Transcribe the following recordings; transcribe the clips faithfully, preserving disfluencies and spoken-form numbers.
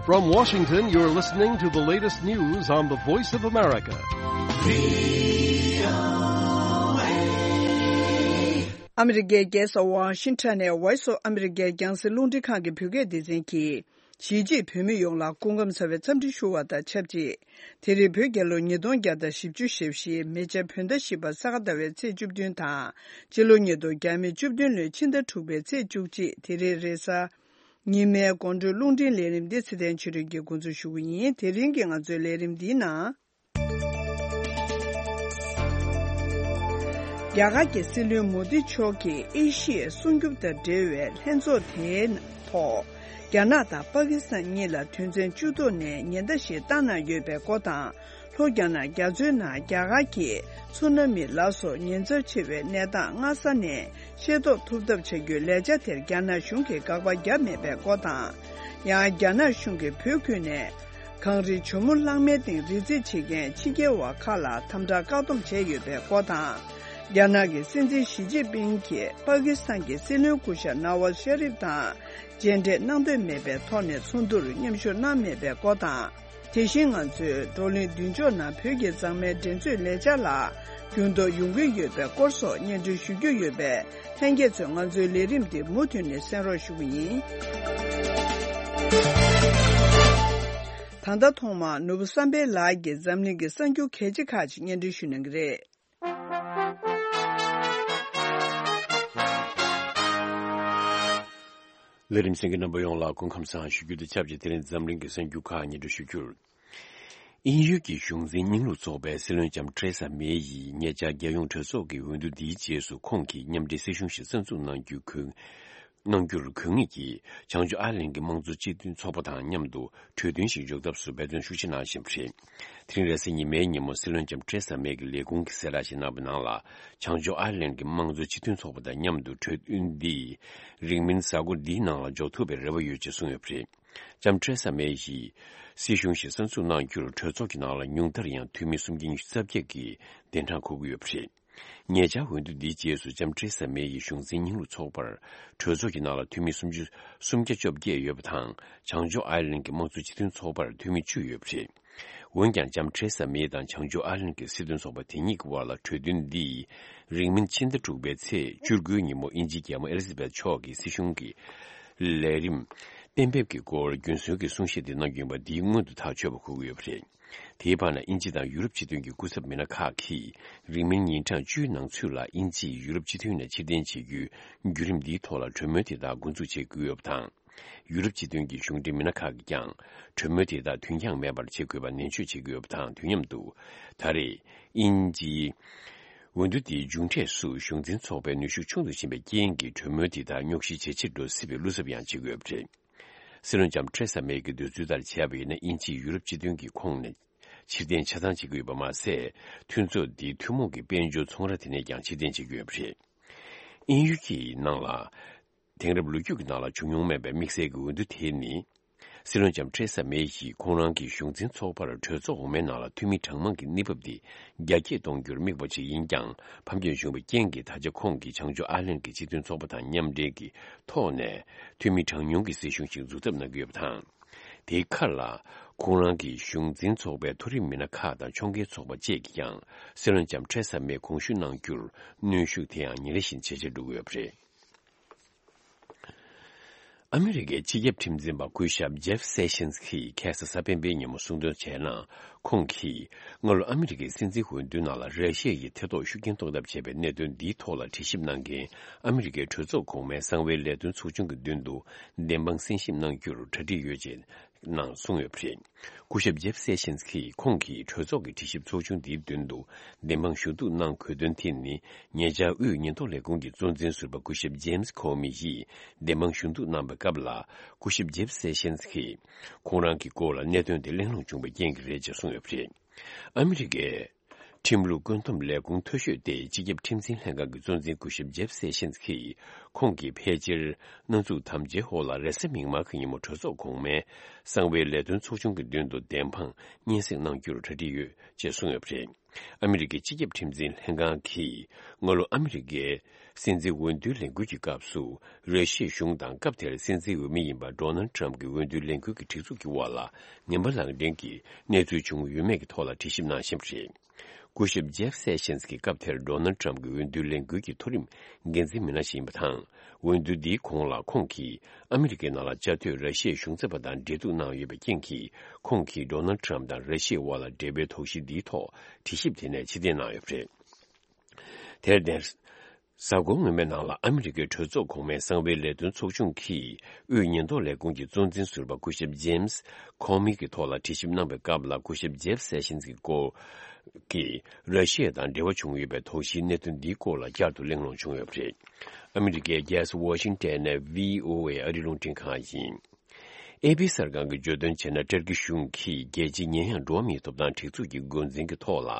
From Washington, you're listening to the latest news on the Voice of America. ཨ་མི་རི་ཀའི་རྒྱལ་ས་ཝ་ཤིང་ཊོན་ནས་Voice of America རྒྱང་སྲིང་རླུང་འཕྲིན་ཁང་གི་བོད་སྐད་སྡེ་ཚན་གྱིས། གཞིས་བྱེས་བོད་མི་ཡོངས་ལ་སྐུ་ཁམས་བཟང་བའི་འཚམས་འདྲི་ཞུ་བ་དང་ཆབས་ཅིག་དེ་རིང་བོད་རྒྱལ་ལོ་ཉིས་སྟོང་བརྒྱ་དང་བཞི་བཅུ་ཞེ་བཞི་མེ་བྱ་བོད་ཟླ་བཞི་པ་ས་ག་ཟླ་བའི་ཚེས་བཅུ་བདུན་དང་། སྤྱི་ལོ་ཉིས་སྟོང་བརྒྱ་མེད་བཅུ་བདུན་ལོའི་ཕྱི་ཟླ་དྲུག་པའི་ཚེས་བཅུ་གཅིག་དེ་རིང་རེས་གཟའ་ཉི་མའི་དགོང་དྲོའི་རླུང་འཕྲིན་ལས་རིམ་འདི་ཚེ་བརྟན་ཆོས་སྒྲོན་གྱིས་འགོ་འཛུགས་ཞུ་གི་ཡིན། དེ་རིང་གི་ང་ཚོའི་ལས་རིམ་འདིའི་ནང་། རྒྱ་གར་གྱི་སྲིད་བློན་མོ་དི་མཆོག་གིས་ཨེ་ཤི་ཡའི་སྲུང་སྐྱོབ་དང་འབྲེལ་བའི་ལྷན་ཚོགས་དེའི་ཐོག་རྒྱ་ནག་དང་པ་ཀི་སི་ཐན་གཉིས་ལ་དོན་ཚན་བཅུ་ཐོག་ནས་ཉེན་བརྡ་ཞིག་བཏང་གནང་ཡོད་པའི་སྐོར་དང་། ལྷོ་རྒྱ་ནག་རྒྱ་མཚོའི་ནང་རྒྱ་གར་གྱིས་ཚུ་ན་མི་ལ་སོགས་ཉེན་ཚབས་ཆེ་བའི་གནས་སྟངས་སྔ་ས་ནས་ཤེས་རྟོགས་ཐུབ་ཐབས་བྱ་རྒྱུའི་ལས་འཆར་དེར་རྒྱ་ནག་གཞུང་གིས་དགག་པ་བརྒྱབ་མེད་པའི་སྐོར་དང་། ཡང་རྒྱ་ནག་གཞུང་གིས་བོད་ཁུལ་ནས། གངས་རིའི་ཇོ་མོ་གླང་མའི་སྟེང་རི་རྩེད་བྱེད་མཁན་ཕྱི་རྒྱལ་བ་ཁག་ལ་དམ་དྲག་བཀག་སྡོམ་བྱས་ཡོད་པའི་སྐོར་དང་། རྒྱ་ནག་གི་སྲིད་འཛིན་ཞི་ཅིན་ཕིང་གིས་པ་ཀི་སི་ཐན་གྱི་སྲིད་བློན་སྐུ་ཞབས་ནཱ་ཝཱཟ་ཤ་རིབ་དང་མཇལ་འཕྲད་གནང་འདོད་མེད་པའི་ཐོག་ནས་ཚོགས་འདུར་མཉམ་ཞུགས་གནང་མེད་པའི་སྐོར་དང་། དེ་བཞིན་ང་ཚོས་བགྲོ་གླེང་མདུན་ལྕོག་ནང་བོད་ཀྱི་མཛངས་མའི་འགྲན་རྩོད་ལས་འཆར་ལ་འགྱུར་ལྡོག་ཡོང་གི་ཡོད་པའི་སྐོར་སོགས་སྙན་སྒྲོན་ཞུ་རྒྱུ་ཡོད་པས། ལྷན་རྒྱས་ཚོས་ང་ཚོའི་ལས་རིམ་འདི་མུ་མཐུད་ནས་གསན་རོགས་ཞུ་གི་ཡིན། ད་ལྟ་ཐོག་མར་ནོར་བུ་བསམ་འཕེལ་ལགས་ཀྱིས་འཛམ་གླིང་གི་གསར་འགྱུར་གལ་ཆེ་ཁག་ཅིག་སྙན་སྒྲོན་ཞུ་གནང་གི་རེད། ལས་རིམ་གསན་མཁན་རྣམ་པ་ཡོངས་ལ་སྐུ་ཁམས་བཟང་ཞུ་རྒྱུ་དང་ཆབས་ཅིག་དེ་རིང་འཛམ་གླིང་གི་གསར་འགྱུར་ཁག་སྙན་སྒྲོན་ཞུ་རྒྱུར། དབྱིན་ཡུལ་གྱི་གཞུང་འཛིན་རྙིང་ལུགས་ཚོགས་པའི་སྲིད་བློན་ལྕམ་ཐེ་རེ་ས་མེ་ཡིས་ཉེ་ཆར་རྒྱལ་ཡོངས་གྲོས་ཚོགས་ཀྱི་འོས་བསྡུ་འདིའི་རྗེས་སུ་ཁོང་གིས་མཉམ་འབྲེལ་སྲིད་གཞུང་ཞིག་གསར་འཛུགས་གནང་རྒྱུའི་གོ་གནང་རྒྱུར་དགོས་ངེས་ཀྱིས་བྱང་ཕྱོགས་ཨར་ལན་གྱི་དམངས་གཙོ་སྤྱི་མཐུན་ཚོགས་པ་དང་མཉམ་དུ་གྲོས་མཐུན་ཞིག་འཇོག་ཐབས་སུ་འབད་བརྩོན་ཤུགས་ཆེ་གནང་བཞིན་པ་རེད། དེ་རིང་རེས་གཟའ་ཉི་མའི་ཉིན་མོ་སྲིད་བློན་ལྕམ་ཐེ་རེ་ས་མེ་གིས་ལས་ཁུངས་ཀྱི་གསལ་བསྒྲགས་ཤིག་གནང་བའི་ནང་ལ། བྱང་ཕྱོགས་ཨར་ལན་གྱི་དམངས་གཙོ་སྤྱི་མཐུན་ཚོགས་པ་དང་མཉམ་དུ་གྲོས་མཐུན་འདི་རིང་མིན་གཟའ་འཁོར་འདིའི་ནང་ལ་འཇོག་ཐུབ་པའི་རེ་བ་ཡོད་ཅེས་གསུངས་ཡོད་པ་རེད། ལྕམ་ཐེ་རེ་ས་མེ་ཡིས་སྲིད་གཞུང་ཞིག་གསར་འཛུགས་གནང་རྒྱུར་གྲོས་ཚོགས་ཀྱི་ནང་ལ་ཉུང་མཐར་ཡང་འཐུས་མི་སུམ་བརྒྱ་ཉི་ཤུ་རྩ་བརྒྱད་ཀྱིས་གདན་དྲངས་འཁུར་གྱི་ཡོད་པ་རེད། ཉེ་ཆར་འོས་བསྡུ་འདིའི་རྗེས་སུ་ལྕམ་ཐེ་རེ་ས་མེ་ཡི་གཞུང་འཛིན་རྙིང་ལུགས་ཚོགས་པར་གྲོས་ཚོགས་ཀྱི་ནང་ལ་འཐུས་མི་སུམ་ཅུ་སུམ་བརྒྱ་བཅོ་བརྒྱད་ཡོད་པ་དང་། བྱང་ཕྱོགས་ཨའི་ལན་གྱི་དམངས་གཙོ་སྤྱི་མཐུན་ཚོགས་པར་འཐུས་མི་བཅུ་ཡོད་པ་རེད། འོན་ཀྱང་ལྕམ་ཐེ་རེ་ས་མེ་དང་བྱང་ཕྱོགས་ཨའི་ལན་གྱི་སྲིད་དོན་ཚོགས་པ་དེ་གཉིས་ཀྱི་དབར་ལ་གྲོས་མཐུན་འདི་རིང་མིན་ཕྱི་ཟླ་དྲུག་པའི་ཚེས་བཅུ་དགུའི་ཉིན་མོ་དབྱིན་ཇིའི་རྒྱལ་མོ་ཨེ་ལི་ཛ་བེད་མཆོག་གིས་སྲིད་གཞུང་གི་ལས་རིམ་གཏན་འབེབས་ཀྱི་སྐོར་རྒྱུན་སྲོལ་གྱི་གསུང་བཤད་དེ་གནང་རྒྱུ་ཡིན་པ་འདིའི་སྔོན་དུ་ཐག་ཆོད་པ་འཁོད་ཀྱི་ཡོད་པ་རེད། དེའི་བར་ན་དབྱིན་ཇི་དང་ཡུ་རོབ་སྤྱི་མཐུན་གྱི་སྐུ་ཚབ་མི་སྣ་ཁག་གིས་རིང་མིན་ཉིན་གྲངས་བཅུའི་ནང་ཚུད་ལ་དབྱིན་ཇིས་ཡུ་རོབ་སྤྱི་མཐུན་ནས་ཕྱིར་འཐེན་བྱེད་རྒྱུའི་བརྒྱུད་རིམ་འདིའི་ཐོག་ལ་གྲོས་མོལ་དེ་དག་འགོ་འཛུགས་བྱེད་དགོས་ཡོད་པ་དང་། ཡུ་རོབ་སྤྱི་མཐུན་གྱི་གཞུང་འབྲེལ་མི་སྣ་ཁག་གིས་ཀྱང་གྲོས་མོལ་དེ་དག་དུས་འགྱངས་མེད་པར་བྱེད་དགོས་པ་ནན་བརྗོད་བྱེད་ཀྱི་ཡོད་པ་དང་། དུས་མཉམ་དུ་ད་རེས་དབྱིན་ཇིའི་འོས་བསྡུ་དེའི་མཇུག་འབྲས་སུ་གཞུང་འཛིན་ཚོགས་པའི་ནུས་ཤུགས་ཆུང་དུ་ཕྱིན་པའི་རྐྱེན་གྱིས་གྲོས་མོལ་དེ་དག་རྙོག་གཞི་ཇེ་ཆེར་འགྲོ་སྲིད་པའི་བློ་འཚབ་ཡང་བྱེད་ཀྱི་ཡོད་པ་རེད། སྲིད་བློན་ལྕམ་ཐེ་རེ་ས་མེ་གི་འདོད་ཚུལ་ལྟར་བྱས་པ་ཡིན་ན། དབྱིན་ཇིས་ཡུ་རོབ་སྤྱི་མཐུན་གྱི་ཁོངས་ནས་ཕྱིར་འཐེན་ཆ་ཚང་བྱེད་ཀྱི་ཡོད་པ་མ་ཟད། མཐུན་ཚོགས་འདིའི་ཐུན་མོང་གི་དཔལ་འབྱོར་ཚོང་ར་དེ་ནས་ཀྱང་ཕྱིར་འཐེན་བྱེད་ཀྱི་ཡོད་པ་རེད། དབྱིན་ཡུལ་གྱི་ནང་ལ་དེང་རབས་ལོ་རྒྱུས་ཀྱི་ནང་ལ་བྱུང་མྱོང་མེད་པའི་དམིགས་བསལ་གྱི་འོས་བསྡུ་དེ་ནི། སྲིད་བློན་ལྕམ་ཐེ་རེ་ས་མེ་ཡིས་ཁོང་རང་གི་གཞུང་འཛིན་ཚོགས་པར་གྲོས་ཚོགས་འོག་མའི་ནང་ལ་འཐུས་མི་གྲངས་མང་གི་གནས་བབ་དེ་རྒྱ་སྐྱེད་གཏོང་རྒྱུར་དམིགས་པ་ཞིག་ཡིན་ཀྱང་། ཕམ་ཉེས་བྱུང་བའི་རྐྱེན་གྱིས་ད་ཆ་ཁོང་གིས་བྱང་ཕྱོགས་ཨའི་ལན་གྱི་སྤྱི་མཐུན་ཚོགས་པ་དང་མཉམ་འབྲེལ་གྱི་ཐོག་ནས་འཐུས་མི་གྲངས་ཉུང་གི་སྲིད་གཞུང་ཞིག་འཛུགས་ཐབས་གནང་གི་ཡོད་པ་དང་། དེའི་ཁར་ལ་ཁོང་རང་གི་གཞུང་འཛིན་ཚོགས་པའི་མཐོ་རིམ་མི་སྣ་ཁག་དང་ཕྱོགས་འགལ་ཚོགས་པ་བཅས་ཀྱིས་ཀྱང་སྲིད་བློན་ལྕམ་ཐེ་རེ་ས་མེ་དགོངས་ཞུ་གནང་རྒྱུར་གནོན་ཤུགས་དེ་ཡང་ཉིན་རེ་བཞིན་ཇེ་ཆེར་འགྲོ་གི་ཡོད་པ་རེད། ཨ་མི་རི་ཀའི་སྤྱི་ཁྱབ་ཁྲིམས་འཛིན་པ་སྐུ་ཞབས་ཇེབ་སེ་ཤིན་སི་གིས་ཁ་སང་གཟའ་སྤེན་པའི་ཉིན་མོ་གསུང་དོན་བྱས་ན། ཁོང་གིས་སྔ་ལོ་ཨ་མི་རི་ཀའི་སྲིད་འཛིན་འོས་བསྡུའི་ནང་ལ་ར་ཤི་ཡ་ཡི་ཐེ་གཏོགས་ཤུགས་རྐྱེན་གཏོང་ཐབས་བྱས་པའི་གནད་དོན་འདིའི་ཐོག་ལ་དྲི་ཞིབ་གནང་མཁན་ཨ་མི་རི་ཀའི་གྲོས་ཚོགས་གོང་མའི་གསང་བའི་ལས་དོན་ཚོགས་ཆུང་གི་མདུན་དུ་བདེན་དཔང་གསན་ཞིབ་གནང་རྒྱུར་གྲ་སྒྲིག་ཡོད་ཅེས་ནང་གསུངས་ཡོད་པ་རེད། སྐུ་ཞབས་ཇེབ་སེ་ཤིན་སི་གིས་ཁོང་གིས་གྲོས་ཚོགས་ཀྱི་དྲི་ཞིབ་ཚོགས་ཆུང་འདིའི་མདུན་དུ་བདེན་དཔང་ཞུ་གཏུག་གནང་དགོས་དོན་དེ་ནི། ཉེ་ཆར་དབུས་ཉེན་རྟོག་ལས་ཁུངས་ཀྱི་གཙོ་འཛིན་ཟུར་པ་སྐུ་ཞབས་ཇེམ་སི་ཁོ་མི་ཡིས་བདེན་དཔང་ཞུ་གཏུག་གནང་བའི་སྐབས་ལ། སྐུ་ཞབས་ཇེབ་སེ་ཤིན་སི་གིས་ཁོང་རང་གི་སྐོར་ལ་གནད་དོན་དེ་གླེང་སློང་བྱུང་བའི་རྐྱེན་གྱིས་རེད་ཅེས་གསུངས་ཡོད་པ་རེད། ཨ་མི་རི་ཀའི་ཁྲིམས་ལུགས་བཀོད་འདོམས་ལས་ཁུངས་མཐོ་ཤོས་ཏེ་སྤྱི་ཁྱབ་ཁྲིམས་འཛིན་ལྷན་ཁང་གི་གཙོ་འཛིན་སྐུ་ཞབས་ཇེབ་སེ་ཤིན་སི་ཡིས་ཁོང་གིས་ཕལ་ཆེར་སྣ་ཚོགས་དམ་བཅའི་འོག་ལ་རེས་གཟའ་མིག་དམར་གྱི་ཉིན་མོ་གྲོས་ཚོགས་གོང་མའི་གསང་བའི་ལས་དོན་ཚོགས་ཆུང་གི་མདུན་དུ་བདེན་དཔང་སྙན་སེང་གནང་རྒྱུར་གྲ་སྒྲིག་ཡོད་ཅེས་གསུངས་ཡོད་པ་རེད། ཨ་མི་རི་ཀའི་སྤྱི་ཁྱབ་ཁྲིམས་འཛིན་ལྷན་ཁང་གིས་སྔ་ལོ་ཨ་མི་རི་ཀའི་ སྲིད་འཛིན་འོས་བསྡུའི་ལས་འགུལ་གྱི་སྐབས་སུ། ར་ཤི་ཡའི་གཞུང་དང་སྐབས་དེར་སྲིད་འཛིན་འོས་མི་ཡིན་པ་ཌོ་ནལ་ཊམ་གྱི་འོས་བསྡུའི་ལས་འགུལ་གྱི་སྒྲིག་འཛུགས་ཀྱི་དབར་ལ་ངན་པ་ལངས་འདྲེན་གྱི་གནས་ཚུལ་བྱུང་ཡོད་མེད་ཀྱི་ཐོག་ལ་དྲི་ཞིབ་གནང་བཞིན་པ་རེད། སྐུ་ཞབས་ཇེབ་སེ་ཤན་གྱིས་སྐབས་དེར་ཌོ་ནལ་ཊམ་གྱི་འོས་བསྡུའི་ལས་འགུལ་གྱི་མཐོ་རིམ་འགན་འཛིན་མི་སྣ་ཞིག་ཡིན་པ་དང་། འོས་བསྡུ་འདིའི་གོང་ལ་ཁོང་གིས་ཨ་མི་རི་ཀའི་ནང་ལ་བཅའ་སྡོད་ར་ཤི་ཡའི་གཞུང་ཚབ་པ་དང་འབྲེལ་གཏུག་གནང་ཡོད་པའི་རྐྱེན་གྱིས། ཁོང་གིས་ཌོ་ནལ་ཊམ་དང་ར་ཤི་ཡའི་དབར་ལ་འབྲེལ་བའི་དོགས་གཞི་འདིའི་ཐོག་དྲི་ཞིབ་དེ་ནས་ཕྱིར་འཐེན་གནང་ཡོད་པ་རེད། དེར་བརྟེན། གཟའ་འཁོར་སྔོན་མའི་ནང་ལ་ཨ་མི་རི་ཀའི་གྲོས་ཚོགས་གོང་མའི་གསང་བའི་ལས་དོན་ཚོགས་ཆུང་གིས་དབུས་ཉེན་རྟོག་ལས་ཁུངས་ཀྱི་གཙོ་འཛིན་ཟུར་པ་སྐུ་ཞབས་ཇེམ་སི་ཁོ་མི་གི་ཐོག་ལ་དྲི་ཞིབ་གནང་བའི་སྐབས་ལ། སྐུ་ཞབས་ཇེབ་སེ་ཤན་གྱི་སྐོར་གྱི་ར་ཤི་ཡ་དང་འབྲེལ་བ་བྱུང་ཡོད་པའི་དོགས་གཞིའི་གནད་དོན་འདིའི་སྐོར་ལ་བསྐྱར་དུ་གླེང་སློང་བྱུང་ཡོད་པ་རེད། ཨ་མི་རི་ཀའི་རྒྱལ་ས་ཝ་ཤིང་ཊོན་ནས་ཝི་ཨོ་ཨེ་ཨ་རིའི་རླུང་འཕྲིན་ཁང་ཡིན། ཨེ་པི་གསར་ཁང་གིས་བརྗོད་དོན་བྱས་ན། ཏུར་ཀི་གཞུང་གིས་རྒྱལ་སྤྱིའི་ཉེ་ཡངས་འགྲོ་བ་མིའི་ཐོབ་ཐང་སྒྲིག་འཛུགས་ཀྱི་འགོ་འཛིན་གྱི་ཐོག་ལ།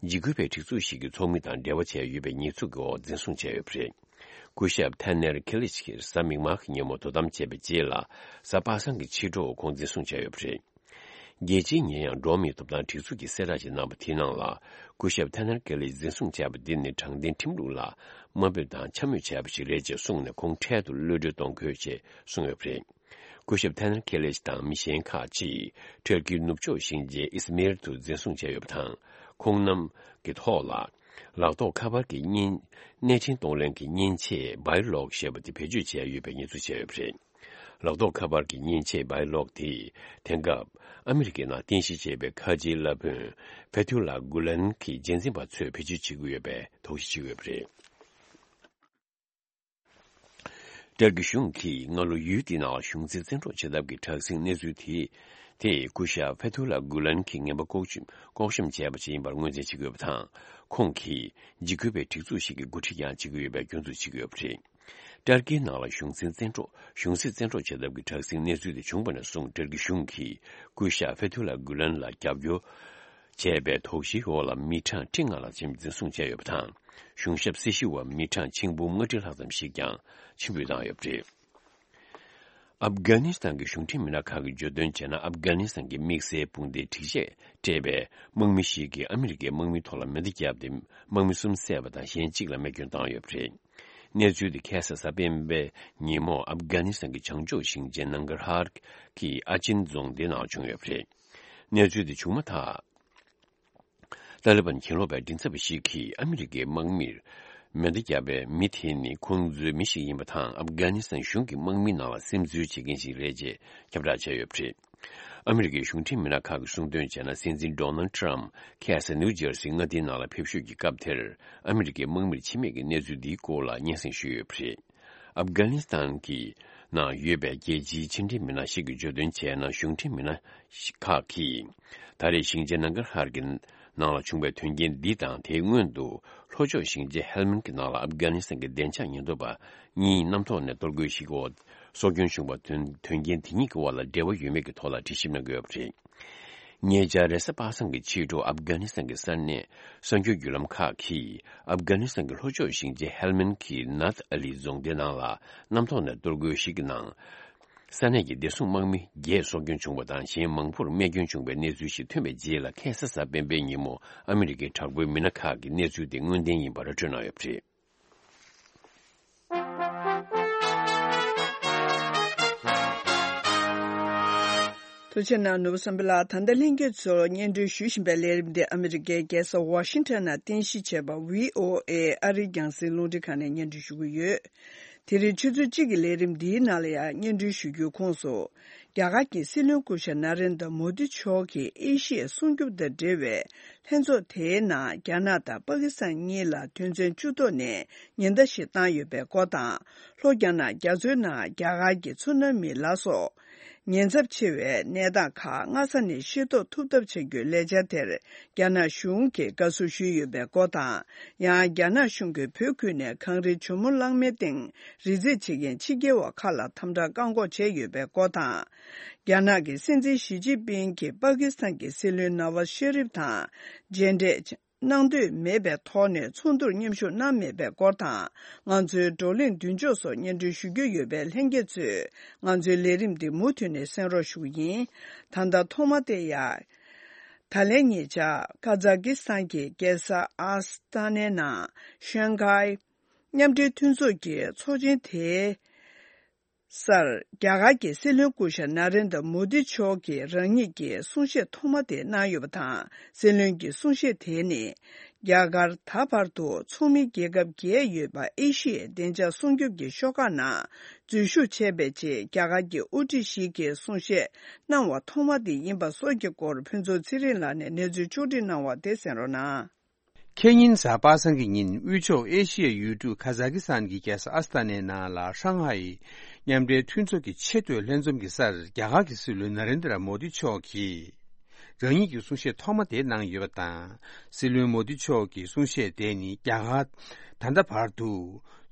འཇིགས་སྐུལ་བའི་སྒྲིག་འཛུགས་ཤིག་གི་ཚོགས་མི་དང་འབྲེལ་བ་བྱས་ཡོད་པའི་ཉེས་འཛུགས་ཀྱི་འོག་འཛིན་བཟུང་བྱས་ཡོད་པ་རེད། སྐུ་ཞབས་ཐ་ནེར་ཁེ་ལིཆ་གིས་གཟའ་མིག་དམར་གྱི་ཉིན་མོ་དོ་དམ་བྱས་པའི་རྗེས་ལ། གཟའ་པ་སངས་ཀྱི་ཕྱི་དྲོ་ཁོང་འཛིན་བཟུང་བྱས་ཡོད་པ་རེད། རྒྱལ་སྤྱིའི་ཉེ་ཡངས་འགྲོ་བ་མིའི་ཐོབ་ཐང་སྒྲིག་འཛུགས་ཀྱིས་གསལ་བསྒྲགས་ཤིག་གནང་བ་དེའི་ནང་ལ། སྐུ་ཞབས་ཐ་ནེར་ཁེ་ལིཆ་འཛིན་བཟུང་བྱས་པ་འདི་ནི་དྲང་བདེན་ཁྲིམས་ལུགས་ལ་དམའ་འབེབས་དང་འཕྱ་སྨོད་བྱས་པ་ཞིག་རེད་ཅེས་གསུངས་ནས། ཁོང་འཕྲལ་དུ་གློད་གྲོལ་གཏོང་དགོས་ཅེས་གསུངས་ཡོད་པ་རེད། སྐུ་ཞབས་ཐ་ནེར་ཁེ་ལིཆ་དང་མི་གཞན་ཁག་ཅིག་ཏུར་ཀིའི་ནུབ་ཕྱོགས་ཤིང་ཆེན་ཨིས་མིར་དུ་འཛིན་བཟུང་བྱས་ཡོད་པ་དང་། ཁོང་རྣམས་ཀྱི་ཐོག་ལ་ལག་ཐོགས་ཁ་པར་གྱི་མཉེན། གནས་འཕྲིན་གཏོང་ལེན་གྱི་མཉེན་ཆས་བྷའི་ལོག་ཞེས་པ་དེ་བེད་སྤྱོད་བྱས་ཡོད་པའི་ཉེས་འཛུགས་བྱས་ཡོད་པ་རེད། ལག་ཐོགས་ཁ་པར་གྱི་མཉེན་ཆས་བྷའི་ལོག་དེས། དེང་སྐབས་ཨ་མི་རི་ཀའི་ནང་རྟེན་གཞི་བྱས་པའི་ཁ་ཆེའི་བླ་དཔོན་ཕེ་ཐུ་ལ་གུ་ལན་གྱི་རྗེས་འཛིན་པ་ཚོས་བེད་སྤྱོད་བྱེད་ཀྱི་ཡོད་པའི་དོགས་གཞི་བྱེད་ཀྱི་ཡོད་པ་རེད། ཏུར་ཀི་གཞུང་གིས་སྔ་ལོ་ཡུལ་དེའི་ནང་གཞུང་འཛིན་བཙན་འཕྲོག་བྱེད་ཐབས་ཀྱི་དྲག་ཟིང་གནས་ཚུལ་དེ། དེ་སྐུ་ཞབས་ཕེ་ཐུ་ལ་གུ་ལན་གྱིས་ངན་པ་ལྐོག་ཞུ། ལྐོག་བཤམས་བྱས་པ་ཞིག་ཡིན་པར་ངོས་འཛིན་བྱེད་ཀྱི་ཡོད་པ་དང་། ཁོང་གིས་འཇིགས་སྐུལ་བའི་སྒྲིག་འཛུགས་ཤིག་གི་འགོ་ཁྲིད་ཀྱང་བྱེད་ཀྱི་ཡོད་པའི་སྐྱོན་འཛུགས་བྱེད་ཀྱི་ཡོད་པ་རེད། ཏུར་ཀིའི་ནང་ལ་གཞུང་འཛིན་བཙན་འཕྲོག་གཞུང་སྲིད་བཙན་འཕྲོག་བྱེད་ཐབས་ཀྱི་དྲག་ཟིང་གནས་ཚུལ་དེ་བྱུང་བ་ནས་བཟུང་། ཏུར་ཀི་གཞུང་གིས་སྐུ་ཞབས་ཕེ་ཐུ་ལ་གུ་ལན་ལ་རྒྱབ་སྐྱོར་བྱས་པའི་དོགས་གཞིའི་འོག་ལ་མི་གྲངས་ཁྲི་ལྔ་ལྷག་ཙམ་འཛིན་བཟུང་བྱས་ཡོད་པ་དང་། གཞུང་ཞབས་སྲི་ཞུ་བ་མི་གྲངས་ཆིག་འབུམ་ལྔ་ཁྲི་ལྷག་ཙམ་ཞིག་ཀྱང་ཕྱིར་འབུད་བཏང་ཡོད་པ་རེད། ཨབ་གྷ་ནི་སི་ཐན་གྱི་གཞུང་འབྲེལ་མི་སྣ་ཁག་གིས་བརྗོད་དོན་བྱས་ན། ཨབ་གྷ་ནི་སི་ཐན་གྱི་དམིགས་བསལ་དཔུང་སྡེའི་སྒྲིག་ཆས་སྤྲས་པའི་དམག་མི་ཞིག་གིས་ཨ་མི་རི་ཀའི་དམག་མིའི་ཐོག་ལ་མེ་མདའ་བརྒྱབ་སྟེ། དམག་མི་གསུམ་བསད་པ་དང་། གཞན་གཅིག་ལ་རྨས་སྐྱོན་བཏང་ཡོད་པ་རེད། གནས་ཚུལ་དེ་ཁ་སང་གཟའ་སྤེན་པའི་ཉིན་མོ་ཨབ་གྷ་ནི་སི་ཐན་གྱི་བྱང་ཕྱོགས་ཞིང་ཆེན་ནང་གར་ཧར་གྱི་ཨ་ཅིན་རྫོང་སྡེའི་ནང་བྱུང་ཡོད་པ་རེད། གནས་ཚུལ་དེ་བྱུང་མ་ཐག་ཏཱ་ལི་བན་གྱེན་ལོག་པའི་མགྲིན་ཚབ་པ་ཞིག་གིས་ཨ་མི་རི་ཀའི་དམག་མིར་མེ་མདའ་བརྒྱབ་པའི་མི་དེ་ནི་ཁོང་ཚོའི་མི་ཞིག་ཡིན་པ་དང་། ཨབ་གྷ་ནི་སི་ཐན་གཞུང་གི་དམག་མིའི་ནང་ལ་སིམ་འཛུལ་བྱེད་མཁན་ཞིག་རེད་ཅེས་ཁྱབ་བསྒྲགས་བྱས་ཡོད་པ་རེད། ཨ་མི་རི་ཀའི་གཞུང་འབྲེལ་མི་སྣ་ཁག་གིས་གསུངས་དོན་བྱས་ན། སྲིད་འཛིན་ཌོ་ནལ་ཊམ་ཁ་སང་ནིའུ་ཇར་སི་མངའ་སྡེའི་ནང་ལ་ཕེབས་བཞུད་ཀྱི་སྐབས་དེར། ཨ་མི་རི་ཀའི་དམག་མིར་འཆི་རྨས་ཀྱི་གནས་ཚུལ་འདིའི་སྐོར་ལ་སྙན་སེང་ཞུས་ཡོད་པ་རེད། ཨབ་གྷ་ནི་སི་ཐན་གྱི་ནང་ཡོད་པའི་རྒྱལ་སྤྱིའི་ཕྱི་འབྲེལ་མི་སྣ་ཞིག་གིས་བརྗོད་དོན་བྱས་ན། གཞུང་འབྲེལ་མི་སྣ་ཁག་གིས་ད་རེས་ཞིང་ཆེན་ནང་གར་ཧར་གྱི་ནང་ལ་བྱུང་བའི་དོན་རྐྱེན་འདི་དང་། དེའི་སྔོན་དུ་ལྷོ་ཕྱོགས་ཞིང་ཆེན་ཧེལ་མན་གྱི་ནང་ལ་ཨབ་གྷ་ནི་སི་ཐན་གྱི་བདེ་འཇགས་ཉེན་རྟོག་པ་གཉིས་གནམ་ཐོག་ནས་གཏོར་རྒོལ་ཞིག་འོག་སྲོག་སྐྱོན་བྱུང་བ། དོན་དོན་རྐྱེན་དེ་གཉིས་ཀྱི་དབར་ལ་འབྲེལ་བ་ཡོད་མེད་ཀྱི་ཐོག་ལ་དྲི་ཞིབ་གནང་གི་ཡོད་པ་རེད། ཉེ་ཆར་རེས་གཟའ་པ་སངས་ཀྱི་ཕྱི་དྲོ་ཨབ་གྷ་ནི་སི་ཐན་གྱི་ས་གནས་གསར་འགྱུར་བརྒྱུད་ལམ་ཁག་གིས། ཨབ་གྷ་ནི་སི་ཐན་གྱི་ལྷོ་ཕྱོགས་ཞིང་ཆེན་ཧེལ་མན་གྱི་ནཱཐ་ཨ་ལི་རྫོང་སྡེའི་ནང་ལ་གནམ་ཐོག་ནས་གཏོར་རྒོལ་ཞིག་གི་ནང་། ས་གནས་ཀྱི་བདེ་སྲུང་དམག་མི་བརྒྱད་སྲོག་སྐྱོན་བྱུང་བ་དང་། གཞན་མང་པོར་རྨས་སྐྱོན་བྱུང་བའི་གནས་ཚུལ་ཞིག་ཐོན་པའི་རྗེས་ལ། ཁ་སང་གཟའ་སྤེན་པའི་ཉིན་མོ་ཨ་མི་རི་ཀའི་དྲག་པོའི་མི་སྣ་ཁག་གིས་གནས་ཚུལ་དེ་དངོས་བདེན་ཡིན་པ་ར་སྤྲོད་གནང་ཡོད་པ་རེད། ཐུགས་རྗེ་གནང་། ནོར་བུ་བསམ་འཕེལ་ལགས། ད་ལྟ་ལྷན་རྒྱས་ཚོར་སྙན་སྒྲོན་ཞུ་བཞིན་པའི་ལས་རིམ་འདི་ཨ་མི་རི་ཀའི་རྒྱལ་ས་ཝ་ཤིང་ཊོན་ནང་རྟེན་གཞི་བྱས་པ་ཝི་ཨོ་ཨེ་ཨ་རིའི་རྒྱང་སྲིང་རླུང་འཕྲིན་ཁང་ནས་སྙན་སྒྲོན་ཞུ་གི་ཡོད། དེ་རིང་ཆུ་ཚོད་གཅིག་གི་ལས་རིམ་འདིའི་ནང་ལ་ཡང་སྙན་སྒྲོན་ཞུ་རྒྱུའི་ཁོངས་སུ། རྒྱ་གར་གྱི་སྲིད་བློན་སྐུ་ཞབས་ན་རེན་དྲ་མོ་དི་མཆོག་གིས་ཨེ་ཤི་ཡའི་སྲུང་སྐྱོབ་དང་འབྲེལ་བའི་ལྷན་ཚོགས་དེའི་ནང་རྒྱ་ནག་དང་པ་ཀི་སི་ཐན་གཉིས་ལ་དོན་ཚན་བཅུ་ཐོག་ནས་ཉེན་བརྡ་ཞིག་བཏང་ཡོད་པའི་སྐོར་དང་། ལྷོ་རྒྱ་ནག་རྒྱ་མཚོའི་ནང་རྒྱ་གར་གྱི་མཚོ་ནང་མི་ལ་སོགས་ཉེན་ཚབས་ཆེ་བའི་གནས་སྟངས་ཁག་སྔ་ས་ནས་ཤེས་རྟོགས་ཐུབ་ཐབས་བྱ་རྒྱུའི་ལས་འཆར་དེར་རྒྱ་ནག་གཞུང་གིས་དགའ་བསུ་ཞུས་ཡོད་པའི་སྐོར་དང་། ཡང་རྒྱ་ནག་གཞུང་གིས་བོད་ཁུལ་ནས་གངས་རིའི་ཇོ་མོ་གླང་མའི་སྟེང་རི་འཛེག་བྱེད་མཁན་ཕྱི་རྒྱལ་བ་ཁག་ལ་དམ་དྲག་བཀག་འགོག་བྱས་ཡོད་པའི་སྐོར་དང་། རྒྱ་ནག་གི་སྲིད་འཛིན་ཞི་ཅིན་ཕིང་གིས་པ་ཀི་སི་ཐན་གྱི་སྲིད་བློན་ནཱ་ཝཱ་ཤེ་རིབ་དང་མཇལ་འཕྲད་གནང་འདོད་མེད་པའི་ཐོག་ནས་ཚོགས་འདུར་མཉམ་ཞུགས་གནང་མེད་པའི་སྐོར་དང་། ང་ཚོའི་བགྲོ་གླེང་མདུན་ལྕོག་སོགས་སྙན་སྒྲོན་ཞུ་རྒྱུ་ཡོད་པས། ལྷན་རྒྱས་ཚོས་ང་ཚོའི་ལས་རིམ་འདི་མུ་མཐུད་ནས་གསན་རོགས་ཞུ་གི་ཡིན། ད་ལྟ་ཐོག་མ་དེ་ཡང་། ད་ལན་ཉེ་ཆར་ཀ་ཛ་ཀི་སི་ཐན་གྱི་རྒྱལ་ས་ཨ་སི་ཏ་ནའི་ནང་ཤང་ཀའི་ མཉམ་འབྲེལ་མཐུན་ཚོགས་ཀྱི་ཚོགས་ཆེན་དེའི་སར་རྒྱ་གར་གྱི་སྲིད་བློན་སྐུ་ཞབས་ན་རེན་དྲ་མོ་དི་མཆོག་གིས་རང་ཉིད་ཀྱི་གསུང་བཤད་ཐོག་མ་དེ་གནང་ཡོད་པ་དང་། སྲིད་བློན་གྱི་གསུང་བཤད་དེ་ནི་རྒྱ་གར་ད་བར་དུ་ཚོགས་མི་རྒྱལ་ཁབ་བརྒྱད་ཡོད་པ་ཨེ་ཤི་ཡའི་བདེ་འཇགས་སྲུང་སྐྱོབ་ཀྱི་ཤོག་ཁག་ནང་འཛུལ་ཞུགས་བྱས་པའི་རྗེས། རྒྱ་གར་གྱི་དབུ་ཁྲིད་ཞིག་གིས་གསུང་བཤད་གནང་བ་ཐོག་མ་དེ་ཡིན་པ་སོགས་ཀྱི་སྐོར་ཕུན་ཚོགས་ཚེ་རིང་ལགས་ནས་གནས་ཚུལ་ཕྱོགས་སྒྲིག་གནང་བ་དེ་གསན་རོགས་གནང་། ཁེ་ཉིན་གཟའ་པ་སངས་ཀྱི་ཉིན་དབུས་ཕྱོགས་ཨེ་ཤི་ཡའི་ཡུལ་གྲུ་ཁ་ཛ་ཀི་སི་ཐན་གྱི་རྒྱལ་ས་ཨ་སི་ཐ་ནའི་ནང་ལ་ཧྲང་ཧའེ་མཉམ་འབྲེལ་མཐུན་ཚོགས་ཀྱི་ཆེས་མཐོའི་ལྷན་འཛོམས་ཀྱི་སར་རྒྱ་གར་གྱི་སྲིད་བློན་ན་རེན་དྲ་མོ་དི་མཆོག་གིས་རང་ཉིད་ཀྱི་གསུང་བཤད་ཐོག་མ་དེ་གནང་ཡོད་པ་དང་། སྲིད་བློན་མོ་དི་མཆོག་གི་གསུང་བཤད་དེ་ནི་རྒྱ་གར་ད་ལྟ་བར་དུ་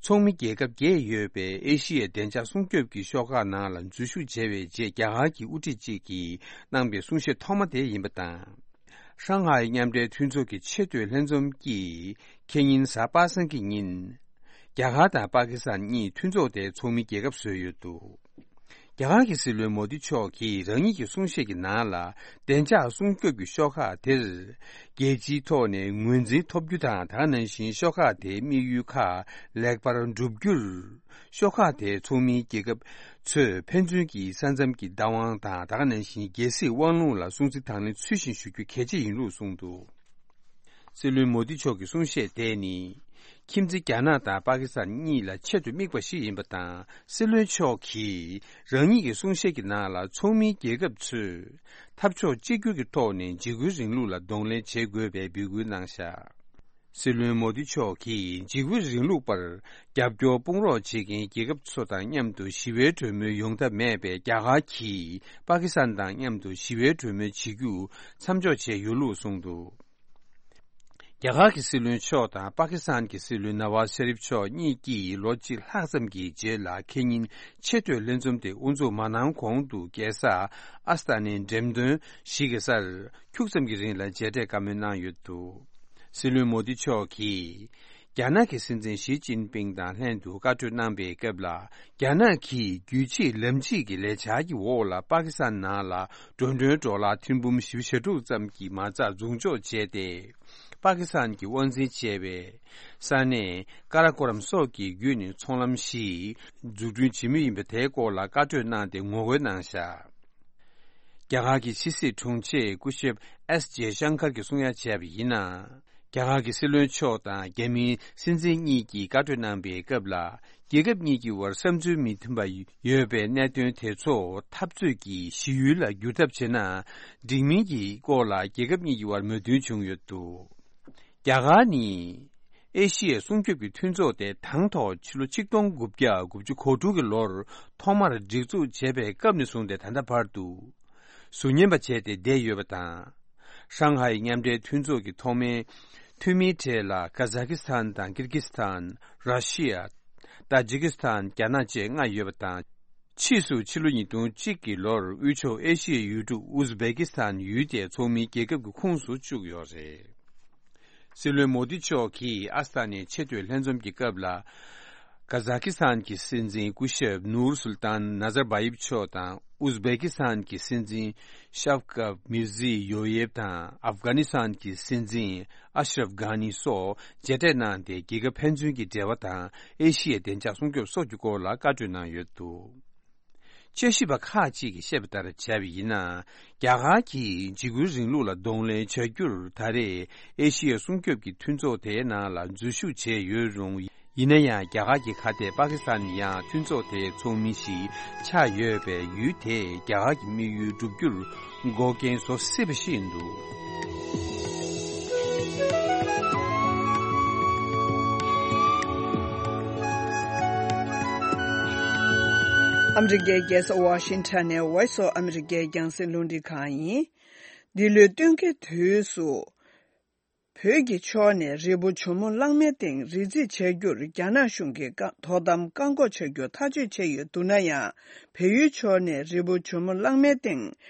ཚོགས་མི་རྒྱལ་ཁབ་བརྒྱད་ཡོད་པའི་ཨེ་ཤི་ཡའི་བདེ་འཇགས་སྲུང་སྐྱོབ་ཀྱི་ཤོག་ཁག་ནང་ལ་འཛུལ་ཞུགས་བྱས་པའི་རྗེས། རྒྱ་གར་གྱི་དབུ་ཁྲིད་ཅིག་གིས་གནང་པའི་གསུང་བཤད་ཐོག་མ་དེ་ཡིན་པ་དང་། ཧྲང་ཧའེ་མཉམ་འབྲེལ་མཐུན་ཚོགས་ཀྱི་ཆེས་མཐོའི་ལྷན་འཛོམས་ཀྱིས་ཁེ་ཉིན་གཟའ་པ་སངས་ཀྱི་ཉིན། རྒྱ་གར་དང་པ་ཀི་སི་ཐན་གཉིས་མཐུན་ཚོགས་དེའི་ཚོགས་མི་རྒྱལ་ཁབ་བཟོས་ཡོད་འདུག་རྒྱ་གར་གྱི་སྲིད་བློན་མོ་དི་མཆོག་གིས་རང་ཉིད་ཀྱི་གསུང་བཤད་ཀྱི་ནང་ལ། བདེ་འཇགས་སྲུང་སྐྱོབ་ཀྱི་ཤོག་ཁག་དེར་རྒྱལ་སྤྱིའི་ཐོག་ནས་ངོས་འཛིན་ཐོབ་རྒྱུ་དང་། དེ་ག་ནང་བཞིན་ཤོག་ཁག་དེའི་དམིགས་ཡུལ་ཁག་ལེགས་པར་འགྲུབ་རྒྱུར། ཤོག་ཁག་དེའི་ཚོགས་མིའི་རྒྱལ་ཁབ་ཚོས་ཕན་ཚུན་གྱི་ས་མཚམས་ཀྱི་བདག་དབང་དང་། དེ་ག་ནང་བཞིན་རྒྱལ་སྲིད་དབང་ལུང་ལ་སྲུང་བརྩི་དང་ལེན་ཚུལ་བཞིན་ཞུ་རྒྱུ་གལ་ཆེ་ཡིན་ལུགས་གསུངས་འདུག་སྲིད་བློན་མོ་དི་མཆོག་གི་གསུང་བཤད་དེ་ནི། ཁྱིམ་མཚེས་རྒྱ་ནག་དང་པ་ཀི་སི་ཐན་གཉིས་ལ་ཆེད་དུ་དམིགས་པ་ཞིག་ཡིན་པ་དང་། སྲིད་བློན་མཆོག་གིས་རང་ཉིད་ཀྱི་གསུང་བཤད་ཀྱི་ནང་ལ། ཚོགས་མིའི་རྒྱལ་ཁབ་ཚོས་འཐབ་ཕྱོགས་གཅིག་གྱུར་གྱི་ཐོག་ནས་འཇིགས་སྐུལ་རིང་ལུགས་ལ་གདོང་ལེན་བྱེད་དགོས་པའི་འབོད་སྐུལ་གནང་བཞག་སྲིད་བློན་མོ་དི་མཆོག་གིས་འཇིགས་སྐུལ་རིང་ལུགས་པར་རྒྱབ་སྐྱོར་དཔུང་རོགས་བྱེད་མཁན་རྒྱལ་ཁབ་ཚོ་དང་མཉམ་དུ་ཞི་བའི་གྲོས་མོལ་ཡོང་ཐབས་མེད་པས། རྒྱ་གར་གྱིས་པ་ཀི་སི་ཐན་དང་མཉམ་དུ་ཞི་བའི་གྲོས་མོལ་བྱེད་རྒྱུ་མཚམས་འཇོག་བྱས་ཡོད་ལུགས་གསུངས་འདུག་རྒྱ་གར་གྱི་སྲིད་བློན་མཆོག་དང་པ་ཀི་སི་ཐན་གྱི་སྲིད་བློན་ན་ཝཱ་ཟ་རིབ་མཆོག་གཉིས་ཀྱིས་ལོ་གཅིག་ལྷག་ཙམ་གྱི་རྗེས་ལ་ཁེ་ཉིན་ཆེས་མཐོའི་ལྷན་འཛོམས་དེ་དབུ་འཛུགས་མ་གནང་གོང་དུ། རྒྱལ་ས་ཨ་སི་ཐ་ནའི་འགྲེམས་སྟོན་ཞིག་གི་སར་ཁྱུག་ཙམ་གྱི་རིང་ལ་མཇལ་འཕྲད་བཀའ་མོལ་གནང་ཡོད་འདུག་སྲིད་བློན་མོ་དི་མཆོག་གིས་རྒྱ་ནག་གི་སྲིད་འཛིན་ཞི་ཅིན་ཕིང་དང་ལྷན་དུ་བཀའ་གྲོས་གནང་པའི་སྐབས་ལ། རྒྱ་ནག་གིས་རྒྱུད་གཅིག་ལམ་གཅིག་གི་ལས་འཆར་གྱི་འོག་ལ། པ་ཀི་སི་ཐན་ནང་ལ་འགྲོ་གྲོན་ཌོ་ལར་ཐེར་འབུམ་བཞི་བཅུ་ཞེ་དྲུག་ཙམ་གྱི་མ་རྩ་འཛུགས་འཇོག་བྱས་ཏེ། པ་ཀི་སི་ཐན་གྱི་དབང་འཛིན་བྱས་པའི་ས་གནས་ཀ་ར་ཀོ་རམ་སོགས་ཀྱི་བརྒྱུད་ནས་ཚོང་ལམ་ཞིག་འཛུགས་སྐྲུན་བྱེད་མུས་ཡིན་པ་དེའི་སྐོར་ལ་བཀའ་གྲོས་གནང་སྟེ་ངོ་རྒོལ་གནང་བཞག་རྒྱ་གར་གྱི་ཕྱི་སྲིད་དྲུང་ཆེ་སྐུ་ཞབས་ཨེས་ཇེ་ཤང་ཀར་གྱིས་གསུང་ཡ་བྱས་པ་ཡིན་ན། རྒྱ་གར་གྱི་སྲིད་བློན་མཆོག་དང་རྒྱ་མིའི་སྲིད་འཛིན་གཉིས་ཀྱིས་བཀའ་གྲོས་གནང་པའི་སྐབས་ལ། རྒྱལ་ཁབ་གཉིས་ཀྱི་དབར་བསམ་ཚུལ་མི་མཐུན་པ་ཡོད་པའི་གནད་དོན་དེ་ཚོ་འཐབ་རྩོད་ཀྱི་གཞི་ཡུལ་ལ་བསྒྱུར་ཐབས་བྱས་ན། འགྲིག་མིན་གྱི་སྐོར་ལ་རྒྱལ་ཁབ་གཉིས་ཀྱི་དབར་མོས་མཐུན་བྱུང་ཡོད་འདུག་རྒྱ་གར་ནི་ཨེ་ཤི་ཡའི་སྲུང་སྐྱོབ་ཀྱི་མཐུན་ཚོགས་དེ་དང་ཐོག་ཕྱི་ལོ་ཆིག་སྟོང་དགུ་བརྒྱ་དགུ་བཅུ་གོ་དྲུག་གི་ལོར་ཐོག་མར་སྒྲིག་འཛུགས་བྱས་པའི་སྐབས་ནས་བཟུང་སྟེ་ད་ལྟ་བར་དུ་ཟུར་ཉན་པ་བྱས་ཏེ་བསྡད་ཡོད་པ་དང་། ཧྲང་ཧའེ་མཉམ་འབྲེལ་མཐུན་ཚོགས་ཀྱི་ཐོག་མའི་འཐུས་མིའི་གྲས་ལ་ཀ་ཛ་ཀི་སི་ཐན་དང་ཀིར་ཀི་སི་ཐན། ར་ཤི་ཡ། ཏཱ་ཇི་ཀི་སི་ཐན། རྒྱ་ནག་བཅས་ལྔ་ཡོད་པ་དང་། ཕྱིས་སུ་ཕྱི་ལོ་ཉིས་སྟོང་གཅིག་གི་ལོར་དབུས་ཕྱོགས་ཨེ་ཤི་ཡའི་ཡུལ་གྲུ་ཨུ་ཛི་བེ་ཀི་སི་ཐན་ཡུལ་དེ་ཚོགས་མིའི་རྒྱལ་ཁབ་ཀྱི་ཁོངས་སུ་བཅུག་ཡོད་རེད། སྲིད་བློན་མོ་དི་མཆོག་གིས་ཨ་སི་ཐ་ནའི་ཆེས་མཐོའི་ལྷན་འཛོམས་ཀྱི་སྐབས་ལ། ཀ་ཛ་ཀི་སི་ཐན་གྱི་སྲིད་འཛིན་སྐུ་ཞབས་ནུར་སུལ་ཏཱན་ནཱ་ཛར་བྷ་ཡེབ་མཆོག་དང་། ཨུ་ཛི་བེ་ཀི་སི་ཐན་གྱི་སྲིད་འཛིན་ཤབ་ཀབ་མིར་ཛི་ཡོ་ཡེབ་དང་། ཨབ་གྷ་ནི་སི་ཐན་གྱི་སྲིད་འཛིན་ཨ་ཤ་རབ་གྷ་ནི་སོགས་མཇལ་འཕྲད་གནང་སྟེ། རྒྱལ་ཁབ་ཕན་ཚུན་གྱི་འབྲེལ་བ་དང་། ཨེ་ཤི་ཡའི་བདེ་འཇགས་སྲུང་སྐྱོབ་སོགས་ཀྱི་སྐོར་ལ་བཀའ་གྲོས་གནང་ཡོད་འདུག་དཔྱད་ཞིབ་པ་ཁག་ཅིག་གིས་བཤད་པ་ལྟར་བྱས་པ་ཡིན་ན། རྒྱ་གར་གྱིས་འཇིགས་སྐུལ་རིང་ལུགས་ལ་གདོང་ལེན་བྱ་རྒྱུར་ད་རེས་ཨེ་ཤི་ཡའི་སྲུང་སྐྱོབ་ཀྱི་མཐུན་ཚོགས་དེའི་ནང་ལ་འཛུལ་ཞུགས་བྱས་ཡོད་རུང་། ཡིན་ན་ཡང་རྒྱ་གར་གྱི་ཁ་གཏད་པ་ཀི་སི་ཐན་ཡང་མཐུན་ཚོགས་དེའི་ཚོགས་མི་ཞིག་ཆགས་ཡོད་པས། ཡུལ་དེས་རྒྱ་གར་གྱི་དམིགས་ཡུལ་བསྒྲུབ་རྒྱུར་འགོག་རྐྱེན་བཟོ་སྲིད་པ་ཞིག་ཡིན་འདུག་ཨ་མི་རི་ཀའི་རྒྱལ་ས་ཝ་ཤིང་ཊོན་ནས་Voice of America རྒྱང་སྲིང་རླུང་འཕྲིན་ཁང་ཡིན། འདི་ལོའི་སྟོན་ཁའི་དུས་སུ། བོད་ཀྱི་ཕྱོགས་ནས་རི་བོ་ཇོ་མོ་གླང་མའི་སྟེང་རི་འཛེག་བྱ་རྒྱུར་རྒྱ་ནག་གཞུང་གིས་བཀག་དོ་དམ་བཀག་འགོག་བྱ་རྒྱུ་ཐག་གཅོད་བྱས་ཡོད་འདུག་ན་ཡང་། བལ་ཡུལ་ཕྱོགས་ནས་རི་བོ་ཇོ་མོ་གླང་མའི་སྟེང་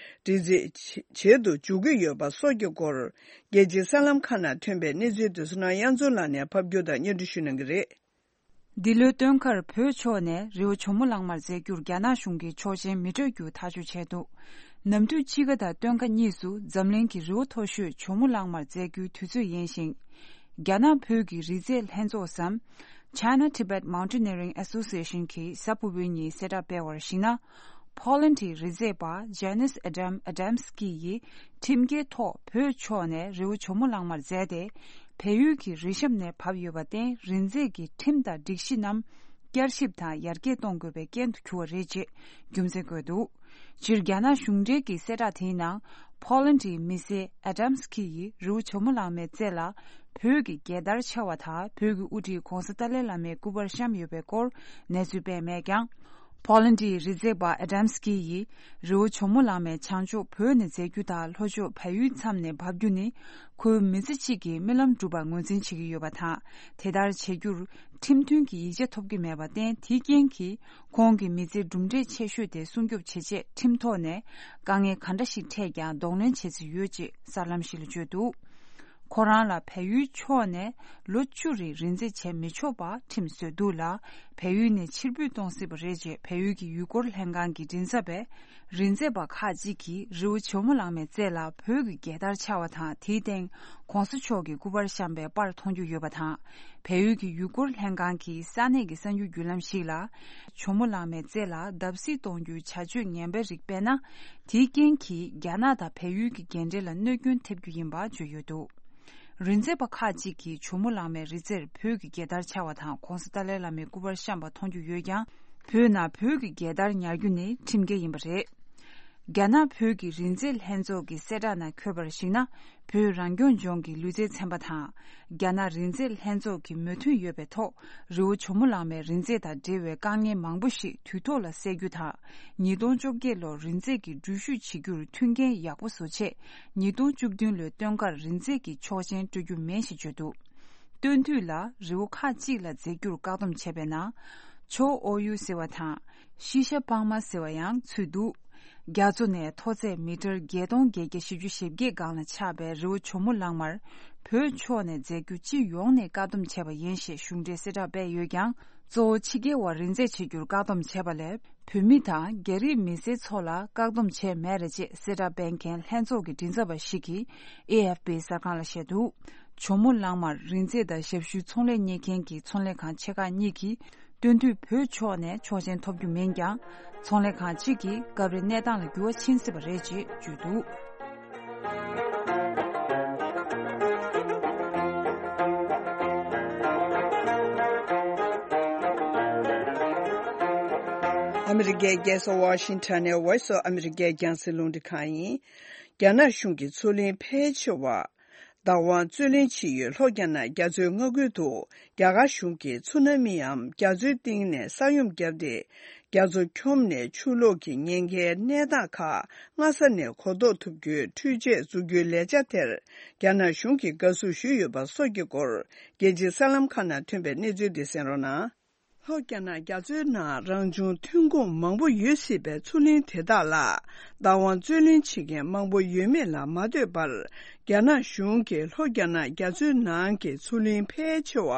རི་འཛེག་བྱེད་དུ་འཇུག་གི་ཡོད་པ་སོགས་ཀྱི་སྐོར། རྒྱལ་སྤྱིའི་གསར་ལམ་ཁག་ནང་ཐོན་པའི་གནས་ཚུལ་དེ་ཚོ་ནང་དབྱངས་འཛོམས་ལགས་ནས་ཕབ་སྒྱུར་དང་སྙན་སྒྲོན་ཞུ་གནང་གི་རེད། འདི་ལོའི་སྟོན་ཁར་བོད་ཕྱོགས་ནས་རི་བོ་ཇོ་མོ་གླང་མར་འཛེག་རྒྱུར་རྒྱ་ནག་གཞུང་གིས་ཆོག་མཆན་མི་སྤྲོད་རྒྱུ་ཐག་གཅོད་བྱས་འདུག་གནམ་གྲུ་དཔྱིད་ཀ་དང་སྟོན་ཁ་གཉིས་སུ་འཛམ་གླིང་གི་རི་བོ་མཐོ་ཤོས་ཇོ་མོ་གླང་མར་འཛེག་རྒྱུའི་དུས་ཚོད་ཡིན་ཞིང་། རྒྱ་ནག་བོད་ཀྱི་རི་རྩེད་ལྷན་ཚོགས་སམ། China Tibet Mountaineering Association གྱིས་གཟའ་ཕུར་བུའི་ཉིན་གསལ་བསྒྲགས་སྤེལ་བར་གཞིགས་ན། ཕོ་ལན་ཌིའི་རི་རྩེད་པ་Janis Adam Adamski ཡིས་ཁྲིམས་འགལ་ཐོག་བོད་ཕྱོགས་ནས་རི་བོ་ཇོ་མོ་གླང་མར་འཛེགས་ཏེ། བལ་ཡུལ་གྱི་རི་གཤམ་ནས་བབས་ཡོད་པར་བརྟེན། རི་འཛེག་གི་ཁྲིམས་དང་སྒྲིག་གཞི་རྣམས་བསྐྱར་ཞིབ་དང་ཡར་རྒྱས་གཏོང་དགོས་པའི་རྐྱེན་དུ་གྱུར་བ་རེད་ཅེས་རྒྱུ་མཚན་བཀོད་འདུག་སྤྱིར་རྒྱ་ནག་གཞུང་འབྲེལ་གྱི་གསལ་བསྒྲགས་དེའི་ནང་། ཕོ་ལན་ཌིའི་མི་སེར་ཨ་ཌམ་སི་ཀི་ཡིས་རི་བོ་ཇོ་མོ་གླང་མའི་རྩེ་ལ་བོད་ཀྱི་རྒྱལ་དར་འཕྱར་བ་དང་། བོད་ཀྱི་དབུ་ཁྲིད་༸གོང་ས་ཏཱ་ལའི་བླ་མའི་སྐུ་པར་བཤམས་ཡོད་པའི་སྐོར་གནས་ཚུལ་སྤེལ་མེད་ཀྱང་། ཕོ་ལན་ཌིའི་རི་རྩེད་པ་ཨ་ཌམ་སི་ཀི་ཡིས་རི་བོ་ཇོ་མོ་གླང་མའི་བྱང་ཕྱོགས་བོད་ནས་འཛེག་རྒྱུ་དང་། ལྷོ་ཕྱོགས་བལ་ཡུལ་མཚམས་ནས་འབབ་རྒྱུ་ནི། ཁོའི་མི་ཚེ་གཅིག་གི་རྨི་ལམ་འགྲུབ་པར་ངོས་འཛིན་བྱེད་ཀྱི་ཡོད་པ་དང་། དེ་ལྟར་བྱེད་རྒྱུར་ཁྲིམས་མཐུན་གྱི་ཡིག་ཆ་ཐོབ་ཀྱི་མེད་པར་བརྟེན། དེའི་རྐྱེན་གྱིས་ཁོང་གི་མི་ཚེའི་གྲུབ་འབྲས་ཆེ་ཤོས་དེ་སྲུང་སྐྱོབ་བྱེད་ཆེད། ཁྲིམས་ཐོག་ནས་དཀའ་ངལ་ག་འདྲ་ཞིག་འཕྲད་ཀྱང་གདོང་ལེན་བྱེད་རྩིས་ཡོད་ཅེས་གསར་ལམ་ཞིག་ལ་བརྗོད་འདུག་ཁོ་རང་ལ་བལ་ཡུལ་ཕྱོགས་ནས་ལོ་བཅུ་རིང་རི་འཛེག་བྱེད་མི་ཆོག་པ་ཁྲིམས་བཟོས་འདུག་ལ། བལ་ཡུལ་ནས་ཕྱིར་འབུད་གཏོང་སྲིད་པ་རེད་ཅེས་བལ་ཡུལ་གྱི་ཡུལ་སྐོར་ལྷན་ཁང་གི་མགྲིན་ཚབ་པས། རི་འཛེག་པ་ཁག་ཅིག་གིས་རི་བོ་ཇོ་མོ་གླང་མའི་རྩེ་ལ་བོད་ཀྱི་རྒྱལ་དར་འཕྱར་བ་དང་། དེའི་སྟེང་༸གོང་ས་མཆོག་གི་སྐུ་པར་བཤམས་པའི་པར་མཐོང་རྒྱུ་ཡོད་པ་དང་། བལ་ཡུལ་གྱི་ཡུལ་སྐོར་ལྷན་ཁང་གིས་ས་གནས་ཀྱི་གསར་འགྱུར་བརྒྱུད་ལམ་ཞིག་ལ། ཇོ་མོ་གླང་མའི་རྩེ་ལ་བརྡབ་གསིག་གཏོང་རྒྱུའི་བྱ་སྤྱོད་ངན་པའི་རིགས་སྤེལ་ན། དེའི་རྐྱེན་གྱིས་རྒྱ་ནག་དང་བལ་ཡུལ་གྱི་འགན་འཁྲི་ལ་གནོད་སྐྱོན་ཐེབས་རྒྱུ་ཡིན་པ་བརྗོད་ཡོད་འདུག་རི་འཛེག་པ་ཁག་ཅིག་གིས་ཇོ་མོ་གླང་མའི་རི་རྩེར་བོད་ཀྱི་རྒྱལ་དར་འཕྱར་བ་དང་༸གོང་ས་ཏཱ་ལའི་བླ་མའི་སྐུ་པར་བཤམས་པ་མཐོང་རྒྱུ་ཡོད་ཀྱང་། བོད་ནང་བོད་ཀྱི་རྒྱལ་དར་ཉར་རྒྱུ་ནི་ཁྲིམས་འགལ་ཡིན་པ་རེད། རྒྱ་ནག་བོད་ཀྱི་རི་འཛེག་ལྷན་ཚོགས་ཀྱི་གསལ་བསྒྲགས་ནང་འཁོད་པར་གཞིགས་ན། བོད་རང་སྐྱོང་ལྗོངས་ཀྱི་ལུས་རྩལ་ཚན་པ་དང་། རྒྱ་ནག་རི་འཛེག་ལྷན་ཚོགས་ཀྱི་མོས་མཐུན་ཡོད་པའི་ཐོག་རི་བོ་ཇོ་མོ་གླང་མའི་རི་འཛེག་དང་འབྲེལ་བའི་དཀའ་ངལ་མང་པོ་ཞིག་དུས་ཐོག་ལ་སེལ་རྒྱུ་དང་། ཉིས་སྟོང་བཅོ་བརྒྱད་ལོར་རི་འཛེག་གི་འགྲུལ་བཞུད་བྱེད་རྒྱུར་མཐུན་རྐྱེན་ཡག་པོ་བཟོ་ཆེད། ཉིས་སྟོང་བཅུ་བདུན་ལོའི་སྟོན་ཁར་རི་འཛེག་གི་ཆོག་མཆན་སྤྲོད་རྒྱུ་མིན་ཞེས་བརྗོད་འདུག་སྟོན་དུས་ལ་རི་བོ་ཁག་ཅིག་ལ་འཛེག་རྒྱུར་བཀག་སྡོམ་བྱས་པའི་ནང་། ཇོ་ཨོ་ཡུ་ཟེར་བ་དང་། ཤི་ཤ་པང་མ་ཟེར་བ་ཡང་ཚུད་འདུག་རྒྱ་མཚོ་ནས་མཐོ་ཚད་མི་ཊར་བརྒྱད་སྟོང་བརྒྱད་བརྒྱ་བཞི་བཅུ་ཞེ་བརྒྱད་སྒང་ལ་ཆགས་པའི་རི་བོ་ཇོ་མོ་གླང་མར། བོད་ཕྱོགས་ནས་འཛེག་རྒྱུ་སྤྱི་ཡོངས་ནས་བཀག་སྡོམ་བྱས་པ་ཡིན་ཞེས་གཞུང་འབྲེལ་གསལ་བསྒྲགས་སྤེལ་ཡོད་ཀྱང་། གཙོ་བོ་ཕྱི་རྒྱལ་བ་རི་འཛེག་བྱེད་རྒྱུར་བཀག་སྡོམ་བྱས་པ་ལས། བོད་མི་དང་རྒྱ་རིགས་མི་སེར་ཚོ་ལ་བཀག་སྡོམ་བྱས་མེད་རེད་ཅེས་གསལ་བསྒྲགས་སྤེལ་མཁན་ལྷན་ཚོགས་ཀྱི་མགྲིན་ཚབ་པ་ཞིག་གིས་ཨེ་ཨེཕ་པི་གསར་ཁང་ལ་བཤད་འདུག་ཇོ་མོ་གླང་མར་རི་འཛེག་དང་ཞབས་ཞུའི་ཚོང་ལས་གཉེར་མཁན་གྱི་ཚོང་ལས་ཁང་ཆེ་ཁག་གཉིས་ཀྱིས། སྟོན་དུས་བོད་ཕྱོགས་ནས་ཆོག་མཆན་ཐོབ་རྒྱུ་མིན་ཀྱང་། ཚོང་ལས་ཁང་གཅིག་གིས་སྐབས་རེ་གནས་སྟངས་ལ་འགྱུར་བ་ཕྱིན་སྲིད་པ་རེད་ཅེས་བརྗོད་འདུག་ཨ་མི་རི་ཀའི་རྒྱལ་ས་ཝ་ཤིང་ཊོན་ནས་Voice of America རྒྱང་སྲིང་རླུང་འཕྲིན་ཁང་ཡིན། རྒྱ་ནག་གཞུང་གིས་མཚོ་གླིང་ཕལ་ཆེ་བ། བདག་དབང་རྩོད་ལེན་བྱེད་ཡུལ་ལྷོ་རྒྱ་ནག་རྒྱ་མཚོའི་མངའ་ཁུལ་དུ་རྒྱ་གར་གཞུང་གིས་ཚུ་ན་མིའམ་རྒྱ་མཚོའི་གཏིང་ནས་ས་ཡོམ་བརྒྱབ་སྟེ། རྒྱ་མཚོ་འཁྱོམས་ནས་ཆུ་ལོག་གི་ཉེན་ཁའི་གནས་སྟངས་ཁག་སྔ་ས་ནས་གོ་རྟོགས་ཐུབ་རྒྱུའི་འཕྲུལ་ཆས་འཛུགས་རྒྱུའི་ལས་འཆར་དེར་རྒྱ་ནག་གཞུང་གིས་དགའ་བསུ་ཞུས་ཡོད་པ་སོགས་ཀྱི་སྐོར། རྒྱལ་སྤྱིའི་གསར་ལམ་ཁག་ནང་ཐོན་པའི་གནས་ཚུལ་འདི་གསན་རོགས་གནང་། ལྷོ་རྒྱ་ནག་རྒྱ་མཚོའི་ནང་རང་བྱུང་ཐོན་ཁུངས་མང་པོ་ཡོད་སྲིད་པའི་མཚོ་གླིང་དེ་དག་ལ་བདག་དབང་རྩོད་ལེན་བྱེད་མཁན་མང་པོ་ཡོད་མེད་ལ་མ་ལྟོས་པར། རྒྱ་ནག་གཞུང་གིས་ལྷོ་རྒྱ་ནག་རྒྱ་མཚོའི་ནང་གི་མཚོ་གླིང་ཕལ་ཆེ་བ་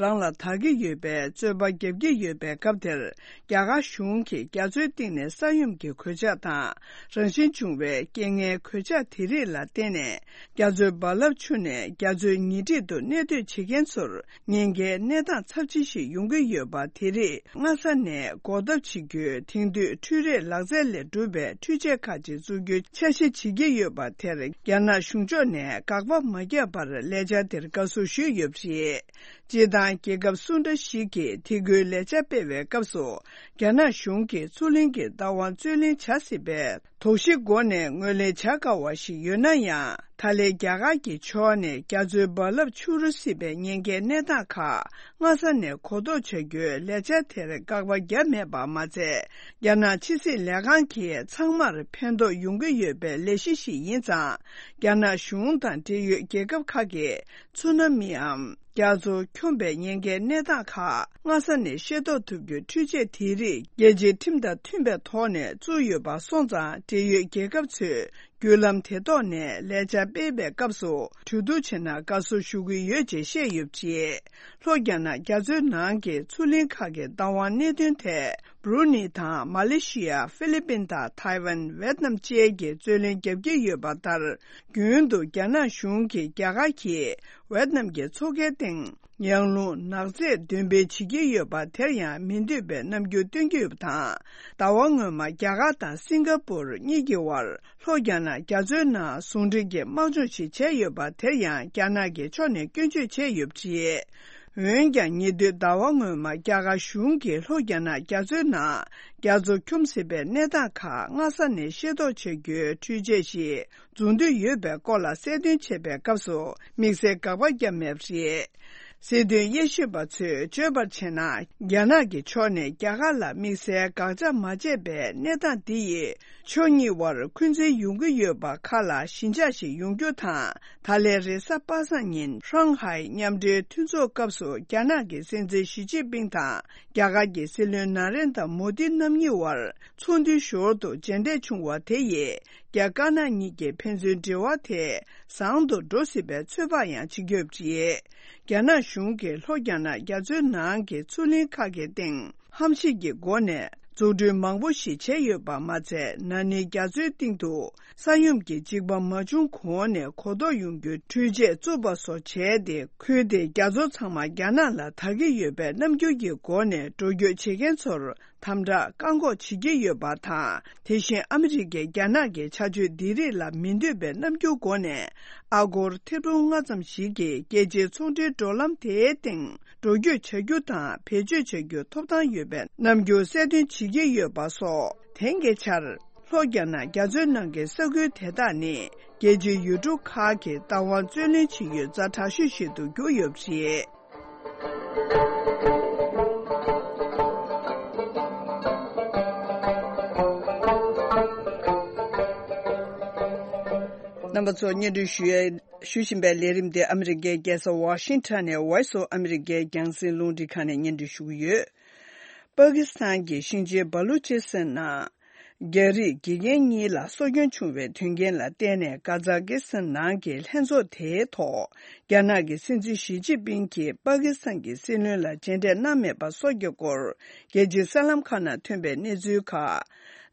རང་ལ་དག་གི་ཡོད་པའི་རྩོད་པ་རྒྱབ་ཀྱི་ཡོད་པའི་སྐབས་དེར། རྒྱ་གར་གཞུང་གིས་རྒྱ་མཚོའི་གཏིང་ནས་ས་ཡོམ་གྱི་གོད་ཆག་དང་། རང་བཞིན་བྱུང་བའི་རྐྱེན་ངན་གོད་ཆག་དེ་རིགས་ལ་བརྟེན་ནས། རྒྱ་མཚོའི་རྦ་རླབས་ཆུ་ནས་རྒྱ་མཚོའི་ཉེ་འཁྲིས་དུ་གནས་སྡོད་བྱེད་མཁན་ཚོར། ཉེན་ཁའི་གནས་སྟངས་ཚབས་ཆེ་ཞིག་ཡོང་གི་ཡོད་པ་དེ་རིགས་སྔ་ས་ནས་འགོག་ཐབས་བྱེད་རྒྱུའི་དེང་དུས་འཕྲུལ་རིག་ལག་རྩལ་ལས་གྲུབ་པའི་འཕྲུལ་ཆས་ཁག་ཅིག་འཛུགས་རྒྱུའི་འཆར་གཞི་བྱེད་ཀྱི་ཡོད་པ་དེར། རྒྱ་ནག་གཞུང་ཕྱོགས་ནས་དགག་པ་མ་བརྒྱབ་པར་ལས་འཆར་དེར་དགའ་བསུ་ཞུས་ཡོད་པ་རེད། སྤྱིར་བཏང་རྒྱལ་ཁབ་སུ་འདྲ་ཞིག་གིས་དེ་ཁུལ་ལས་འཆར་སྤེལ་བའི་སྐབས་སུ། རྒྱ་ནག་གཞུང་གིས་མཚོ་གླིང་གི་བདག་དབང་རྩོད་ལེན་བྱ་སྲིད་པའི། དོགས་གཞི་སྒོ་ནས་ངོས་ལེན་བྱ་དཀའ་བ་ཞིག་ཡོད་ན་ཡང་། ད་ལན་རྒྱ་གར་གྱི་ཕྱོགས་ནས་རྒྱ་མཚོའི་རྦ་རླབས་འཕྱུར་སྲིད་པའི་ཉེན་ཁའི་གནས་སྟངས་ཁག་སྔ་ས་ནས་གོ་རྟོགས་བྱ་རྒྱུའི་ལས་འཆར་དེར་དགག་པ་བརྒྱབ་མེད་པ་མ་ཚད། རྒྱ་ནག་ཕྱི་སྲིད་ལས་ཁང་གིས་ཚང་མར་ཕན་ཐོགས་ཡོང་གི་ཡོད་པའི་ལས་གཞི་ཞིག་ཡིན་ཙང་། རྒྱ་ནག་གཞུང་དང་འབྲེལ་ཡོད་རྒྱལ་ཁབ་ཁག་གིས་ཚུ་ན་མིའམ། རྒྱ་མཚོ་འཁྱོམས་པའི་ཉེན་ཁའི་གནས་སྟངས་ཁག་སྔ་ས་ནས་ཤེས་རྟོགས་ཐུབ་རྒྱུའི་འཕྲུལ་ཆས་དེ་རིགས་རྒྱལ་སྤྱིའི་ཁྲིམས་དང་མཐུན་པའི་ཐོག་ནས་བཙུགས་ཡོད་པ་སོང་ཙང་། འབྲེལ་ཡོད་རྒྱལ་ཁབ་ཚོས་ བརྒྱུད་ལམ་དེ་ཐོག་ནས་ལས་འཆར་སྤེལ་བའི་སྐབས་སུ་གྲོས་བསྡུར་བྱས་ན་དགའ་བསུ་ཞུ་གི་ཡོད་ཅེས་བཤད་ཡོད་པ་རེད། ལྷོ་རྒྱ་ནག་རྒྱ་མཚོའི་ནང་གི་མཚོ་གླིང་ཁག་གི་བདག་དབང་གནད་དོན་ཐད། སྦྲུ་ནི་དང་མ་ལེ་ཤི་ཡ། ཧྥི་ལི་པིན་དང་ཐའེ་ཝན། ཝེད་ནམ་བཅས་ཀྱིས་རྩོད་ལེན་བརྒྱབ་ཀྱི་ཡོད་པ་ལྟར། རྒྱུན་དུ་རྒྱ་ནག་གཞུང་གིས་རྒྱ་གར་གྱིས་ཝེད་ནམ་གྱི་མཚོ་ཁའི་སྟེང་ཡང་རླུང་ནག་རྫས་འདོན་སྤེལ་བྱེད་ཀྱི་ཡོད་པ་དེར་ཡང་མི་འདོད་པའི་རྣམ་འགྱུར་སྟོན་གྱི་ཡོད་པ་དང་། ཟླ་བ་སྔོན་མ་རྒྱ་གར་དང་སིང་ག་པུར་གཉིས་ཀྱི་དབར་ལྷོ་རྒྱ་ནག་རྒྱ་མཚོའི་ནང་ཟུང་འབྲེལ་གྱི་དམག་སྦྱོང་ཞིག་བྱས་ཡོད་པ་དེར་ཡང་རྒྱ་ནག་གི་ཕྱོགས་ནས་སྐྱོན་བརྗོད་བྱས་ཡོད་པ་རེད། འོན་ཀྱང་ཉེ་དུས་ཟླ་བ་སྔོན་མ་རྒྱ་གར་གཞུང་གིས་ལྷོ་རྒྱ་ནག་རྒྱ་མཚོའི་ནང་རྒྱ་མཚོ་འཁྱོམ་སྲིད་པའི་གནས་སྟངས་ཁག་སྔ་ས་ནས་ཤེས་རྟོགས་བྱ་རྒྱུའི་འཕྲུལ་ཆས་ཤིག་འཛུགས་འདོད་ཡོད་པའི་སྐོར་ལ་གསལ་སྟོན་བྱེད་པའི་སྐབས་སུ་དམིགས་བསལ་དགག་པ་བརྒྱབ་མེད་པ་རེད། སྲིད་དོན་དབྱེ་ཞིབ་པ་ཚོས་བརྗོད་པར་བྱས་ན། རྒྱ་ནག་གི་ཕྱོགས་ནས་རྒྱ་གར་ལ་དམིགས་བསལ་དགག་བྱ་མ་བྱས་པའི་གནས་སྟངས་འདི་ཡིས། ཕྱོགས་གཉིས་དབར་འཁོན་འཛིན་ཡོང་གི་ཡོད་པ་ཁག་ལ་ཞི་འཇགས་ཤིག་ཡོང་རྒྱུ་དང་། ད་ལན་རེས་གཟའ་པ་སངས་ཉིན་ཧྲང་ཧའེ་མཉམ་འབྲེལ་མཐུན་ཚོགས་སྐབས་སུ་རྒྱ་ནག་གི་སྲིད་འཛིན་ཞི་ཅིན་ཕིང་དང་རྒྱ་གར་གྱི་སྲིད་བློན་ན་རེན་དྲ་མོ་དི་རྣམ་གཉིས་དབར་ཚོགས་འདུའི་ཞོར་དུ་མཇལ་འཕྲད་བྱུང་བ་དེ་ཡིས་རྒྱ་དཀར་ནག་གཉིས་ཀྱི་ཕན་ཚུན་འབྲེལ་བ་དེ་བཟང་དུ་འགྲོ་སྲིད་པའི་ཚོད་དཔག་ཡང་བྱེད་ཀྱི་ཡོད་པ་རེད། རྒྱ་ནག་གཞུང་གིས་ལྷོ་རྒྱ་ནག་རྒྱ་མཚོའི་ནང་གི་མཚོ་གླིང་ཁག་གི་སྟེང་ཧམ་ཤེད་ཀྱི་སྒོ་ནས་འཛུགས་སྐྲུན་མང་པོ་ཞིག་བྱས་ཡོད་པ་མ་ཚད། ན་ནིང་རྒྱ་མཚོའི་སྟེང་དུ་ས་ཡོམ་གྱི་འཇིགས་པ་མ་བྱུང་གོང་ནས་གོ་རྟོགས་ཡོང་རྒྱུའི་འཕྲུལ་ཆས་བཙུགས་པ་སོགས་བྱས་ཏེ། ཁུལ་དེའི་རྒྱ་མཚོ་ཚང་མ་རྒྱ་ནག་ལ་དར་གྱི་ཡོད་པའི་རྣམ་འགྱུར་གྱི་སྒོ་ནས་འགྲོ་སྐྱོད་བྱེད་མཁན་ཚོར་དམ་དྲག་བཀག་འགོག་བྱེད་ཀྱི་ཡོད་པ་དང་། དེ་བཞིན་ཨ་མི་རི་ཀས་རྒྱ་ནག་གི་བྱ་སྤྱོད་འདི་རིགས་ལ་མི་འདོད་པའི་རྣམ་འགྱུར་སྒོ་ནས། ཨ་སྒོར་ཐེར་འབུམ་ལྔ་ཙམ་ཞིག་གིས་རྒྱལ་སྤྱིའི་ཚོང་འབྲེལ་འགྲོ་ལམ་དེའི་སྟེང་འགྲོ་སྐྱོད་བྱ་རྒྱུ་དང་བེད་སྤྱོད་བྱ་རྒྱུའི་ཐོབ་ཐང་ཡོད་པའི་རྣམ་འགྱུར་གསལ་སྟོན་བྱེད་ཀྱི་ཡོད་པ་སོགས། དེང་གི་ཆར་ལྷོ་རྒྱ་ནག་རྒྱ་མཚོའི་ནང་གི་ས་ཁུལ་དེ་དག་ནི་རྒྱལ་སྤྱིའི་ཡུལ་གྲུ་ཁག་གི་བདག་དབང་རྩོད་ལེན་བྱེད་ཡུལ་ཛ་དྲག་ཤོས་ཤིག་ཏུ་གྱུར་ཡོད་པ་རེད། རྣམ་པ་ཚོ་སྙན་སྒྲོན་ཞུ་ཡ། ཞུ་བཞིན་པའི་ལས་རིམ་དེ་ཨ་མི་རི་ཀའི་རྒྱལ་ས་ཝ་ཤིང་ཊོན་ནས་Voice of America རྒྱང་སྲིང་རླུང་འཕྲིན་ཁང་ནས་སྙན་སྒྲོན་ཞུ་གི་ཡོད། པ་ཀི་སི་ཐན་གྱི་ཤིང་ཆེན་བ་ལུ་ཅི་སི་ཐན་ནང་རྒྱ་རིགས་དགེ་རྒན་གཉིས་ལ་སྲོག་སྐྱོན་བྱུང་བའི་དོན་རྐྱེན་ལ་བརྟེན་ནས། ཀ་ཛ་ཀི་སི་ཐན་ནང་གི་ལྷན་ཚོགས་དེའི་ཐོག་རྒྱ་ནག་གི་སྲིད་འཛིན་ཞི་ཅིན་ཕིང་གིས་པ་ཀི་སི་ཐན་གྱི་སྲིད་བློན་ལ་མཇལ་འཕྲད་གནང་མེད་པ་སོགས་ཀྱི་སྐོར། རྒྱལ་སྤྱིའི་གསར་ལམ་ཁག་ནང་ཐོན་པའི་གནས་ཚུལ་ཁག་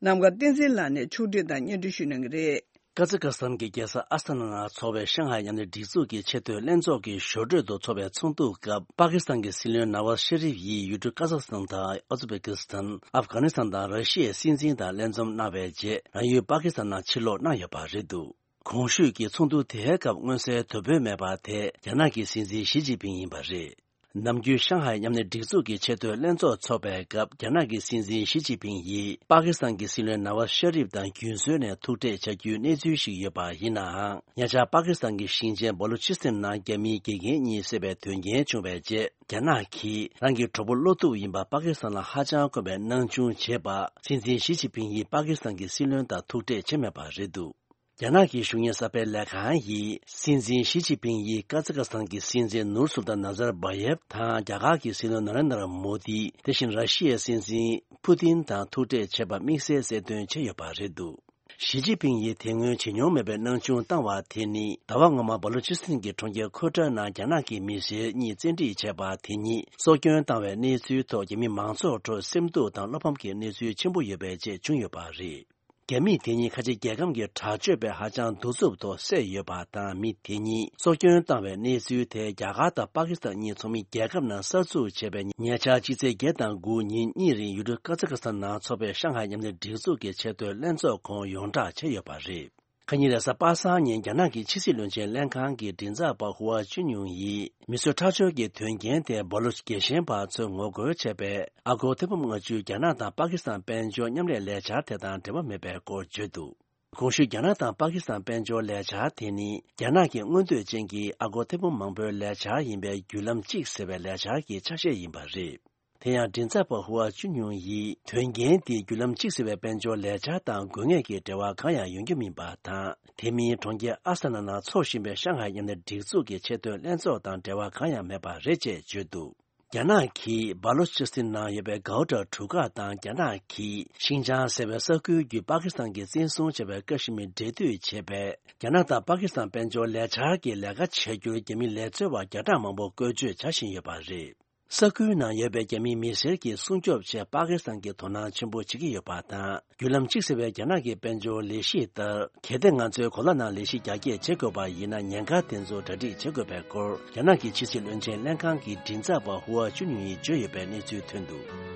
ནམ་མཁའ་བསྟན་འཛིན་ལགས་ནས་ཕྱོགས་བསྒྲིགས་དང་སྙན་སྒྲོན་ཞུ་གནང་གི་རེད། ཀ་ཛི་ཀ་སི་ཐན་གྱི་རྒྱལ་ས་ཨ་སྟ་ན་ན་འཚོགས་པའི་ཤང་ཧའེ་མཉམ་ལས་སྒྲིག་འཛུགས་ཀྱི་ཆེས་མཐོའི་ལྷན་ཚོགས་ཀྱི་ཞོར་འཕྲོས་སུ་འཚོགས་པའི་ཚོགས་འདུ་སྐབས། པ་ཀི་སི་ཐན་གྱི་སྲིད་བློན་ན་ཝཱ་ཤ་རིབ་ཡིས་ཡུལ་གྲུ་ཀ་ཛ་ཁི་སི་ཐན་དང་ཨུ་ཛི་བེ་ཀི་སི་ཐན། ཨབ་གྷ་ནི་སི་ཐན་དང་ར་ཤི་ཡའི་སྲིད་འཛིན་དང་ལྷན་འཛོམས་གནང་བའི་རྗེས། རང་ཡུལ་པ་ཀི་སི་ཐན་ནང་ཕྱིར་ལོག་གནང་ཡོད་པ་རེད་འདུག། གོང་ཞུས་ཀྱི་ཚོགས་འདུ་དེའི་སྐབས་མངོན་གསལ་དོད་པོས་མེད་པ་དེ་རྒྱ་ནག་གི་སྲིད་འཛིན་ཞི་ཅིན་ཕིང་ཡིན་པ་རེད། ནམ་རྒྱུན་ཤང་ཧའེ་མཉམ་ལས་སྒྲིག་འཛུགས་ཀྱི་ཆེས་མཐོའི་ལྷན་ཚོགས་འཚོགས་པའི་སྐབས། རྒྱ་ནག་གི་སྲིད་འཛིན་ཞི་ཅིན་ཕིང་ཡིས་པ་ཀི་སི་ཐན་གྱི་སྲིད་བློན་ན་ཝཱ་ཤ་རིབ་དང་རྒྱུན་སྲོལ་ནས་ཐུག་འཕྲད་བྱ་རྒྱུའི་གནས་ཚུལ་ཞིག་ཡོད་པ་ཡིན་ནའང་། ཉེ་ཆར་པ་ཀི་སི་ཐན་གྱི་ཞིང་ཆེན་བ་ལུ་ཅི་སི་ཐན་ནང་རྒྱ་མིའི་དགེ་རྒན་གཉིས་བསད་པའི་དོན་རྐྱེན་བྱུང་བའི་རྗེས། རྒྱ་ནག་གིས་རང་གི་གྲོགས་པོ་བློ་སྟོབས་ཡིན་པ་པ་ཀི་སི་ཐན་ལ་ཧ་ཅང་དཀོན་པའི་སྣང་ཆུང་བྱེད་པ། སྲིད་འཛིན་ཞི་ཅིན་ཕིང་ཡིས་པ་ཀི་སི་ཐན་གྱི་སྲིད་བློན་དང་ཐུག་འཕྲད་བྱས་མེད་པ་རེད་འདུག། རྒྱ་ནག་གི་གཞུང་གཉེར་གསར་སྤེལ་ལས་ཁང་ཡིས། སྲིད་འཛིན་ཞི་ཅིན་ཕིང་ཡིས་ཀ་ཛི་ཀ་སི་ཐན་གྱི་སྲིད་འཛིན་ནུར་སུལ་ཏཱན་ནཱ་ཛར་བྷ་ཡེབ་དང་། རྒྱ་གར་གྱི་སྲིད་བློན་ན་རེན་དྲ་མོ་དི། དེ་བཞིན་ར་ཤི་ཡའི་སྲིད་འཛིན་ཕུ་ཏིན་དང་ཐུག་འཕྲད་བྱས་པ་དམིགས་བསལ་གསལ་སྟོན་བྱས་ཡོད་པ་རེད་འདུག། ཞི་ཅིན་ཕིང་ཡིས་དེ་སྔོན་བྱེད་མྱོང་མེད་པའི་སྣང་ཆུང་བཏང་བ་དེ་ནི། ཟླ་བ་སྔོན་མ་བ་ལུ་ཅི་སི་ཐན་གྱི་གྲོང་ཁྱེར་ཁོ་ཊ་ནང་རྒྱ་ནག་གི་མི་སེར་གཉིས་བཙན་ཁྲིད་བྱས་པ་དེ་ཉིད་སྲོག་སྐྱོན་བཏང་བའི་གནས་ཚུལ་ཐོག་རྒྱ་མི་མང་ཚོགས་ཁྲོད་སེམས་སྡུག་དང་བློ་ཕམ་གྱི་གནས་ཚུལ་ཆེན་པོ་ཡོད་པའི་རྗེས་བྱུང་ཡོད་པ་རེད། རྒྱ་མིས་དེ་ཉིད་ཁ་ཆེ་རྒྱལ་ཁམས་ཀྱི་དྲག་སྤྱོད་པས་ཧ་ཅང་གདུག་རྩུབ་ཐོག་བསད་ཡོད་པ་དང་། མི་དེ་ཉིད་སྲོག་སྐྱོན་བཏང་བའི་གནས་ཚུལ་དེ་རྒྱ་གར་དང་པ་ཀི་སི་ཐན་གཉིས་ཚོགས་མི་རྒྱལ་ཁབ་ནང་གསར་འཛུགས་བྱས་པའི་ཉེ་ཆར་ཕྱི་ཚེས་བརྒྱད་དང་དགུ་ཉིན་གཉིས་རིང་ཡུལ་གྲུ་ཀ་ཛི་ཀ་སི་ཐན་ནང་འཚོགས་པའི་ཤང་ཧའེ་མཉམ་ལས་སྒྲིག་འཛུགས་ཀྱི་ཆེས་མཐོའི་ལྷན་ཚོགས་ཁོངས་ཡོངས་བསྒྲགས་བྱས་ཡོད་པ་རེད། ཁ་ཉིན་རེས་གཟའ་པ་སངས་ཉིན་རྒྱ་ནག་གི་ཕྱི་སྲིད་བློན་ཆེན་ལྷན་ཁང་གི་མགྲིན་ཚབ་པ་ཧུའ་ཅུན་ཡུང་ཡིས། མི་གསོད་ཁྲག་སྦྱོར་གྱི་དོན་རྐྱེན་དེ་སྦ་ལུ་ཅི་རྒྱལ་ཞེན་པ་ཚོས་ངོ་རྒོལ་བྱས་པའི་ཨ་སྒོར་ཐེར་འབུམ་ལྔ་བཅུ་རྒྱ་ནག་དང་པ་ཀི་སི་ཐན་དཔལ་འབྱོར་མཉམ་ལས་ལས་འཆར་དེ་དང་འབྲེལ་བ་མེད་པའི་སྐོར་བརྗོད་འདུག། གོང་ཞུས་རྒྱ་ནག་དང་པ་ཀི་སི་ཐན་དཔལ་འབྱོར་ལས་འཆར་དེ་ནི། རྒྱ་ནག་གི་མངོན་འདོད་ཅན་གྱི་ཨ་སྒོར་ཐེར་འབུམ་མང་པོའི་ལས་འཆར་ཡིན་པའི་བརྒྱུད་ལམ་གཅིག་ཟེར་བའི་ལས་འཆར་གྱི་ཆ་ཤས་ཡིན་པ་རེད། དེ་ཡང་མགྲིན་ཚབ་པ་ཧུའ་ཅུན་ཡུང་ཡིས། དོན་རྐྱེན་འདིས་བརྒྱུད་ལམ་གཅིག་ཟེར་བའི་དཔལ་འབྱོར་ལས་འཆར་དང་དགོས་ངེས་ཀྱི་འབྲེལ་བ་གང་ཡང་ཡོང་རྒྱུ་མིན་པ་དང་། དེ་མིན་གྲོང་ཁྱེར་ཨ་སྟ་ན་ན་འཚོགས་བཞིན་པའི་ཤང་ཧའེ་མཉམ་ལས་སྒྲིག་འཛུགས་ཀྱི་ཆེས་མཐོའི་ལྷན་ཚོགས་དང་འབྲེལ་བ་གང་ཡང་མེད་པ་རེད་ཅེས་བརྗོད་འདུག། རྒྱ་ནག་གིས་སྦ་ལོ་ཅི་སི་ཐན་ནང་ཡོད་པའི་གའོ་ཊ་གྲུ་ཁ་དང་རྒྱ་ནག་གིས་ཤིན་ཅང་ཟེར་བའི་ས་ཁུལ་བརྒྱུད་པ་ཀི་སི་ཐན་གྱིས་བཙན་བཟུང་བྱས་པའི་ཀ་ཤི་མིར་འབྲེལ་མཐུད་བྱས་པའི་རྒྱ་ནག་དང་པ་ཀི་སི་ཐན་དཔལ་འབྱོར་ལས་འཆར་གྱི་ལས་ཀ་བྱ་རྒྱུར་རྒྱ་མི་ལས་བཙོན་པ་བརྒྱ་ཕྲག་མང་པོ་བཀོལ་སྤྱོད་བྱ་བཞིན་ཡོད་པ་རེད། ས་ཁུལ་ནང་ཡོད་པའི་རྒྱ་མིའི་མི་སེར་གྱིས་སྲུང་སྐྱོབ་ཆེད་པ་ཀི་སི་ཐན་གྱིས་དོ་སྣང་ཆེན་པོ་བྱེད་ཀྱི་ཡོད་པ་དང་། བརྒྱུད་ལམ་གཅིག་ཟེར་བའི་རྒྱ་ནག་གི་དཔལ་འབྱོར་ལས་གཞི་ལྟར། གལ་ཏེ་ང་ཚོས་གོ་ལ་ནང་ལས་གཞི་རྒྱ་སྐྱེད་བྱེད་དགོས་པ་ཡིན་ན། ཉེན་ཁ་དེ་ཚོ་གྲ་སྒྲིག་བྱེད་དགོས་པའི་སྐོར། རྒྱ་ནག་གི་ཕྱི་སྲིད་བློན་ཆེན་ལྷན་ཁང་གི་མགྲིན་ཚབ་པ་ཧུའ་ཅུན་ཡིས་བརྗོད་ཡོད་པའི་གནས་ཚུལ་ཐོན་འདུག།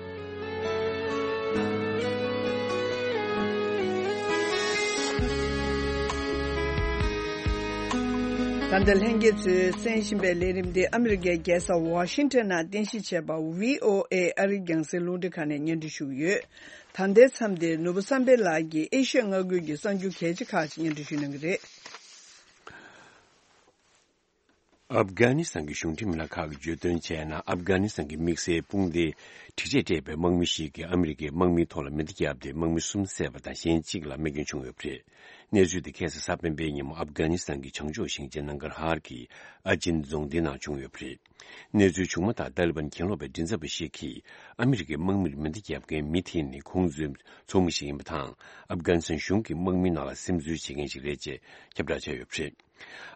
ད་ལྟ་ལྷན་རྒྱས་ཚོས་གསན་བཞིན་པའི་ལས་རིམ་འདི་ཨ་མི་རི་ཀའི་རྒྱལ་ས་ཝ་ཤིང་ཊོན་ནང་རྟེན་གཞི་བྱས་པ་བྷི་ཨོ་ཨེ་ཨ་རིའི་རྒྱང་སྲིང་རླུང་འཕྲིན་ཁང་ནས་སྙན་སྒྲོན་ཞུ་གི་ཡོད། ད་ལྟའི་མཚམས་འདིར་ནོར་བུ་བསམ་འཕེལ་ལགས་ཀྱིས་ཨེ་ཤི་ཡ་མངའ་ཁུལ་གྱི་གསར་འགྱུར་གལ་ཆེ་ཁག་ཅིག་སྙན་སྒྲོན་ཞུ་གནང་གི་རེད། ཨབ་གྷ་ནི་སི་ཐན་གྱི་གཞུང་འབྲེལ་མི་སྣ་ཁག་གིས་བརྗོད་དོན་བྱས་ན། ཨབ་གྷ་ནི་སི་ཐན་གྱི་དམིགས་བསལ་དཔུང་སྡེའི་འགྲིག་ཆས་སྤྲས་པའི་དམག་མི་ཞིག་གིས་ཨ་མི་རི་ཀའི་དམག་མིའི་ཐོག་ལ་མེ་མདའ་བརྒྱབ་སྟེ། དམག་མི་གསུམ་བསད་པ་དང་། གཞན་གཅིག་ལ་རྨས་སྐྱོན་བྱུང་ཡོད་པ་རེད། གནས་ཚུལ་དེ་ཁ་སང་གཟའ་སྤེན་པའི་ཉིན་མོ་ཨབ་གྷ་ནི་སི་ཐན་གྱི་བྱང་ཕྱོགས་ཞིང་ཆེན་ནང་གར་ཧར་གྱི་ཨ་ཅིན་རྫོང་སྡེའི་ནང་བྱུང་ཡོད་པ་རེད། གནས་ཚུལ་བྱུང་མ་ཐག་ཏཱ་ལི་བན་གྱེན་ལོག་པའི་མགྲིན་ཚབ་པ་ཞིག་གིས་ཨ་མི་རི་ཀའི་དམག་མིར་མེ་མདའ་བརྒྱབ་མཁན་མི་དེ་ནི་ཁོང་ཚོའི་ཚོགས་མི་ཞིག་ཡིན་པ་དང་། ཨབ་གྷ་ནི་སི་ཐན་གཞུང་གི་དམག་མིའི་ནང་ལ་སིམ་འཛུལ་བྱེད་མཁན་ཞིག་རེད་ཅེས་ཁྱབ་བསྒྲགས་བྱས་ཡོད་པ་རེད།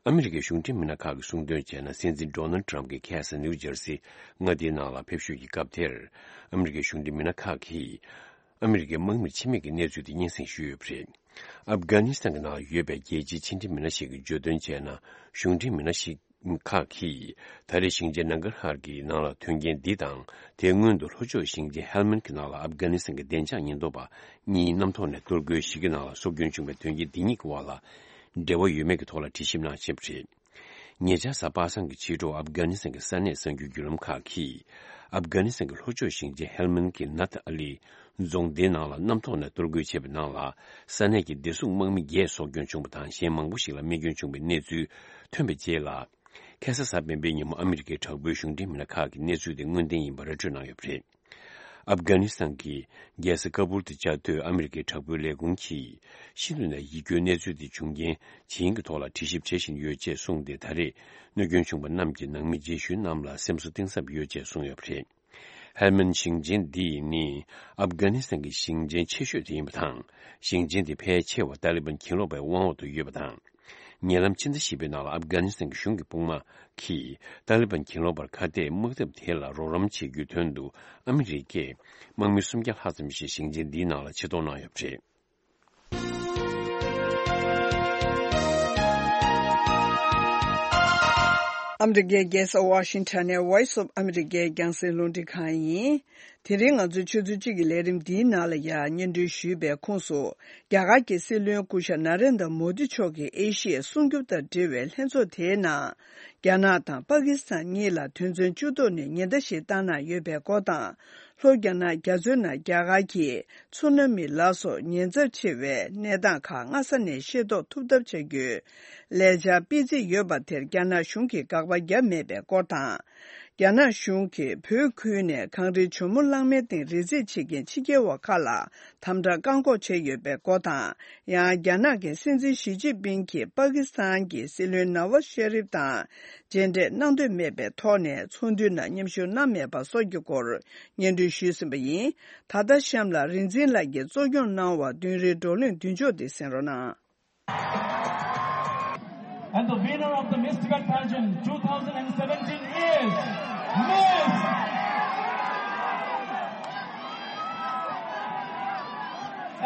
ཨ་མི་རི་ཀའི་གཞུང་འབྲེལ་མི་སྣ་ཁག་གིས་གསུངས་དོན་བྱས་ན། སྲིད་འཛིན་ཌོ་ནལ་ཌི་ཊརམ་གྱིས་ཁ་སང་ནིའུ་ཇར་སི་མངའ་སྡེའི་ནང་ལ་ཕེབས་བཞུད་ཀྱི་སྐབས་དེར། ཨ་མི་རི་ཀའི་གཞུང་འབྲེལ་མི་སྣ་ཁག་གིས་ཨ་མི་རི་ཀའི་དམག་མིར་འཆི་རྨས་ཀྱི་གནས་ཚུལ་དེ་སྙན་སེང་ཞུས་ཡོད་པ་རེད། ཨབ་གྷ་ནི་སི་ཐན་གྱི་ནང་ཡོད་པའི་རྒྱལ་སྤྱིའི་ཕྱི་འབྲེལ་མི་སྣ་ཞིག་གིས་བརྗོད་དོན་བྱས་ན། གཞུང་འབྲེལ་མི་སྣ་ཞིག་ཁག་གིས་ད་རེས་ཞིང་ཆེན་ནང་གར་ཧར་གྱི་ནང་ལ་ཐོན་རྐྱེན་འདི་དང་། དེའི་སྔོན་དུ་ལྷོ་ཕྱོགས་ཞིང་ཆེན་ཧེལ་མན་གྱི་ནང་ལ་ཨབ་གྷ་ནི་སི་ཐན་གྱི་བདེ་འཇགས་ཉེན་རྟོག་པ་གཉིས་གནམ་ཐོག་ནས་གཏོར་རྒོལ་ཞིག་གི་ནང་ལ་སྲོག་སྐྱོན་བྱུང་བའི་དོན་རྐྱེན་འདི་གཉིས་ཀྱི་དབར་ལ་འབྲེལ་བ་ཡོད་མེད་ཀྱི་ཐོག་ལ་དྲི་ཞིབ་གནང་བཞིན་པ་རེད། ཉེ་ཆར་གཟའ་པ་སངས་ཀྱི་ཕྱི་དྲོ་ཨབ་གྷ་ནི་སི་ཐན་གྱི་ས་གནས་གསར་འགྱུར་བརྒྱུད་ལམ་ཁག་གིས། ཨབ་གྷ་ནི་སི་ཐན་གྱི་ལྷོ་ཕྱོགས་ཞིང་ཆེན་ཧེལ་མན་གྱི་ནཱཐ་ཨ་ལི་རྫོང་སྡེའི་ནང་ལ་གནམ་ཐོག་ནས་གཏོར་རྒོལ་བྱས་པའི་ནང་ལ། ས་གནས་ཀྱི་བདེ་སྲུང་དམག་མི་བརྒྱད་སྲོག་སྐྱོན་བྱུང་བ་དང་། གཞན་མང་པོ་ཞིག་ལ་རྨས་སྐྱོན་བྱུང་བའི་གནས་ཚུལ་ཐོན་པའི་རྗེས་ལ། ཁ་སང་གཟའ་སྤེན་པའི་ཉིན་མོ་ཨ་མི་རི་ཀའི་དྲག་པོའི་གཞུང་འབྲེལ་མི་སྣ་ཁག་གིས་གནས་ཚུལ་དེ་དངོས་བདེན་ཡིན་པ་ར་སྤྲོད་གནང་ཡོད་པ་རེད། ཨབ་གྷ་ནི་སི་ཐན་གྱི་རྒྱལ་ས་ཀ་བུལ་དུ་བཅའ་སྡོད་ཨ་མི་རི་ཀའི་དྲག་པོའི་ལས་ཁུངས་ཀྱིས། ཤིན་ཏུ་ནས་ཡིད་སྐྱོའི་གནས་ཚུལ་དེ་བྱུང་རྐྱེན་ཇི་ཡིན་གྱི་ཐོག་ལ་དྲི་ཞིབ་བྱེད་བཞིན་ཡོད་ཅེས་གསུངས་ཏེ། ད་རེས་གནོད་སྐྱོན་བྱུང་པ་རྣམས་ཀྱི་ནང་མི་རྗེས་ཤུལ་རྣམས་ལ་སེམས་གསོ་གཏིང་ཟབ་ཡོད་ཅེས་གསུངས་ཡོད་པ་རེད། ཧེལ་མན་ཞིང་ཆེན་འདི་ནི་ཨབ་གྷ་ནི་སི་ཐན་གྱི་ཞིང་ཆེན་ཆེ་ཤོས་དེ་ཡིན་པ་དང་། ཞིང་ཆེན་འདི་ཕལ་ཆེ་བ་ཏཱ་ལི་བན་གྱེན་ལོག་པའི་དབང་འོག་ཏུ་ཡོད་པ་དང་། ཉེ་ལམ་ཕྱི་ཟླ་བཞི་པའི་ནང་ལ་ཨབ་གྷ་ནི་སི་ཐན་གྱི་གཞུང་གི་དཔུང་དམག་གིས་ཏཱ་ལི་བན་གྱེན་ལོག་པར་ཁ་གཏད་དམག་འཐབ་དེ་ལ་རོགས་རམ་བྱེད་རྒྱུའི་དོན་དུ། ཨ་མི་རི་ཀས་དམག་མི་སུམ་བརྒྱ་ལྷག་ཙམ་ཞིག་ཞིང་ཆེན་འདིའི་ནང་ལ་ཆེད་གཏོང་གནང་ཡོད་པ་རེད། ཨ་མི་རི་ཀའི་རྒྱལ་ས་ཝ་ཤིང་ཊོན་ནས་Voice of America རྒྱང་སྲིང་རླུང་འཕྲིན་ཁང་ཡིན། དེ་རིང་ང་ཚོའི་ཆུ་ཚོད་གཅིག་གི་ལས་རིམ་འདིའི་ནང་ལ་ཡང་སྙན་སྒྲོན་ཞུས་པའི་ཁོངས་སུ། རྒྱ་གར་གྱི་སྲིད་བློན་སྐུ་ཞབས་ན་རེན་དྲ་མོ་དི་མཆོག་གིས་ཨེ་ཤི་ཡའི་སྲུང་སྐྱོབ་དང་འབྲེལ་བའི་ལྷན་ཚོགས་དེའི་ནང་། རྒྱ་ནག་དང་པ་ཀི་སི་ཐན་གཉིས་ལ་དོན་ཚན་བཅུ་ཐོག་ནས་ཉེན་བརྡ་ཞིག་བཏང་གནང་ཡོད་པའི་སྐོར་དང་། ལྷོ་རྒྱ་ནག་རྒྱ་མཚོའི་ནང་རྒྱ་གར་གྱི་ཚུ་ན་མི་ལ་སོགས་ཉེན་ཚབས་ཆེ་བའི་གནས་སྟངས་ཁག་སྔ་ས་ནས་ཤེས་རྟོགས་ཐུབ་ཐབས་བྱ་རྒྱུའི་ལས་འཆར་སྤེལ་རྩིས་ཡོད་པ་དེར་རྒྱ་ནག་གཞུང་གིས་དགག་པ་བརྒྱབ་མེད་པའི་སྐོར་དང་། རྒྱ་ནག་གཞུང་གིས་བོད་ཁུལ་ནས་གངས་རིའི་ཇོ་མོ་གླང་མའི་སྟེང་རི་འཛེག་བྱེད་མཁན་ཕྱི་རྒྱལ་བ་ཁག་ལ་དམ་དྲག་བཀག་འགོག་བྱས་ཡོད་པའི་སྐོར་དང་། ཡང་རྒྱ་ནག་གི་སྲིད་འཛིན་ཞི་ཅིན་ཕིང་གིས་པ་ཀི་སི་ཐན་གྱི་སྲིད་བློན་ནཱ་ཝཱ་ཤ་རིབ་དང་མཇལ་འཕྲད་གནང་འདོད་མེད་པའི་ཐོག་ནས་ཚོགས་འདུའི་ནང་མཉམ་ཞུགས་གནང་མེད་པ་སོགས་ཀྱི་སྐོར་སྙན་སྒྲོན་ཞུས་ཟིན་པ་ཡིན། ད་ལྟ་གཤམ་ལ་རིག་འཛིན་ལགས་ཀྱིས་གཙོ་སྐྱོང་གནང་བ་བདུན་རེའི་བགྲོ་གླེང་མདུན་ལྕོག་འདི་གསན་རོགས་གནང་། And the winner of the Miss Tibet pageant two thousand seventeen is Miss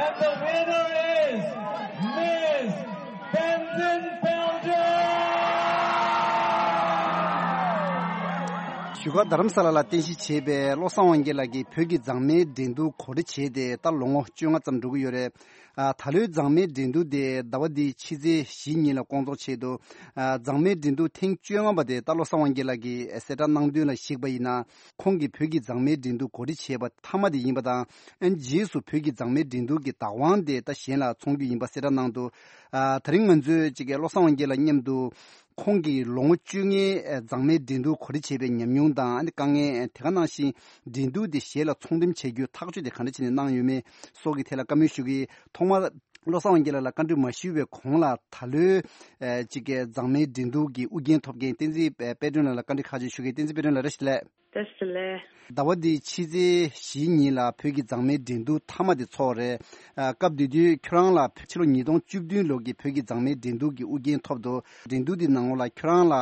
And the winner is Miss Tenzin Palden. བཞུགས་སྒར་རྡ་རམ་ས་ལ་ལ་རྟེན་གཞི་བྱས་པའི་བློ་བཟང་དབང་རྒྱལ་ལགས་ཀྱིས་བོད་ཀྱི་མཛངས་མའི་འགྲན་བསྡུར་གོ་སྒྲིག་བྱས་ཏེ་ད་ལོ་ངོ་བཅོ་ལྔ་ཙམ་འགྲོ་གི་ཡོད་རེད། ཨ། ད་ལོའི་མཛངས་མའི་འགྲན་བསྡུར་དེ་ཟླ་བ་འདིའི་ཕྱི་ཚེས་བཞི་ཉིན་ལ་སྐོང་ཚོགས་ཆེད་དུ། ཨ། མཛངས་མའི་འགྲན་བསྡུར་ཐེངས་བཅོ་ལྔ་པ་དེ་ད་བློ་བཟང་དབང་རྒྱལ་ལགས་ཀྱིས་གསལ་བསྒྲགས་གནང་དོན་ལ་གཞིགས་པ་ཡིན་ན། ཁོང་གིས་བོད་ཀྱི་མཛངས་མའི་འགྲན་བསྡུར་གོ་སྒྲིག་བྱས་པ་མཐའ་མ་དེ་ཡིན་པ་དང་། ཨ་ནི་རྗེས་སུ་བོད་ཀྱི་མཛངས་མའི་འགྲན་བསྡུར་གྱི་བདག་དབང་དེ་ད་གཞན་ལ་འཚོང་རྒྱུ་ཡིན་པ་གསལ་བསྒྲགས་གནང་འདུག། ཨ། ད་རིང་ང་ཚོས་ཅིག་གི་བློ་བཟང་དབང་རྒྱལ་ལགས་མཉམ་དུ་ཁོང་གིས་ལོ་ངོ་བཅོ་ལྔའི་མཛངས་མའི་འགྲན་བསྡུར་གོ་སྒྲིག་བྱས་པའི་ཉམས་མྱོང་དང་། ཨ་ནི་དཀའ་ངལ་དེ་ག་ནང་བཞིན་འགྲན་བསྡུར་དེ་གཞན་ལ་ཚོང་འགྲེམས་བྱེད་རྒྱུའི་ཐག་གཅོད་དེ་ག་འདྲ་བྱས་ནས་གནང་ཡོད་མེད་སོགས་ཀྱི་ཐད་ལ་བཀའ་མོལ་ཞུ་གི། ཐོག་མར་བློ་བཟང་དབང་རྒྱལ་ལགས་ལ་བཀའ་འདྲི་མ་ཞུས་པའི་གོང་ལ། ད་ལོའི་ཨ་ཅིག་གི་མཛངས་མའི་འགྲན་བསྡུར་གྱི་ཨུ་རྒྱན་ཐོབ་མཁན་བསྟན་འཛིན་དཔལ་སྒྲོན་ལགས་ལ་བཀའ་འདྲི་ཁག་ཅིག་ཞུ་གི། བསྟན་འཛིན་དཔལ་སྒྲོན་ལགས་བཀྲ་ཤིས་བདེ་ལེགས། བཀྲ་ཤིས་བདེ་ལེགས། ཟླ་བ་འདིའི་ཕྱི་ཚེས་བཞིའི་ཉིན་ལ་བོད་ཀྱི་མཛངས་མའི་འགྲན་བསྡུར་མཐའ་མ་དེ་འཚོགས་རེད། ཨ། སྐབས་དེ་དུས་ཁྱོད་རང་ལ་ཕྱི་ལོ་ཉིས་སྟོང་བཅུ་བདུན་ལོ་གི་བོད་ཀྱི་མཛངས་མའི་འགྲན་བསྡུར་གྱི་དབུ་འགན་ཐོབ་འདུག་འགྲན་བསྡུར་འདི་ནང་ལོགས་ལ་ཁྱོད་རང་ལ་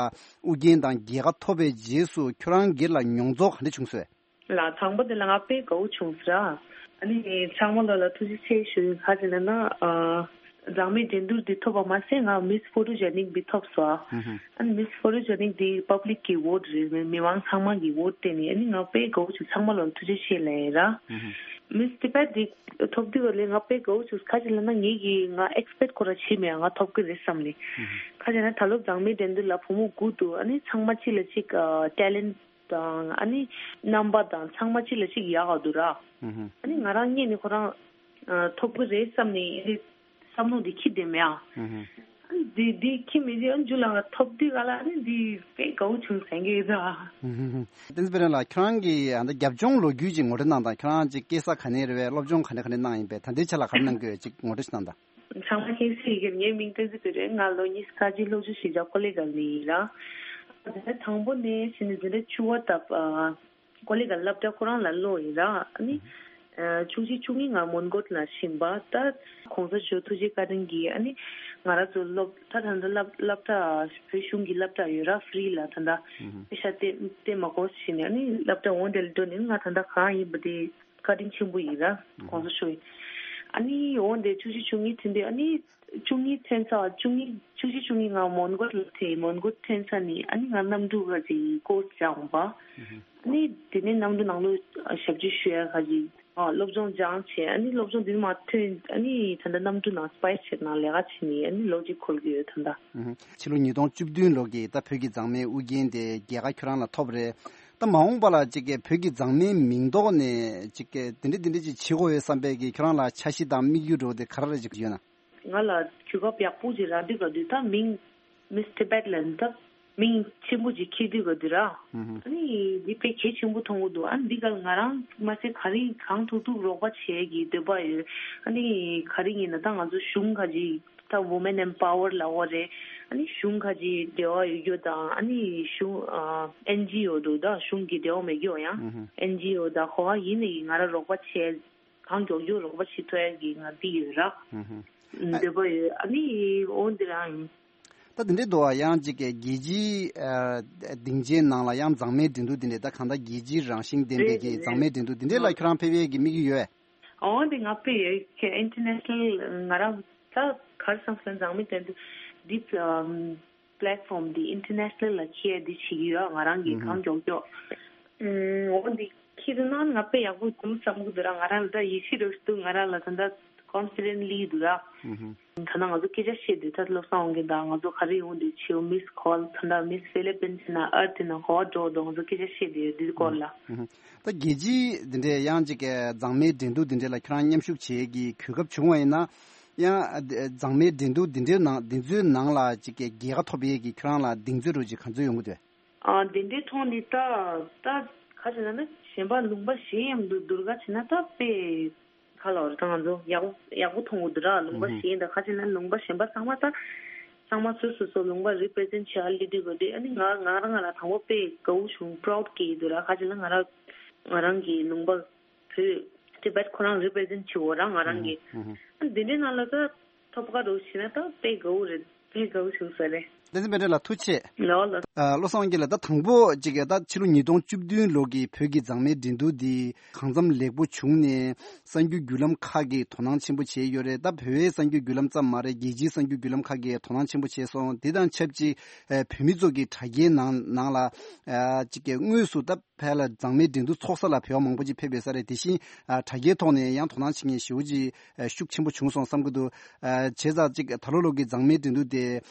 དབུ་འགན་དང་རྒྱལ་ཁ་ཐོབ་པའི་རྗེས་སུ་ཁྱོད་རང་སྒེར་ལ་མྱོང་ཚོར་ག་འདྲ་བྱུང་སོང་། ལ་དང་པོ་དེ་ལ་ང་དཔེ་དགའ་བོ་བྱུང་ཟེར། ཨ་ནི་ཚང་མ་ལོ་ལ་ཐུགས་རྗེ་ཆེ་ཞུ་ཡིན། ག་ཟེར་ན་ན། ཨ། མཛངས་མའི་འགྲན་བསྡུར་འདི་ཐོབ་པ་མ་ཟད་ང་མིས་ཕོ་ཊོ་ཇེ་ནིག་འདི་ཐོབ་སོང་། ཨ་ནི་མིས་ཕོ་ཊོ་ཇེ་ནིག་འདི་པབ་ལིག་གི་ཝོ་ཊི་རེད། མི་མང་ཚང་མ་གི་ཝོ་ཊི་བརྟེན་ནས། ཨ་ནི་ང་དཔེ་དགའ་བོ་བྱུང་། ཚང་མ་ལོ་ལ་ཐུགས་རྗེ་ཆེ་ལབ་ཡིན་ར། མིས་ཊི་བེཊ་འདི་ཐོབ་དུས་ལ་ང་དཔེ་དགའ་བོ་བྱུང་། ག་ཟེར་ལབ་ན་ངེད་ཀྱི་ང་ཨེག་སི་པེག་ཁོ་ར་བྱེད་མེད། ང་ཐོབ་གི་རེད་བསམ་ནས། ག་ཟེར་ན་ད་ལོ་མཛངས་མའི་འགྲན་བསྡུར་ལ་བུ་མོ་དགུ་འདུག་ཨ་ནི་ཚང་མ་གཅིག་ལ་གཅིག་ཨ། ཊེ་ལེན་ཊི་དང་ཨ་ནི་རྣམ་པ་དང་ཚང་མ་གཅིག་ལ་གཅིག་ཡག་ག་འདུག་ར། ཨ་ནི་ང་རང་ངོས་ནས་ཁོ་རང་ཨ། ཐོབ་གི་རེད་བསམ་ནས་ཨ་ནི་བསམ་བློ་འདི་འཁྱེར་བསྡད་མེད་ཨ། ཨ་ནི་འདི་འདི་འཁྱེར་མེད་དུས་ཨ་ནི་མཇུག་ལ་ང་ཐོབ་དུས་ག་ལ་ཨ་ནི་འདི་དཔེ་དགའ་བོ་བྱུང་ཟེར་གི་ཡོད་ད། བསྟན་འཛིན་བེ་རེ་ལགས། ཁྱོད་རང་གི་ཨ་ནི་རྒྱབ་ལྗོངས་ལོ་རྒྱུས་ཅིག་ངོ་སྤྲོད་གནང་དང་། ཁྱོད་རང་ཅིག་སྐྱེས་ས་ག་ནས་རེད་པས། སློབ་སྦྱོང་ག་ནས་ག་ནས་གནང་ཡིན་པས། ད་ལྟའི་ཆ་ལ་ག་རེ་གནང་གི་ཡོད་ཅིག་ངོ་སྤྲོད་ཞིག་གནང་དང་། ཚང་མ་མཁྱེན་གསལ་ཡིན་གྱི། ངའི་མིང་བསྟན་འཛིན་བེ་རེ། ང་ལོ་ཉི་ཤུ་རྩ་གཅིག་སློབ་སྦྱོང་གཞིས་ཆགས་ཀོ་ལི་གྷལ་ནས་ཡིན་ར། དེ་ནས་དང་པོ་ནས་ཕྱི་ནས་འཛིན་གྲྭ་བཅུ་པ་ད་ཀོ་ལི་གྷལ་སློབ་གྲྭ་ཁོ་རང་ལ་སླེབས་ཡིན་ར། ཨ་ནི་ཨ། བཅུ་གཅིག་བཅུ་གཉིས་ང་མོན་གྷོ་ལ་ཕྱིན་པ། ད་གོང་ས་མཆོག་ཐུགས་རྗེ་བཀའ་དྲིན་གྱིས་ཨ་ནི་ང་རང་ཚོ་སློབ་ད་ད་ལྟ་སློབ་སློབ་གྲྭ་བོད་གཞུང་གི་སློབ་གྲྭ་ཡོད་ར། ཧྥི་རི་ལ་ད་ལྟ་པེ་ཤ་སྟེར་སྟེར་མ་དགོས་ཟེར་ནས། ཨ་ནི་སློབ་གྲྭ་འོང་དེ་ལ་འགྲོ་ནས་ང་ད་ལྟ་གང་ཡིན་པ་དེ་བཀའ་དྲིན་ཆེན་པོ་ཡིན་ར། གོང་ས་མཆོག་ཡིན། ཨ་ནི་འོང་དེ་བཅུ་གཅིག་བཅུ་གཉིས་ཐོན་དུས། ཨ་ནི་བཅུ་གཉིས་ཐོན་ཚར། བཅུ་གཉིས་བཅུ་གཅིག་བཅུ་གཉིས་ང་མོན་གྷོ་ལ་ཐོན། མོན་གྷོ་ཐོན་ཚར་ནས་ཨ་ནི་ང་གནམ་གྲུ་ག་ཅིག་ཀོར་སི་སྦྱངས་པ། ཨ་ནི་དེ་ནས་གནམ་གྲུ་ནང་ལོགས་ཞབས་ཕྱི་ཞུ་ཡ་ག་ཅིག་ཨ། སློབ་སྦྱོང་སྦྱངས་བྱས། ཨ་ནི་སློབ་སྦྱོང་དེ་ནས་མར་ཐོན། ཨ་ནི་ད་ལྟ་གནམ་གྲུ་ནང་སི་པའེ་སི་བྱེད་ནང་ལས་ཀ་བྱེད་ནས་ཨ་ནི་ལོ་གཅིག་འཁོར་གྱི་ཡོད་ད་ལྟ། ཕྱི་ལོ་ཉིས་སྟོང་བཅུ་བདུན་ལོ་གི་ད་བོད་ཀྱི་མཛངས་མའི་དབུ་འགན་དེ་རྒྱལ་ཁ་ཁྱོད་རང་ལ་ཐོབ་རེད། ད་མ་འོངས་པ་ལ་ཅིག་གི་བོད་ཀྱི་མཛངས་མའི་མིང་ཐོག་ནས་ཅིག་གི་དེ་འདྲ་དེ་འདྲ་ཅིག་བྱེད་དགོས་ཡོད་བསམ་པའི་གི་ཁྱོད་རང་ལ་འཆར་གཞི་དང་དམིགས་ཡུལ་འདྲ་བོ་དེ་ག་རེ་རེ་ཅིག་ཡོད་ན། ང་ལ་གོ་སྐབས་ཡག་པོ་ཅིག་རག་དུས་ག་དུས་ད་མིང་མིས་ཊི་བེཊ་ལ་ད་མིང་ཆེན་པོ་ཅིག་འཁྱེར་དུས་ག་དུས་ར། ཨ་ནི་འདི་དཔེ་གལ་ཆེན་པོ་མཐོང་གི་འདུག་ཨ་ནི་འདི་ག་ལ་ང་རང་མ་ཟད་ག་རེ་གང་ཐུབ་ཐུབ་རོགས་པ་བྱེད་ཀྱི་འདོད་པ་ཡོད། ཨ་ནི་ག་རེ་ཡིན་ན་ད་ང་ཚོ་གཞུང་ག་ཅིག་ད་ཝུ་མེན་ཨེམ་པ་ཝར་ལབ་དགོས་རེད། ཨ་ནི་གཞུང་ག་ཅིག་འབྲེལ་བ་ཡོད་རྒྱུ་དང་། ཨ་ནི་གཞུང་ཨ་ཨེན་ཇི་ཨོ་འདུག་ད་གཞུང་གི་འབྲེལ་བ་མེད་རྒྱུ་ཡང་ཨེན་ཇི་ཨོ་ད་ག་པར་ཡིན་ནའི་ང་རང་རོགས་པ་བྱེད། གང་མགྱོགས་མགྱོགས་རོགས་པ་བྱེད་ཐུབ་ཡ་གི་ང་འདི་ཡོད་ར། ཨུ་ཧུ། འདོད་པ་ཡོད། ཨ་ནི་འོ་འདི་རང་ཡིན། ད་འདི་འདྲའི་འདུག་བ། ཡང་ཅིག་གི་རྒྱལ་སྤྱིའི་ཨ་སྡིངས་ཆའི་ནང་ལ་ཡང་མཛངས་མའི་འགྲན་བསྡུར་འདི་འདྲའི་ད་གང་ལྟར་རྒྱལ་སྤྱིའི་རང་བཞིན་ལྡན་པའི་རེད་གི་རེད། མཛངས་མའི་འགྲན་བསྡུར་འདི་འདྲའི་ལ་ཨ་ཁྱོད་རང་ཕེབས་ཡས་ཀྱི་དམིགས་ཡུལ་ཡོད། འོ་འདི་ང་ཕེབས་ཡས་ཁྱེད་ཨིན་ཊར་ནེ་ཤ་ནལ་ང་རང་ད་གར་སང་སང་མཛངས་མའི་འགྲན་བསྡུར་འདི་ཨམ། པི་ལེཊ་ཕོམ་འདི་ཨིན་ཊར་ནེ་ཤ་ནལ་ལ་འཁྱེར་འདི་བྱེད་ཀྱི་ཡོད། ང་རང་གིས་ཨུ་ཧུ། གང་མགྱོགས་མགྱོགས། ཨུམ། འོ་འདི་འཁྱེར་ན་ང་དཔེ་ཡག་པོ་འདུག་བསམ་གི་འདུག་ར། ང་རང་ལ་ད་ཡིད་ཆེས་རོགས་ཞིག་འདུག་ང་རང་ལ་ད་ད་ཀོན་ཕི་ཌེན་ཊི་སླེབས་འདུག་ར། ཨུ་ཧུ། ད་ནང་ང་ཚོ་སྐད་ཆ་བཤད་དུས་ད་བློ་བཟང་དབང་རྒྱལ་དང་ང་ཚོ་ག་རེ་ཡོང་འདུག་བྱེད། མིས་ཀོལ་ད་ད་མིས་ཧྥི་ལི་པིན་ཟེར་ན་ཨར་ཐི་ན་ག་པར་འགྲོ་འདུག་ང་ཚོ་སྐད་ཆ་བཤད་དུས་འདི་སྐོར་ལ། ཨུ་ཧུ། ད་རྒྱལ་སྤྱིའི་འདི་འདྲའི་ཡང་ཅིག་གི་མཛངས་མའི་འགྲན་བསྡུར་འདི་འདྲའི་ལ་ཁྱོད་རང་མཉམ་ཞུགས་བྱེད་ཀྱི་གོ་སྐབས་བྱུང་བ་ཡིན་ན། ཡང་ཨ་འདི་མཛངས་མའི་འགྲན་བསྡུར་འདི་འདྲའི་ནང་འདི་ཚོའི་ནང་ལ་ཅིག་གི་རྒྱལ་ཁ་ཐོབ་ཡས་ཀྱི་ཁྱོད་རང་ལ་གདེང་ཚོད་འདྲ་ཅིག་ག་ཚོད་ཡོང་གི་འདུག་ཨ་འདི་འདྲའི་ཐོག་ནས་ད་ད་ག་རེ་ཟེར་ན་གཞན་པ་ལུང་པ་གཞན་མཉམ་དུ་བསྡུར་ག་བྱས་ན་ད་དཔེ་ག་ལབ་རེད། ད་ང་ཚོ་ཡག་པོ་ཡག་པོ་མཐོང་གི་འདུག་ར། ལུང་པ་ཨུ་ཧུ། གཞན་ད་ག་རེ་ཟེར་ན་ལུང་པ་གཞན་པ་ཚང་མ་ད་ཚང་མ་སོ་སོ་སོ་ལུང་པ་རི་པི་རི་ཛེན་ཊི་བྱེད་ཡ་སླེབས་དུས་ག་དུས། ཨ་ནི་ང་ང་རང་ང་རང་དང་པོ་དཔེ་དགའ་བོ་བྱུང་། པ་རའུ་ཌི་སྐྱེས་ཀྱི་འདུག་ར། ག་རེ་ཟེར་ན་ང་རང་ང་རང་གི་ལུང་པ་བོད་ཊི་བེཊ་ཁོ་རང་རི་པི་རི་ཛེན་ཊི་བྱེད་འོ་རང་ང་རང་གི། ཨུ་ཧུ། ཨ་འདི་འདྲའི་ནང་ལ་ད་ཐོབ་ཀ་རོ་བྱས་ན་ད་དཔེ་དགའ་བོ་རེད། དཔེ་དགའ་བོ་བྱུང་ས་རེད། བསྟན་འཛིན་བེ་ཊ་ལགས་ཐུགས་རྗེ་ཆེ། ལོ་ལོ། ཨ་བློ་བཟང་དབང་རྒྱལ་ལགས། ད་དང་པོ་ཅིག་གི་ད་ཕྱི་ལོ་ཉིས་སྟོང་བཅུ་བདུན་ལོ་གི་བོད་ཀྱི་མཛངས་མའི་འགྲན་བསྡུར་འདི་གང་འཚམ་ལེགས་པོ་བྱུང་ནས་གསར་འགྱུར་བརྒྱུད་ལམ་ཁག་གིས་དོ་སྣང་ཆེན་པོ་བྱས་ཡོད་རེད། ད་བོད་པའི་གསར་འགྱུར་བརྒྱུད་ལམ་ཙམ་མ་རེད། རྒྱལ་སྤྱིའི་གསར་འགྱུར་བརྒྱུད་ལམ་ཁག་གིས་དོ་སྣང་ཆེན་པོ་བྱས་སོང་། དེ་དང་ཆབས་ཅིག་ཨ་བོད་མི་ཚོ་གི་དྲ་རྒྱའི་ནང་ནང་ལ་ཨ་ཅིག་གི་དངོས་སུ་ད་ཕལ་ཆེར་མཛངས་མའི་འགྲན་བསྡུར་ཚོགས་ས་ལ་བོད་པ་མང་པོ་ཅིག་ཕེབས་ཡོད་ས་རེད། དེ་བཞིན་ཨ་དྲ་རྒྱའི་ཐོག་ནས་ཡང་དོ་སྣང་བྱེད་མཁན་ཞེ་པོ་ཅིག་ཨ་ཤུགས་ཆེན་པོ་བྱུང་སོང་བསམ་གྱི་འདུག་ཨ་བྱས་ཙང་ཅིག་ད་ལོ་ལོ་གི་མཛངས་མའི་འགྲན་བསྡུར་དེ་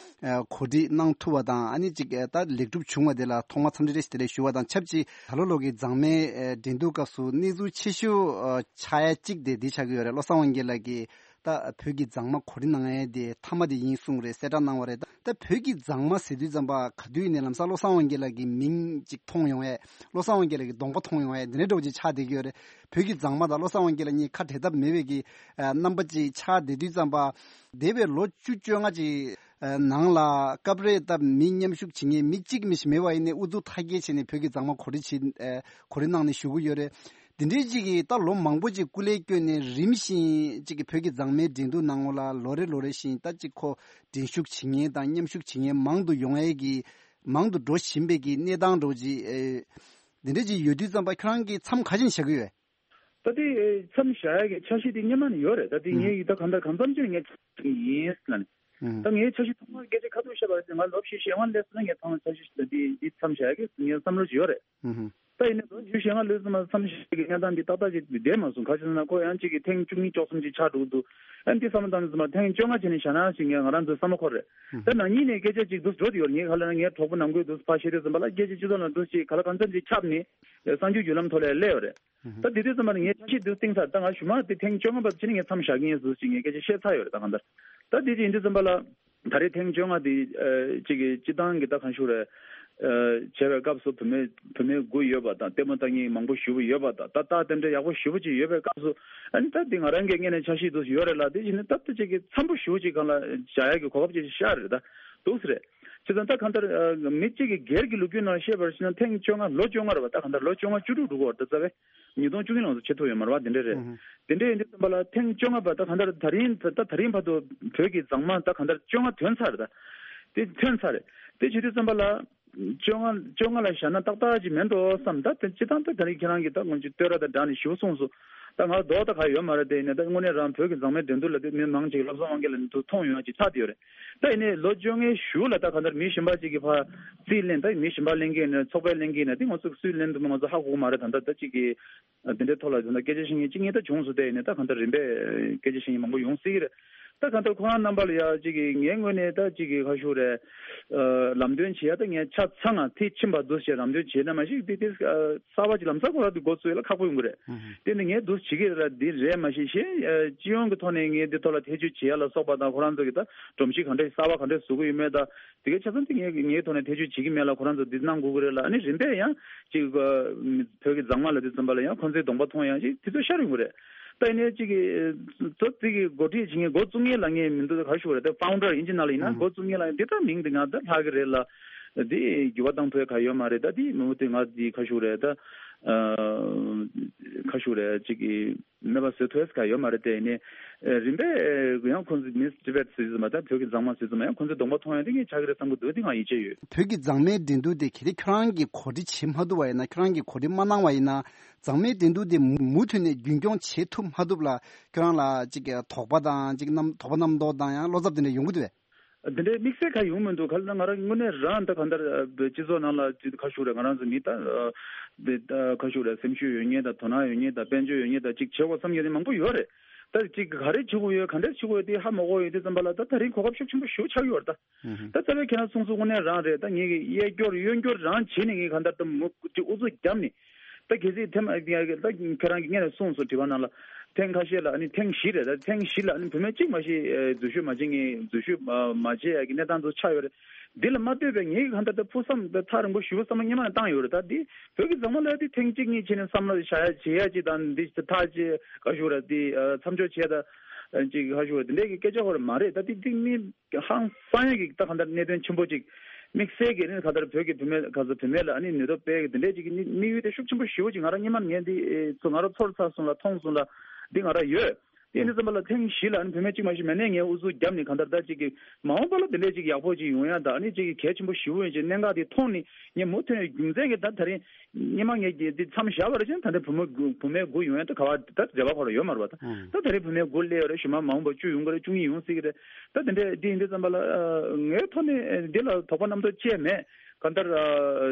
ཨ་གོ་སྒྲིག་གནང་ཐུབ་པ་དང་། ཨ་ནི་ཅིག་ཨ་ད་ལེགས་གྲུབ་བྱུང་བ་དེ་ལ་ཐོག་མར་འཚམས་འདྲི་བཀྲ་ཤིས་བདེ་ལེགས་ཞུ་བ་དང་ཆབས་ཅིག་ད་ལོ་ལོ་གི་མཛངས་མའི་ཨ་འགྲན་བསྡུར་སྐབས་སུ་གནས་ཚུལ་ཆེ་ཤོས་ཨ་ཆགས་ཡ་གཅིག་དེ་འདི་ཆགས་ཀྱི་ཡོད་རེད། བློ་བཟང་དབང་རྒྱལ་ལགས་ཀྱིས་ད་བོད་ཀྱི་མཛངས་མ་གོ་སྒྲིག་གནང་ཡས་དེ་མཐའ་མ་དེ་ཡིན་གསུངས་རེད། གསལ་བསྒྲགས་གནང་བ་རེད། ད་བོད་ཀྱི་མཛངས་མ་ཟེར་དུས་ཙམ་པ་ག་དུས་ནས་ལམ་སང་བློ་བཟང་དབང་རྒྱལ་ལགས་ཀྱི་མིང་ཅིག་མཐོང་ཡོང་ཡས། བློ་བཟང་དབང་རྒྱལ་ལགས་ཀྱི་གདོང་པ་མཐོང་ཡོང་ཡས་འདི་འདྲའི་འདྲ་བོ་ཅིག་ཆགས་བསྡད་ཀྱི་ཡོད་རེད། བོད་ཀྱི་མཛངས་མ་དང་བློ་བཟང་དབང་རྒྱལ་ལགས་གཉིས་ཁ་བྲལ་ཐབས་མེད་པའི་གི་ཨ་རྣམ་པ་ཅིག་ཆགས་བསྡད་དུས་ཙམ་པ། འདས་པའི་ལོ་བཅུ་བཅོ་ལྔ་ཅིག་ ནང་ལ་སྐབས་རེ་ད་མི་མཉམ་ཞུགས་བྱེད་མཁན་མི་གཅིག་མི་ཞིག་མེད་པ་ཡིན་ནའི་ཨུ་ཚུགས་མཐའ་སྐྱེལ་བྱས་ནས་བོད་ཀྱི་མཛངས་མ་གོ་སྒྲིག་བྱེད་གོ་སྒྲིག་གནང་ནས་བཞུགས་ཀྱི་ཡོད་རེད། དེ་འདྲའི་ཅིག་གིས་ད་ལོ་མང་པོ་ཅིག་སྐུ་ལས་བསྐྱོན་ནས་རིམ་བཞིན་ཅིག་གིས་བོད་ཀྱི་མཛངས་མའི་འགྲན་བསྡུར་ནང་ལ་ལོ་རེ་ལོ་རེ་བཞིན་ད་ཅིག་ཁོ་འགྲན་ཞུགས་བྱེད་མཁན་དང་མཉམ་ཞུགས་བྱེད་མཁན་མང་དུ་ཡོང་ཡས་ཀྱི་མང་དུ་འགྲོ་བཞིན་པའི་གི་གནས་སྟངས་འདྲ་བོ་ཅིག་ཨེ། འདི་འདྲ་ཅིག་ཡོད་དུས་ཙམ་པ་ཁྱོད་རང་གིས་མཚམས་ག་ཅིག་བཞག་གི་ཡོད། ད་དེ་མཚམས་བཞག་ཡ་གི་འཆར་གཞི་དེ་སྔོན་མ་ནས་ཡོད་རེད། ད་དེ་ངས་ད་གང་ལྟར་གང་འཚམ་ཅིག་ངས་ཡིན་ལ་ནི། ད་ངའི་འཆར་གཞི་ཐོག་མར་སྐད་ཆ་ཁ་ཐུག་བཤད་པར་ང་ལོ་བཞི་ཞེ་ལྔ་སླེབས་སོང་ན་ངས་ཐོག་མར་འཆར་གཞི་ཞིག་ད་དེ་དེ་མཚམས་བཞག་ཡ་གི་ངའི་བསམ་བློ་ཞིག་ཡོད་རེད། ད་ཡིན་ནའི་ལོ་བཞི་ཞེ་ལྔ་སླེབས་སོང་ན་མཚམས་བཞག་ཡ་གི་གནས་སྟངས་དེ་ཏག་ཏག་ཅིག་བསྡད་མ་སོང་། ག་ཅི་ཟེར་ན་ཁོ་ཡང་གཅིག་གི་ཐེངས་བཅུ་གཉིས་བཅུ་གསུམ་ཅིག་ཆགས་འགྲོ་གི་འདུག་ཨ་འདི་བསམ་བློ་བཏང་ནས་ཟེར་མ་ཐེངས་བཅོ་ལྔ་བྱས་ནས་བཞག་ན་ཞིག་ངས་ང་རང་ཚོའི་བསམ་བློ་འཁོར་རེད། ད་ནང་ཉིད་ནས་སྐད་ཆ་ཅིག་འདུག་འགྲོ་དེ་ཡོད་རེད། ངས་ག་ལ་ན་ངའི་གྲོགས་པོ་ནང་ཁུལ་འདུག་ཕར་བཤད་དུས་ཙམ་པ་ལ་སྐད་ཆ་སྤྱི་ཚོགས་ནང་འདུག་ཅིག་ག་ལ་གང་འཚམ་ཅིག་ཁྱབ་ནས་གསར་འགྱུར་བརྒྱུད་ལམ་ཐོག་ལ་སླེབས་ཡོད་རེད། ད་དེ་དུས་ཙམ་པ་ལ་ངས་འཆར་གཞི་འདུག་བཏིང་ཚར། ད་ང་ཞུ་མ་དེ་ཐེངས་བཅོ་ལྔ་བར་ཕྱིན་ནས་ངས་མཚམས་བཞག་གི་ཡིན་ཟེར་ཅིག་ངས་སྐད་ཆ་བཤད་ཚར་ཡོད་རེད། ད་གང་ལྟར་ད་དེ་ཅིག་ཡིན་དུས་ཙམ་པ་ལ་ད་རེས་ཐེངས་བཅོ་ལྔ་དེ་ཅིག་གི་སྤྱི་བཏང་གི་ད་གང་ཞུ་རེད། བྱས་པའི་སྐབས་སུ་བུད་མེད་བུད་མེད་དགུ་ཡོད་པ་དང་ལྟད་མོ་ལྟ་མཁན་མང་པོ་ཞེ་པོ་ཡོད་པ་དང་ད་ལྟ་དེ་འདྲ་ཡག་པོ་ཞེ་པོ་ཅིག་ཡོད་པའི་སྐབས་སུ་ཨ་ནི་ད་དེ་ང་རང་གི་ངོས་ནས་འཆར་གཞི་འདུག་ཡོད་རེད་ལ། དེ་བཞིན་ད་ལྟ་ཅིག་གི་འཚམ་པོ་ཞེ་པོ་ཅིག་སྒང་ལ་བཞག་ཡག་གི་གོ་སྐབས་ཅིག་ཤར་རེད། ད་འདུག་སེ་རེད། བྱས་ཙང་ད་གང་ལྟར་མི་གཅིག་གི་སྒེར་གྱི་ལོ་རྒྱུས་ནང་བཤད་པར་བྱས་ན་ཐེངས་བཅོ་ལྔ་ལོ་བཅོ་ལྔ་རེད་པ། ད་གང་ལྟར་ལོ་བཅོ་ལྔ་བཅུ་དྲུག་འགྲོ་གི་ཡོད་རེད། ད་རྩ་བའི་ཉིས་སྟོང་བཅུ་གཉིས་ལོ་ཚོ་བྱེད་ཐུབ་ཡོད་མ་རེད་པ། དེ་འདྲ་རེད། དེ་འདྲ་ཡིན་དུས་ཙམ་པ་ལ་ཐེངས་བཅོ་ལྔ་པ་ད་གང་ལྟར་ད་རིང་ད་ད་རིང་བར་དུ་བོད་ཀྱི་མཛངས་མ་ད་གང་ལྟར་བཅོ་ལྔ་ཐོན་ཚར་རེད། ད་དེ་ཐོན་ཚར་རེད། དེ་བྱེད་དུས་ཙམ་པ་ལ་བཅོ་ལྔ་བཅོ་ལྔ་ལ་བཞག་ན་ཏག་ཏག་ཅིག་མེད་འགྲོ་བསམ། ད་དེ་སྤྱི་བཏང་ད་ད་རིང་ཁྱེད་རང་གིས་ད་སྔོན་ཆད་བསྟོད་ར་དང་སྦྲགས་ནས་ཞུ་གསུངས་སོང་། ད་ང་ལྡོག་ད་ག་ཡོད་མ་རེད། དེ་ཡིན་ན་ད་དངོས་གནས་རང་བོད་ཀྱི་མཛངས་མའི་འགྲན་བསྡུར་ལ་དེ་མི་མང་ཅིག་བློ་བཟང་དབང་རྒྱལ་ལ་འདུག་མཐོང་ཡོང་ཡ་ཅིག་ཆགས་བསྡད་ཡོད་རེད། ད་ཡིན་ནའི་ལོ་བཅོ་ལྔའི་གཞུག་ལ་ད་གང་ལྟར་མི་གཞན་པ་ཅིག་གིས་ཕར་རྩིས་ལེན་ད་མི་གཞན་པ་ལེན་གྱི་ཡིན་ན་ཚོགས་པས་ལེན་གྱི་ཡིན་ན་དེ་ང་ཚོ་སུས་ལེན་འདུག་མིན་ང་ཚོ་ཧ་གོ་གི་མ་རེད། ད་ལྟ་ད་ཅིག་གིས་དེ་འདྲའི་ཐོག་ལ་ད་ལྟ་སྐད་ཆ་བཤད་མཁན་གཅིག་གཉིས་ད་བྱུང་སོང་། དེ་ཡིན་ནའི་ད་གང་ལྟར་རིམ་པས་སྐད་ཆ་བཤད་མཁན་མང་པོ་ཡོང་སྲིད་ཀྱི་རེད། ད་གང་ལྟར་ཁོ་རང་རྣམ་པ་ལ་ཡ་ཅིག་གིས་ངའི་ངོས་ནས་ད་ཅིག་གིས་ཁ་ཤུགས་རེད། ལམ་སྟོན་བྱེད་ཡ་ད་ངས་ཆ་ཚང་ང་ཐེ་ཕྱིན་པ་འདུག་ཞེས་ལམ་སྟོན་བྱེད་ན་མ་གཞི་དེ་དེ་གསར་པ་ཅིག་ལམ་སང་ཁོ་རང་དེ་འགོ་བཙུགས་ཡ་ལ་ཁག་པོ་ཡོང་གི་རེད། དེ་ནི་ངས་འདུག་བྱེད་ཀྱི་རེད་ལ་འདི་རེད་མ་གཞི་གཞན་སྤྱི་ཡོངས་ཀྱི་ཐོག་ནས་ངས་འདི་ཐོག་ལ་ཐེ་བྱུས་བྱེད་ཡ་ལ་སོགས་པ་དང་ཁོ་རང་ཚོ་གི་ད་སྒྲོམ་གཞི་ག་འདྲ་གསར་པ་ག་འདྲ་བཟོ་གི་ཡོད་མེད་ད་དེ་གའི་ཆ་ཚང་དེ་ངས་ངའི་ཐོག་ནས་ཐེ་བྱུས་བྱེད་ཀྱི་མེད་ལ་ཁོ་རང་ཚོ་འདི་གནང་དགོས་ཀྱི་རེད་ལ། ཨ་ནི་རིམ་པས་ཡང་ཅིག་བོད་ཀྱི་མཛངས་མ་ལ་དེ་ཙམ་པ་ལ་ཡང་ཁོ་ཚོའི་གདོང་པ་མཐོང་ཡང་ཅིག་དེ་ཚོ་ཤར་ཡོང་གི་རེད། ད་ཡིན་ནའི་གཅིག་གིས་ཚོ་གཅིག་གིས་འགོ་ཁྲིད་བྱེད་མཁན་འགོ་བཙུགས་མཁན་ལབ་མཁན་མི་འདུག་ད་ག་ཞུ་བ་རེད། ད་ཕའུན་ཌར་ཨིན་ཇི་ནང་ལ་ཡིན་ན་འགོ་བཙུགས་མཁན་ལབ་མཁན་དེ་ད་མིང་དེ་ང་ད་ལྷག་གི་རེད་ལ། དེ་འགྱུར་བ་བཏང་ཐུབ་ཡ་ག་ཡོད་མ་རེད། ད་དེ་མི་འོ་དེ་ང་དེ་ག་ཞུ་རེད། ད་ག་ཞུ་རེད། གཅིག་གིས་མེད་པ་བཟོ་ཐུབ་ཡ་ག་ཡོད་མ་རེད། དེ་ཡིན་ནའི་རིམ་པས་ཡང་ཁོང་ཚོ་མིས་ཊི་བྷེཊ་ཟེར་ཙམ་པ་ད་བོད་ཀྱི་མཛངས་མ་ཟེར་ཙམ་པ་ཡང་ཁོང་ཚོའི་གདོང་པ་མཐོང་ཡ་དེ་ངས་ཆགས་ཀྱི་རེད་བསམ་གྱི་འདུག་དེ་ང་ཡིད་ཆེས་ཡོད། བོད་ཀྱི་མཛངས་མའི་འགྲན་བསྡུར་དེ་གལ་ཏེ་ཁྱོད་རང་གིས་གོ་སྒྲིག་བྱེད་མ་ཐུབ་པ་ཡིན་ན་ཁྱོད་རང་གིས་གོ་སྒྲིག་མ་གནང་བ་ཡིན་ན། མཛངས་མའི་འགྲན་བསྡུར་དེ་མུ་མུ་མཐུད་ནས་རྒྱུན་སྐྱོང་བྱེད་ཐུབ་མ་ཐུབ་ལ་ཁྱོད་རང་ལ་ཅིག་དོགས་པ་དང་ཅིག་རྣམ་དོགས་པ་རྣམ་རྟོག་དང་ཡང་བློ་འཚབ་དེ་འདྲ་ཡོང་གི་འདུག་བས། དེ་འདྲའི་དམིགས་བསལ་ག་ཡོང་མི་འདུག་ག་ལ་ང་རང་དངོས་གནས་རང་ད་ག་འདར་སྤྱི་ཚོགས་ནང་ལ་ཅིག་ཁ་ཤུགས་རེད། ང་རང་ཚོ་མི་ད་དེ་ཁ་ཤུགས་རེད། སེམས་ཤུགས་ཡོད་མཁན་དང་དོ་སྣང་ཡོད་མཁན་དང་དཔལ་འབྱོར་ཡོད་མཁན་དང་ཅིག་བྱེད་དགོས་བསམ་མཁན་དེ་མང་པོ་ཡོད་རེད། ད་ཅིག་ག་རེ་བྱེད་དགོས་ཡོད་ག་འདྲ་བྱེད་དགོས་ཡོད་དེ་ཧ་མ་གོ་ཡོད་དུས་ཙམ་པ་ལ་ད་ད་རིང་གོ་སྐབས་ཤུགས་ཆེན་པོ་ཞེ་པོ་ཆགས་ཡོད་རེད་ད། ད་རྩ་བའི་ཁྱེད་རང་གསུང་གསུང་དངོས་གནས་རང་རེད། ད་ངེད་ཀྱི་གཡས་སྐྱོར་གཡོན་སྐྱོར་རང་བྱེད་ནས་ངས་གང་ལྟར་ད་མུ་ཅིག་ཨུ་ཚུགས་བརྒྱབ་ནས་ད་གལ་སྲིད་ཐེམ་ད་ཁྱེད་རང་གིས་སྔོན་ནས་གསུངས་སོང་དྲི་བ་ནང་ལ་ཐེངས་ཁ་ཤས་ལ་ཨ་ནི་ཐེངས་བཞི་རེད། ད་ཐེངས་བཞི་ལ་ཨ་ནི་བུད་མེད་གཅིག་མ་གཏོགས་འཛུལ་ཞུགས་མ་བྱེད་མཁན་འཛུལ་ཞུགས་མ་མ་བྱེད་ཡ་གི་གནས་སྟངས་ཚོ་ཆགས་ཡོད་རེད། འདི་ལ་མ་ལྟོས་པའི་ངེད་ཀྱི་གང་ལྟར་ད་ཕུགས་བསམ་ད་ཐག་རིང་པོ་ཞེ་པོ་བསམ་བློ་སྔོན་མ་ནས་བཏང་ཡོད་རེད། ད་འདི་བོད་ཀྱི་མཛངས་མ་ལ་འདི་ཐེངས་གཅིག་གཉིས་བྱས་ནས་བསམ་བློ་བྱ་ཡ་བྱེད་ཡ་གཅིག་དང་འདི་ཐག་གཅིག་ག་ཞུ་རེད། འདི་མཚམས་འཇོག་བྱས་ད་ཅིག་ག་ཞུ་རེད། འདི་འདྲས་ཀྱི་སྐད་ཆ་ཧོར་མ་རེད། ད་འདི་འདི་མི། ཧང་སང་ཡ་གི་ད་ག་འདྲ་གནད་དོན་ཆེན་པོ་ཅིག་དམིགས་བསལ་གྱི་ནི་ག་འདྲ་བོད་ཀྱི་བུད་མེད་ག་ཚོད་བུད་མེད་ལ་ཨ་ནི་ནུས་སྟོབས་སྤེལ་གྱི་དེ་འདྲས་ཅིག་གི་ནི་དམིགས་ཡུལ་དེ་ཤུགས་ཆེན་པོ་ཞེ་པོ་ཅིག་ང་རང་སྔོན་མ་ནས་ངས་འདི་ཨེ་ཚོ་ང་རང་ཚོར་ཚར་སོང་ལ་མཐོང་སོང་ལ་འདི་ང་རང་ཡོད། དེ་ནི་ཙམ་པ་ལ་ཐེངས་བཞི་ལ་ཨ་ནི་བུད་མེད་གཅིག་མ་གཏོགས་མེད་ནས་ངས་ཨུ་ཚུགས་བརྒྱབ་ནས་ག་འདྲ་ད་ཅིག་གི་མ་འོངས་པ་ལ་དེ་འདྲས་ཅིག་ཡག་པོ་ཅིག་ཡོང་ཡ་ད་ཨ་ནི་ཅིག་གི་གལ་ཆེན་པོ་ཞེ་པོ་ཡིན་ཅིག་གནད་འགག་དེ་མཐོང་ནས་ངས་མུ་མཐུད་ནས་རྒྱུ་མཚན་གྱི་ད་ད་རིང་སྔོན་མ་ངས་ཀྱི་འདི་མཚམས་བཞག་པ་རེད་ཅན་ད་ལྟ་བུ་མོ་དགུ་བུད་མེད་དགུ་ཡོང་ཡ་ད་ག་བ་ད་འབྲེལ་བ་ཁོ་ར་ཡོད་མ་རེད་པ། ད་ད་ད་རེས་བུད་མེད་དགུ་སླེབས་ཡོད་རེད། ཞུ་མ་མ་འོངས་པ་བཅུ་ཡོང་གི་རེད། བཅུ་གཉིས་ཡོང་སྲིད་ཀྱི་རེད། ད་དེ་འདྲས་འདི་ཡིན་དུས་ཙམ་པ་ལ་ངའི་ཐོག་ནས་འདི་ལ་དོགས་པ་རྣམ་རྟོག་ཅི་ཡང་མེད། གང་ལྟར་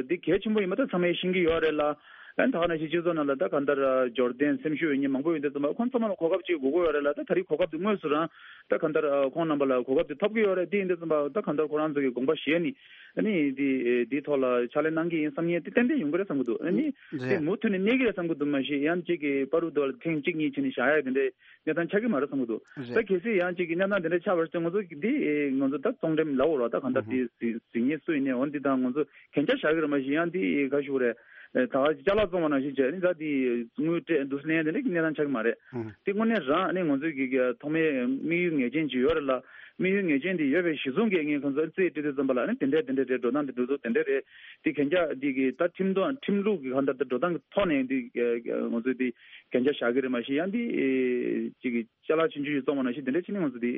འདི་གལ་ཆེན་པོ་ཡིན་པ་ད་ཚང་མས་ཤེས་ཀྱི་ཡོད་རེད་ལ། ཨན་ད་ག་ནང་བཞིན་སྤྱི་ཚོགས་ནང་ལ་ད་གང་ལྟར་འབྱོར་ལྡན་སེམས་ཤུགས་ཡོད་མཁན་མང་པོ་ཡོད་དུས་ཙམ་པ་ཁོང་ཚང་མ་ལ་གོ་སྐབས་ཅིག་དགོས་ཀྱི་ཡོད་རེད་ལ། ད་ད་རེས་གོ་སྐབས་འདི་དངོས་སུ་རང་ད་གང་ལྟར་ཁོང་རྣམ་པ་ལ་གོ་སྐབས་འདི་ཐོབ་ཀྱི་ཡོད་རེད། འདི་ཡིན་དུས་ཙམ་པ་ད་གང་ལྟར་ཁོ་རང་ཚོ་གི་དགོངས་པ་བཞེས་ནས་ཨ་ནི་འདི་འདིའི་ཐོག་ལ་ཕྱག་ལས་གནང་གི་ཡིན་བསམ་མཁན་དེ་ཏན་ཏན་ཡོང་གི་རེད་བསམ་གྱི་འདུག་ཨ་ནི་དེ་རེད། མུ་མཐུད་ནས་གནས་ཀྱི་རེད་བསམ་གྱི་འདུག་མ་གཞི་ཡང་གཅིག་གི་པ་རུ་དོ་ལ་ཐེངས་གཅིག་གཉིས་བྱས་ནས་བཞག་ཡ་དེ་འདྲའི་གནས་སྟངས་ཆགས་ཀྱི་མ་རེད་བསམ་གྱི་འདུག་རེད། ད་གལ་སྲིད་ཡང་གཅིག་གི་གནས་སྟངས་དེ་འདྲ་ཆགས་པར་བརྟེན་ང་ཚོ་འདི་ང་ཚོ་ད་གཙང་འགྲེམས་ལབ་འོ་ར་ད་གང་ལྟར་ཨུ་ཧུ། དེ་གཟིགས་གཟིགས་མཁན་སུ་ཡིན་ནའི་འོ་འདི་དང་ང་ཚོ་གན་རྒྱ་བཞག་གི་རེད། མ་གཞི་ཡང་འདི་ག་ཞུ་རེད། ད་ཅ་ལག་བཙོང་བ་ནང་བཞིན་བྱས་ནི་ད་འདི་དངུལ་སྤྲད་འདུག་ལེན་དེ་འདྲ་གི་གནས་སྟངས་ཆགས་ཀྱི་མ་རེད། ཨུ་ཧུ། དེ་དངོས་གནས་རང་ནི་ང་ཚོའི་གི་གི་ཐོག་མའི་དམིགས་ཡུལ་ངེས་ཅན་ཅིག་ཡོད་རེད་ལ། དམིགས་ཡུལ་ངེས་ཅན་དེ་ཡོད་པའི་གཞི་བཟུང་གིས་ངས་ཁོང་ཚོ་རྩིས་སྤྲད་དུས་ཙམ་པ་ལ་ཨ་ནི་དེ་འདྲས་དེ་འདྲས་རེད། འགྲོ་སྟངས་དེ་འགྲོ་ཚུལ་དེ་འདྲས་རེད། དེ་གན་རྒྱ་འདི་གི་ད་ཁྲིམས་དང་ཁྲིམས་ལུགས་ཀྱི་གང་ལྟར་ད་འགྲོ་སྟངས་ཀྱི་ཐོག་ནས་འདི་ང་ཚོས་འདི་གན་རྒྱ་བཞག་གི་རེད། མ་གཞི་ཡང་འདི་ཅིག་གི་ཅ་ལག་ཆུང་ཆུང་ཞིག་བཙོང་བ་ནང་བཞིན་དེ་འདྲས་ཅིག་ནི་ང་ཚོ་འདི་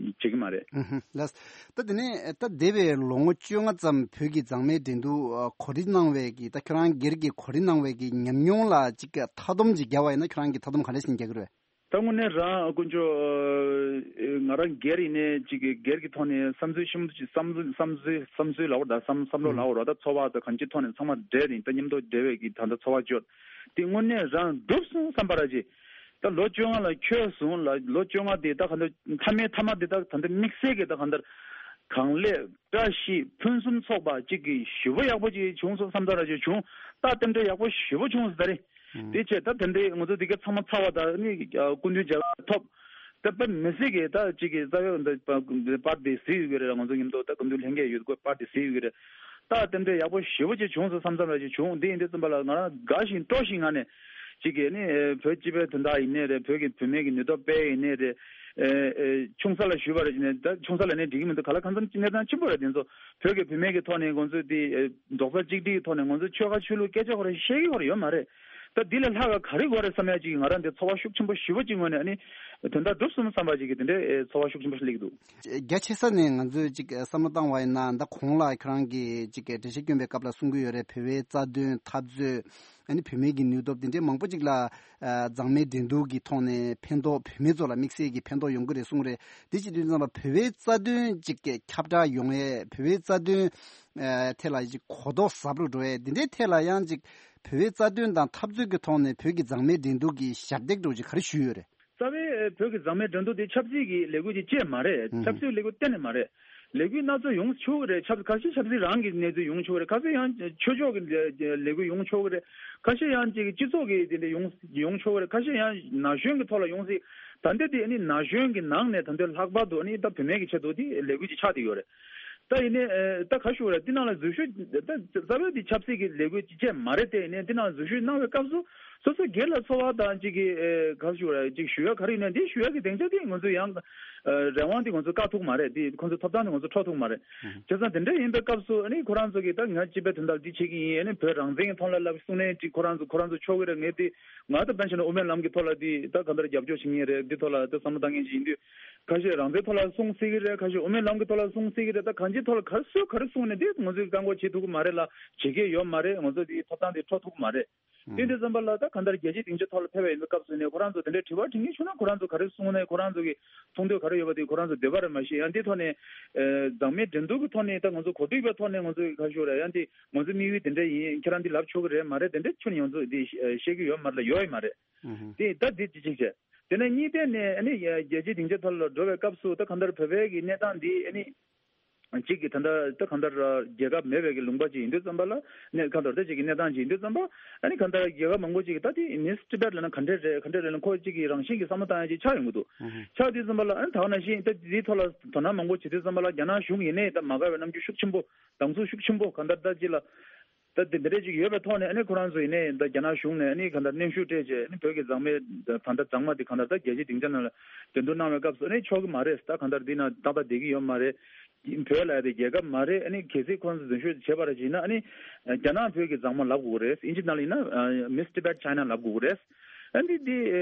བྱེད་ཀྱི་མ་རེད། ཨུ་ཧུ། ལགས། ད་དེ་ནས་ད་འདས་པའི་ལོ་ངོ་བཅོ་ལྔ་ཙམ་བོད་ཀྱི་མཛངས་མའི་འགྲན་བསྡུར་གོ་སྒྲིག་གནང་བའི་གི་ད་ཁྱོད་རང་སྒེར་གྱི་གོ་སྒྲིག་གནང་བའི་གི་ཉམས་མྱོང་ལ་ཅིག་མཐའ་སྡོམ་ཅིག་བརྒྱབ་པ་ཡིན་ན་ཁྱོད་རང་གི་མཐའ་སྡོམ་ག་འདྲ་ཞིག་རྒྱག་གི་རེད། ད་དངོས་གནས་རང་དཀོན་མཆོག་ང་རང་སྒེར་ཡིན་ནའི་ཅིག་གི་སྒེར་གྱི་ཐོག་ནས་བསམ་ཚུལ་ཤིན་ཏུ་ཅིག་བསམ་ཚུལ་བསམ་ཚུལ་བསམ་ཚུལ་ལབ་དགོས་རེད། ད་བསམ་བསམ་བློ་ལབ་དགོས་རེད། ད་ཚོར་བ་དང་གང་ཅིའི་ཐོག་ནས་ཚང་མ་འབྲེལ་ནས་ད་མཉམ་དུ་འབྲེལ་བའི་གི་ད་ལྟ་ཚོར་བ་བརྗོད་དེ་དངོས་གནས་རང་འགྲུབ་སོང་བསམ་པ་ར་ཅིག་ད་ལོ་བཅོ་ལྔ་ལ་འཁྱོལ་སོང་ལ་ལོ་བཅོ་ལྔ་དེ་ད་གང་ལྟར་མཐའ་མའི་མཐའ་མ་དེ་ད་གང་ལྟར་དམིགས་བསལ་གྱི་ད་གང་ལྟར་གང་ལེགས་བཀྲ་ཤིས་ཕུན་སུམ་ཚོགས་པ་གཅིག་གི་ཞུ་བ་ཡག་པོ་ཅིག་བྱུང་སོང་བསམ་ཚར་ར་ཅིག་བྱུང་། ད་རྟེན་འབྲེལ་ཡག་པོ་ཞེ་པོ་བྱུང་སོང་ད་རེད། དེ་བྱས་ད་དེ་འདྲའི་ང་ཚོ་དེ་ག་ཚང་མ་ཚར་བ་དང་ནི་སྐུ་མདུན་མཇལ་ཁ་ཐོབ། ད་དཔེ་མི་སྲིད་ཀྱི་ད་གཅིག་གི་རྩ་བའི་འདི་པར་དེ་གཟིགས་ཡོད་ཀྱི་རེད། ང་ཚོ་མཉམ་དུ་ད་སྐུ་མདུན་ལྷན་རྒྱས་ཡོད་དགོས་པར་དེ་གཟིགས་ཡོད་ཀྱི་རེད། ད་རྟེན་འབྲེལ་ཡག་པོ་ཞེ་པོ་ཅིག་བྱུང་སོང་བསམ་བསམ་ར་ཅིག་བྱུང་། འདི་ཡིན་དུས་ཙམ་པ་ལ་ང་རང་དགའ་ཞིང་སྤྲོ་ཞིང་ངང་ནས་གཅིག་གི་ནི་བོད་སྤྱི་པའི་དོན་དག་ཡིན་ནའི་རེད། བོད་ཀྱི་བུད་མེད་ཀྱི་ནུས་སྟོབས་སྤེལ་ཡིན་ནའི་རེད། ཆུང་ས་ལ་ཞུས་པ་རེད་ཅེས་ནས་ད་ཆུང་ས་ལ་ནས་འགྲིག་གི་མི་འདུག་ག་ལ་གང་འཚམ་གནས་སྟངས་ཆེན་པོ་རེད། དེ་ཚོ་བོད་ཀྱི་བུད་མེད་ཀྱི་ཐོག་ནས་ང་ཚོས་དེ་རྡོག་རྩ་གཅིག་སྒྲིལ་གྱི་ཐོག་ནས་ང་ཚོས་ཆོལ་ཁ་ཆོས་ལུགས་སྐད་ཆ་ཁོ་རང་བཤད་ཀྱི་ཁོ་རང་ཡོད་མ་རེད། ད་འདི་ལས་ལྷག་ག་ག་རེ་དགོས་རེད་བསམ་ཡ་ཅིག་ང་རང་འདི་ཚོར་བ་ཤུགས་ཆེན་པོ་ཞེ་པོ་ཅིག་ངོས་ནས་ཨ་ནི་དོན་དག་འགྲུབ་སོང་བསམ་པ་ཅིག་གི་དེ་འདྲའི་ཚོར་བ་ཤུགས་ཆེན་པོ་ཞིག་སླེབས་ཀྱི་འདུག་རྒྱ་ཆེ་ས་ནས་ང་ཚོས་ཅིག་བསམ་བློ་བཏང་བ་ཡིན་ན་ད་གོང་ལ་ཁྱེད་རང་གིས་ཅིག་འགྲེལ་བཤད་སྐྱོན་པའི་སྐབས་ལ་གསུང་གི་ཡོད་རེད། བོད་པའི་རྩ་དོན་འཐབ་རྩོད། ཨ་ནི་བུད་མེད་ཀྱི་ནུས་སྟོབས་དེ་འདྲའི་མང་པོ་ཅིག་ལ་མཛངས་མའི་འགྲན་བསྡུར་གྱི་ཐོག་ནས་ཕན་ཐོགས་བུད་མེད་ཚོ་ལ་དམིགས་བསལ་གྱི་ཕན་ཐོགས་ཡོང་གི་རེད་གསུངས་རེད། དེ་ཅི་དུས་ཙམ་པ་བོད་པའི་རྩ་དོན་ཅིག་ཁྱབ་བསྒྲགས་ཡོང་ཡས་བོད་པའི་རྩ་དོན་ཐད་ལ་ཅིག་གོ་རྟོགས་ཟབ་རུ་འགྲོ་ཡས་དེ་འདྲའི་ཐད་ལ་ཡང་ཅིག་བོད་པའི་རྩ་དོན་དང་འཐབ་རྩོད་ཀྱི་ཐོག་ནས་བོད་ཀྱི་མཛངས་མའི་འགྲན་བསྡུར་གྱི་ཞབས་འདེགས་འདྲ་ཅིག་ག་རེ་ཞུས་ཡོད་རེད། རྩ་བའི་བོད་ཀྱི་མཛངས་མའི་འགྲན་བསྡུར་དེ་ཆབ་སྲིད་ཀྱི་ལས་འགུལ་ཅིག་ཅེས་མ་རེད། ཆབ་སྲིད་ལས་འགུལ་གཏན་ནས་མ་རེད། ལས་འགུལ་སྣ་ཚོགས་ཡོང་ཆོག་གི་རེད། ཆབ་ཁ་ཤས་ཆབ་སྲིད་རང་གི་གནས་ཚུལ་ཡོང་ཆོག་གི་རེད། ཁ་ཤས་ཡང་ཆོས་ཕྱོགས་ཀྱི་ལས་འགུལ་ཡོང་ཆོག་གི་རེད། ཁ་ཤས་ཡང་ཅིག་སྤྱི་ཚོགས་ཀྱི་དེ་འདྲ་ཡོང་ཡོང་ཆོག་གི་རེད། ཁ་ཤས་ཡང་ན་གཞོན་གྱི་ཐོག་ལ་ཡོང་སྲིད། ད་ལྟ་དེ་ནི་ན་གཞོན་གྱི་ནང་ནས་ད་ལྟ་ལྷག་པར་དུ་ནི་ད་བུད་མེད་ཀྱི་ཆེད་དུ་དེ་ལས་འགུལ་ཅིག་ཆགས་བསྡད་ཡོད་རེད། ད་ཡིན་ནའི་ད་ག་ཞུ་རེད། དེ་ནང་ལ་འཛུལ་ཞུགས་ད་རྩ་བའི་དེ་ཆབ་སྲིད་ཀྱི་ལས་འགུལ་ཅིག་ཅེས་མ་རེད། དེ་ཡིན་ནའི་དེ་ནང་འཛུལ་ཞུགས་གནང་བའི་སྐབས་སུ། སོ་སོ་སྒེར་ལ་ཚོར་བ་དང་གཅིག་གི་ཨེ་ག་རེ་ཞུ་དགོས་རེད། གཅིག་ཞུ་ཡ་ག་རེ་ཡིན་ན་འདི་ཞུ་ཡ་གི་སྡིངས་ཆ་དེ་ང་ཚོ་ཡང་ཨེ་རང་དབང་དེ་ང་ཚོ་བཀག་ཐུབ་མ་རེད། དེ་ཁོང་ཚོ་ཐོབ་ཐང་དེ་ང་ཚོ་འཕྲོག་ཐུབ་མ་རེད། བྱས་ཙང་དེ་འདྲ་ཡིན་པའི་སྐབས་སུ་ཨ་ནི་ཁོ་རང་ཚོ་གིས་ད་ང་སྤྱི་པའི་དོན་དག་འདི་བྱེད་ཀྱི་ཡིན། ཨ་ནི་བོད་རང་བཙན་གྱི་ཐོག་ལ་ལབ་གསུང་ནས་ཅིག་ཁོ་རང་ཚོ་ཁོ་རང་ཚོ་ཆོག་གི་རེད། ངས་དེ་ང་ད་དཔེར་ན་ཆ་ན་དབུ་མའི་ལམ་གྱི་ཐོག་ལ་དེ་ད་ག་འདྲ་རྒྱབ་སྐྱོར་བྱེད་ཀྱི་ཡིན་རེད། འདི་ཐོག་ལ་ད་བསམ་བློ་བཏང་མཁན་ཅིག་ཡིན་དུས་ཁ་ཤས་རང་བཙན་ཐོག་ལ་གསུང་སྲིད་ཀྱི་རེད། ཁ་ཤས་དབུ་མའི་ལམ་གྱི་ཐོག་ལ་གསུང་སྲིད་ཀྱི་རེད། ད་གང་ཅིའི་ཐོག་ལ་ག་སུས་ག་རེ་གསུང་ནས་དེ་ང་ཚོས་བཀག་འགོག་བྱེད་ཐུབ་ཀྱི་མ་རེད་ལ་བྱེད་མཁན་ཡོད་མ་རེད། ང་ཚོ་དེའི་ཐོབ་ཐང་དེ་འཕྲོག་ཐུབ་ཀྱི་མ་རེད། དེ་འདྲ་ཙམ་པ་ལ་ད་གང་ལྟར་རྒྱལ་སྤྱིའི་སྡིངས་ཆ་ཐོག་ལ་ཕེབས་པ་ཡིན་པའི་སྐབས་སུ་ནས་ཁོ་རང་ཚོ་དེ་འདྲའི་དྲི་བ་དྲི་མཁན་བྱུང་ན་ཁོ་རང་ཚོ་ག་རེ་གསུང་ནས་ཁོ་རང་ཚོ་གི་མཐོང་འདོད་ག་རེ་ཡོད་པ་དེ་ཁོ་རང་ཚོ་འདོད་པ་རེད། མ་གཞི་ཡང་འདི་ཐོག་ནས་ཨེ་མཛངས་མའི་འགྲན་བསྡུར་གྱི་ཐོག་ནས་ད་ང་ཚོ་གོ་སྒྲིག་པའི་ཐོག་ནས་ང་ཚོ་གི་ཁ་ཤོར་ར་ཡང་འདི་ང་ཚོའི་དམིགས་ཡུལ་དེ་འདྲ་ཡིན། ཁྱེད་རང་འདི་ལབ་ཆོག་གི་རེད་མ་རེད། དེ་འདྲ་ཁྱོན་ཡོངས་རྫོགས་འདི་བཤད་ཀྱི་ཡོད་མ་རེད་ལ་ཡོད་ཡི་མ་རེད། དེ་ད་འདི་ཅི་ཅིག་བྱས། དེ་ནས་གཉིས་ཐད་ནས་ཨ་ནི་རྒྱལ་སྤྱིའི་སྡིངས་ཆ་ཐོག་ལ་འགྲོ་བའི་སྐབས་སུ་ད་གང་ལྟར་བོད་པའི་གི་གནས་སྟངས་འདི་ཨ་ནི་གཅིག་གི་ད་ལྟ་ད་གང་ལྟར་རྒྱལ་ཁབ་མེད་པའི་གི་ལུང་པ་ཅིག་ཡིན་དུས་ཙམ་པ་ལ་གནས་གང་ལྟར་ད་གཅིག་གི་གནས་སྟངས་ཅིག་ཡིན་དུས་ཙམ་པ་ཨ་ནི་གང་ལྟར་རྒྱལ་ཁབ་མང་པོ་ཅིག་གི་ད་དེ་མིས་ཊི་བྷེཊ་ལབ་ན་ག་འདྲས་རེད་ག་འདྲས་རེད་ལ་ཁོ་གཅིག་གི་རང་བཞིན་གྱི་བསམ་བློ་བཏང་ཡ་ཅིག་ཆགས་ཡོང་གི་འདུག་ཆགས་དུས་ཙམ་པ་ལ་ཨ་ནི་ད་ག་ནང་བཞིན་ད་དེའི་ཐོག་ལ་དོ་སྣང་མང་པོ་བྱེད་དུས་ཙམ་པ་ལ་རྒྱ་ནག་གཞུང་ཡིན་ནའི་ད་མ་དགའ་བའི་རྣམ་འགྱུར་ཤུགས་ཆེན་པོ་སྡང་ཟུག་ཤུགས་ཆེན་པོ་གང་ལྟར་ད་ཅིག་ལ། ད་དེ་འདྲ་ཅིག་ཡོད་པའི་ཐོག་ནས་ཨ་ནི་ཁོ་རང་ཚོ་ཡིན་ནའི་ད་རྒྱ་ནག་གཞུང་ནས་ཨ་ནི་གང་ལྟར་གནོན་ཤུགས་སྤྲད་བྱས་ཨ་ནི་བོད་ཀྱི་མཛངས་མའི་ད་ལྟ་མཛངས་མ་དེ་གང་ལྟར་ད་རྒྱལ་སྤྱིའི་སྡིངས་ཆ་ནང་ལ་འགྲན་བསྡུར་གནང་བའི་སྐབས་སུ་ཨ་ནི་ཆོག་གི་མ་རེད། ད་གང་ལྟར་འདི་ན་ཏག་ཏག་བསྡད་ཀྱི་ཡོད་མ་རེད། བོད་ལ་ཡ་དེ་རྒྱལ་ཁབ་མ་རེད། ཨ་ནི་གལ་སྲིད་ཁོ་རང་ཚོ་འཛུལ་ཞུགས་བྱས་པ་རེད་ཅེ་ན་ཨ་ནི་རྒྱ་ནག་བོད་ཀྱི་མཛངས་མ་ལབ་དགོས་རེད། ཨིན་ཇི་ནང་ལ་ཡིན་ན་Miss Tibet China ལབ་དགོས་རེད། ཨ་ནི་འདི་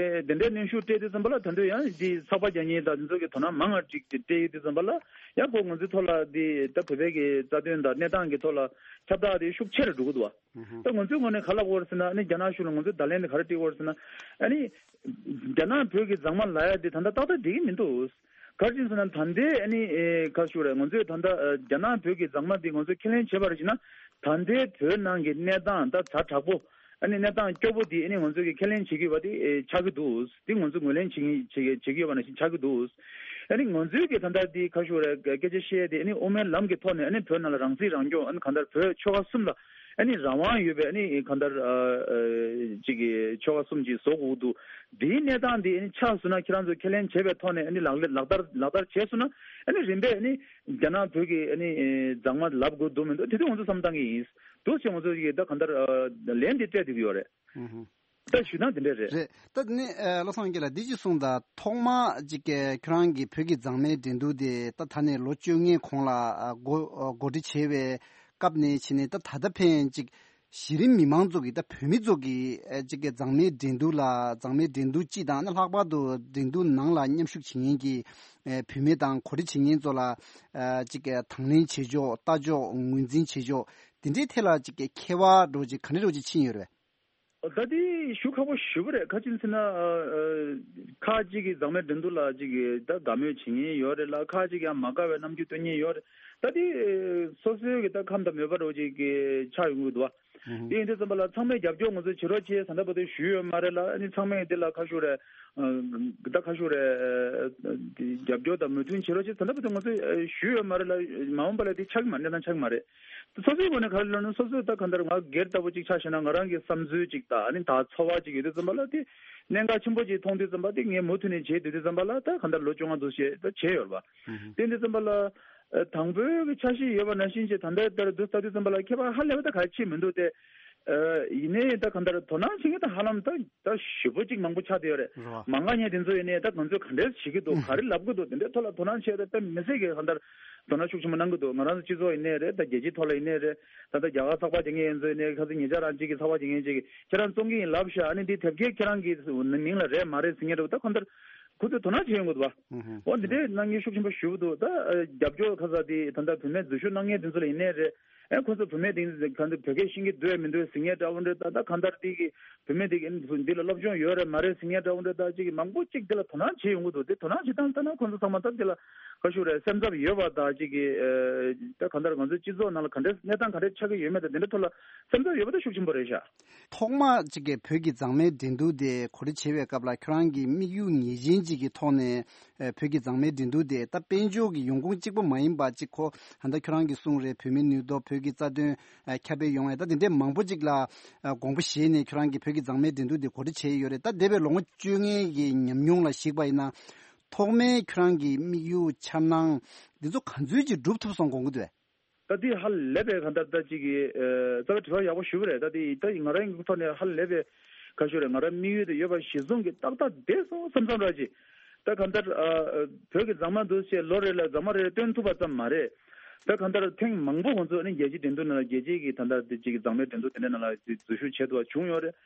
དེ་འདྲའི་གནོན་ཤུགས་སྤྲད་དུས་ཙམ་པ་ལ་ད་དུང་ཡང་འདི་ཚགས་པར་རྒྱག་མཁན་དང་འདི་ཚོ་གི་དོ་སྣང་མང་ང་ཅིག་སྤྲད་ཡོད་དུས་ཙམ་པ་ལ་ཡང་ཁོ་ང་ཚོའི་ཐོག་ལ་འདི་ད་བོད་པའི་གི་རྩ་དོན་དང་གནས་སྟངས་ཀྱི་ཐོག་ལ་ཁྱབ་བསྒྲགས་དེ་ཤུགས་ཆེ་རུ་འགྲོ་གི་འདུག་བ། ད་ང་ཚོའི་ངོས་ནས་ག་ལབ་དགོས་རེད་ཟེར་ན་ཨ་ནི་རྒྱ་ནག་གཞུང་ལ་ང་ཚོས་བརྡ་ལན་དེ་ག་རེ་སྤྲད་དགོས་རེད་ཟེར་ན་ཨ་ནི་རྒྱ་ནག་བོད་ཀྱི་མཛངས་མ་ལབ་ཡ་དེ་ད་ལྟ་ཏག་ཏག་བསྡད་ཀྱི་མི་འདུག་ག་རེ་ཡིན་ཟེར་ན་ད་ལྟའི་ཨ་ནི་ཨེ་ག་རེ་ཞུ་དགོས་རེད། ང་ཚོས་ད་ལྟ་ཨ་རྒྱ་ནག་བོད་ཀྱི་མཛངས་མ་འདི་ང་ཚོས་ཁས་ལེན་བྱས་པ་རེད་ཅེ་ན་ད་ལྟའི་བོད་ནང་གི་གནས་སྟངས་ད་ཛ་དྲག་པོ་ཨ་ནི་གནས་སྟངས་སྐྱོ་པོ་འདི་ཨ་ནི་ང་ཚོས་ཀྱི་ཁས་ལེན་བྱེད་ཀྱི་ཡོད་པ་དེ་ཨེ་ཆགས་ཀྱི་འདུག་འདི་ང་ཚོས་ངོས་ལེན་བྱེད་ཀྱི་བྱེད་ཀྱི་བྱེད་ཀྱི་ཡོད་པ་ནང་བཞིན་ཆགས་ཀྱི་འདུག་ཨ་ནི་ང་ཚོས་ཀྱི་ད་ལྟ་འདི་ག་རེ་ཞུ་དགོས་རེད། སྐད་ཆ་བཤད་དེ་ཨ་ནི་དབུ་མའི་ལམ་གྱི་ཐོག་ནས་ཨ་ནི་བོད་ནང་ལ་རང་སྲིད་རང་སྐྱོང་ཨ་ནི་གང་ལྟར་བོད་ཆོལ་ཁ་གསུམ་ལ་ཨ་ནི་རང་དབང་ཡོད་པའི་ཨ་ནི་གང་ལྟར་ཨ་ཨ་ཅིག་གི་ཆོལ་ཁ་གསུམ་ཅིག་བཟོ་དགོས་འདུག་འདིའི་གནས་སྟངས་འདི་ཨ་ནི་ཆགས་སོང་ན་ཁྱེད་རང་ཚོས་ཁས་ལེན་བྱས་པའི་ཐོག་ནས་ཨ་ནི་ལག་ལེན་ལག་བསྟར་ལག་བསྟར་བྱས་སོང་ན་ཨ་ནི་རིམ་པས་ཨ་ནི་རྒྱ་ནག་བོད་ཀྱི་ཨ་ནི་མཛངས་མ་ལབ་དགོས་འདུག་མི་འདུག་དེ་དུས་ང་ཚོ་བསམ་བཏང་གི་ཡིན། འདུག་ཅེས་ང་ཚོ་ཡིས་ད་གང་ལྟར་ལན་འདི་སྤྲད་བསྡད་ཀྱི་ཡོད་རེད། ད་ཞུ་ན་དེ་འདྲ་རེད། རེད། ད་ནི་ཨ་བློ་བཟང་དབང་རྒྱལ་ལགས་འདི་ཅིག་གསུངས་དང་། ཐོག་མ་ཅིག་གི་ཁྱོད་རང་གི་བོད་ཀྱི་མཛངས་མའི་འགྲན་བསྡུར་དེ་ད་ད་ནས་ལོ་བཅོ་ལྔའི་གོང་ལ་ཨ་འགོ་ཨ་འགོ་ཁྲིད་བྱས་པའི་སྐབས་ནས་བྱས་ནས་ད་ད་ལྟ་ཕན་ཅིག་གཞི་རིམ་མི་མང་ཚོ་གི་ད་བོད་མི་ཚོ་གི་ཨ་ཅིག་གི་མཛངས་མའི་འགྲན་བསྡུར་ལ་མཛངས་མའི་འགྲན་བསྡུར་སྤྱི་དང་ནི་ལྷག་པར་དུ་འགྲན་བསྡུར་ནང་ལ་མཉམ་ཞུགས་བྱེད་མཁན་གྱི་ཨ་བུད་མེད་དང་གོ་སྒྲིག་བྱེད་མཁན་ཚོ་ལ་ཨ་ཅིག་གི་དང་ལེན་བྱེད་ཕྱོགས། ལྟ་ཕྱོགས། ངོས་འཛིན་བྱེད་ཕྱོགས། དེ་འདྲའི་ཐད་ལ་ཅིག་གི་ཁྱད་པར་འདྲ་ཅིག་ག་འདྲ་འདྲ་ཅིག་ཕྱིན་ཡོད་རེད། ད་དེ་ཞུ་ཁག་པོ་ཞེ་པོ་རེད། ག་ཅི་ཟེར་ན། ཨ་ཨ་ཁ་ཅིག་གིས་མཛངས་མའི་འགྲན་བསྡུར་ལ་ཅིག་གིས་ད་དགའ་མོས་བྱེད་མཁན་ཡོད་རེད་ལ། ཁ་ཅིག་ཡང་མ་དགའ་བའི་རྣམ་འགྱུར་སྟོན་མཁན་ཡོད་རེད། ད་དེ་སོ་སོའི་གི་ད་ཁམས་དང་མོས་པ་འདྲ་ཅིག་གི་ཆགས་ཡོང་གི་འདུག་བ། དེ་ཡིན་དུས་ཙམ་པ་ལ་ཚང་མས་རྒྱབ་སྐྱོར་ང་ཚོས་བྱེད་རོགས་བྱེད་ཟེར་ད་བར་དུ་ཞུས་ཡོད་མ་རེད་ལ། ཨ་ནི་ཚང་མས་དེ་ལ་ཁ་ཤོར་རེད། ཨ་ད་ཁ་ཤོར་རེད། ཨ་རྒྱབ་སྐྱོར་དང་མོས་མཐུན་བྱེད་རོགས་བྱེད་ཟེར་ད་བར་དུ་ང་ཚོས་ཨ་ཞུས་ཡོད་མ་རེད་ལ། མ་འོངས་པ་ལ་དེ་ཆགས་ཀྱི་མ་གནས་སྟངས་ཆགས་ཀྱི་མ་རེད། སོ་སོའི་ངོས་ནས་ག་རེ་ལབ་ན། སོ་སོས་ད་གང་ལྟར་ང་སྒེར་ལྟ་བུ་ཅིག་ཆ་བཞག་ན། ང་རང་གི་བསམ་ཚུལ་ཅིག་དང་། ཨ་ནི་ད་ཚོར་བ་ཅིག་ཡོད་དུས་ཙམ་པ་ལ་དེ་གནད་འགག་ཆེན་པོ་ཅིག་མཐོང་དུས་ཙམ་པ་དེ་ངས་མུ་མཐུད་ནས་བྱེད་སྡོད་དུས་ཙམ་པ་ལ། ད་གང་ལྟར་ལོ་བཅོ་ལྔ་འདུག་བྱས་ད་བྱས་ཡོད་རེད་པ། དེ་འདྲ་དུས་ཙམ་པ་ལ་ཨ་དང་པོའི་གི་འཆར་གཞི་ཡོད་པ་ནང་བཞིན་ཅིག་ད་ལྟའི་ལྟར་དུ་ལྟ་དུས་ཙམ་པ་ལ་ཁྱད་པར་ཧ་ལས་པ་ད་ག་ཅི་མི་འདུག་སྟེ། ཨ་ཡིན་ནའི་ད་གང་ལྟར་དོ་སྣང་བྱེད་མཁན་ད་ཧ་ལམ་ད་ད་ཞེ་པོ་ཅིག་མང་པོ་ཆགས་བསྡད་ཡོད་རེད། རེད་པ། མ་དགའ་མཁན་དེ་ཚོ་ཡིན་ནའི་ད་ང་ཚོས་ག་འདྲས་བྱེད་ཀྱི་འདུག་ག་རེ་ལབ་ཀྱི་འདུག་དེ་འདྲའི་ཐོག་ལ་དོ་སྣང་བྱས་ཏེ་ད་མི་སེར་གྱིས་གང་ལྟར་དོ་སྣང་ཤུགས་ཆེན་པོ་གནང་གི་འདུག་ང་རང་ཚོ་སྤྱི་ཚོགས་ཡིན་ནའི་རེད། ད་རྒྱལ་སྤྱིའི་ཐོག་ལ་ཡིན་ནའི་རེད། ད་ལྟ་རྒྱ་གར་ཚགས་པར་རྒྱག་མཁན་ཡིན་ཚོ་ཡིན་ནའི། ཁ་སང་ཉེ་ཆར་རང་གཅིག་གིས་ཚགས་པར་རྒྱག་མཁན་གཅིག་གིས་ཁྱེད་རང་བཙོང་གི་ཡིན་ལབ་ཤག་ཨ་ནི་འདི་དེབ་སྐྱེལ་ཁྱེད་རང་གི་མིང་ལ་རེད་མ་རེད་ཟེར་མཁན་འདྲ་བོ། ད་གང་ལྟར་ཁོ་ཚོས་དོ་སྣང་བྱེད་ཡོང་གི་འདུག་བ། ཨུ་ཧུ། འོ་འདི་འདྲའི་གནང་མཁན་ཤུགས་ཆེན་པོ་ཞེ་པོ་འདུག་ད་ཨ་རྒྱབ་སྐྱོར་ཁ་ས་དེ་ད་ལྟ་བུད་མེད་འཛུལ་ཞུགས་གནང་མཁན་དེ་ཚོ་ལ་ཡིན་ནའི་རེད། ཨེ་ཁོ་ཚོ་བུད་མེད་དེ་གང་ལྟར་བོད་སྐད་ཤེས་ཀྱི་འདུག་མི་འདུག་ཟེར་མཁན་འདྲ་བོ་འདྲ། ད་ད་གང་ལྟར་དེ་གི་བུད་མེད་དེ་གི་འདི་ལ་སློབ་སྦྱོང་ཡོད་རེད་མ་རེད་ཟེར་མཁན་འདྲ་བོ་འདྲ། ད་ཅིག་མང་པོ་ཅིག་དེ་ལ་དོ་སྣང་བྱེད་ཡོང་གི་འདུག་དེ་དོ་སྣང་བྱེད་སྟངས་ལྟར་ན་ཁོ་ཚོ་ཚང་མ་ད་དེ་ལ་ག་ཞུ་རེད། སེམས་འཚབ་ཡོད་པ་དང་། ཅིག་གི་ཨེ་ད་གང་ལྟར་ང་ཚོའི་སྤྱི་ཚོགས་ནང་ལ་ག་འདྲ་གནས་སྟངས་ག་འདྲ་ཆགས་ཀྱི་ཡོད་མེད་དང་དེ་འདྲ་ཐོག་ལ་སེམས་འཚབ་ཡོད་པ་ད་ཤུགས་ཆེན་པོ་རེད་ཤག་ཐོག་མ་གཅིག་གི་བོད་ཀྱི་མཛངས་མའི་འགྲན་བསྡུར་དེ་གོ་སྒྲིག་བྱེད་པའི་སྐབས་ལ་ཁྱོད་རང་གི་དམིགས་ཡུལ་ངེས་ཅན་གཅིག་གི་ཐོག་ནས་ཨ་བོད་ཀྱི་མཛངས་མའི་འགྲན་བསྡུར་དེ་ད་དཔལ་འབྱོར་གྱི་ཡོང་ཁུངས་གཅིག་པོ་མ་ཡིན་པ་གཅིག་ཁོ་ད་ལྟ་ཁྱོད་རང་གིས་གསུངས་རེད། བོད་མིའི་ནུས་སྟོབས། བོད་ཀྱི་རྩ་དོན་ཨ་ཁྱབ་སྤེལ་ཡོང་བའི་ད་དེ་འདྲའི་མང་པོ་གཅིག་ལ་ཨ་དགོངས་པ་བཞེས་ནས་ཁྱོད་རང་གིས་བོད་ཀྱི་མཛངས་མའི་འགྲན་བསྡུར་དེ་གོ་སྒྲིག་བྱས་ཡོད་རེད། ད་འདས་པའི་ལོ་ངོ་བཅོ་ལྔའི་གི་ཉམས་མྱོང་ལ་གཞིགས་པ་ཡིན་ན། ཐོག་མའི་ཁྱོད་རང་གི་དམིགས་ཡུལ། འཆར་སྣང་འདི་ཚོ་ག་ཚོད་ཅིག་འགྲུབ་ཐུབ་སོང་དགོངས་ཀྱི་འདུག་ད་དེ་ཧ་ལས་པའི་གང་ལྟར་ད་ཅིག་གི་ཨ་རྩ་བའི་དྲི་བ་ཡག་པོ་ཞུ་བ་རེད། ད་དེ་ད་ང་རང་གི་ཐོག་ནས་ཧ་ལས་པའི་ག་ཞུ་རེད། ང་རང་དམིགས་ཡུལ་དེ་ཡོད་པ་གཞིར་བཟུང་གི་ཏག་ཏག་བསྡད་སོང་བསམ་བསམ་ར་ཅིག་ད་གང་ལྟར་ཨ་བོད་ཀྱི་མཛངས་མ་འདུག་ཅེས་ལོ་རེ་ལ་མཛངས་མ་རེ་རེ་བཏོན་ཐུབ་པ་ཙམ་མ་རེད། ད་གང་ལྟར་ཐེངས་མང་པོ་ང་ཚོ་ཨ་ནི་རྒྱལ་སྤྱིའི་འགྲན་བསྡུར་ནང་ལ། རྒྱལ་སྤྱིའི་གི་ད་ལྟ་དེ་ཅིག་གི་མཛངས་མའི་འགྲན་བསྡུར་དེ་འདྲའི་ནང་ལ་འཛུལ་ཞུགས་བྱས་ཐུབ་པ་བྱུང་ཡོད་རེད།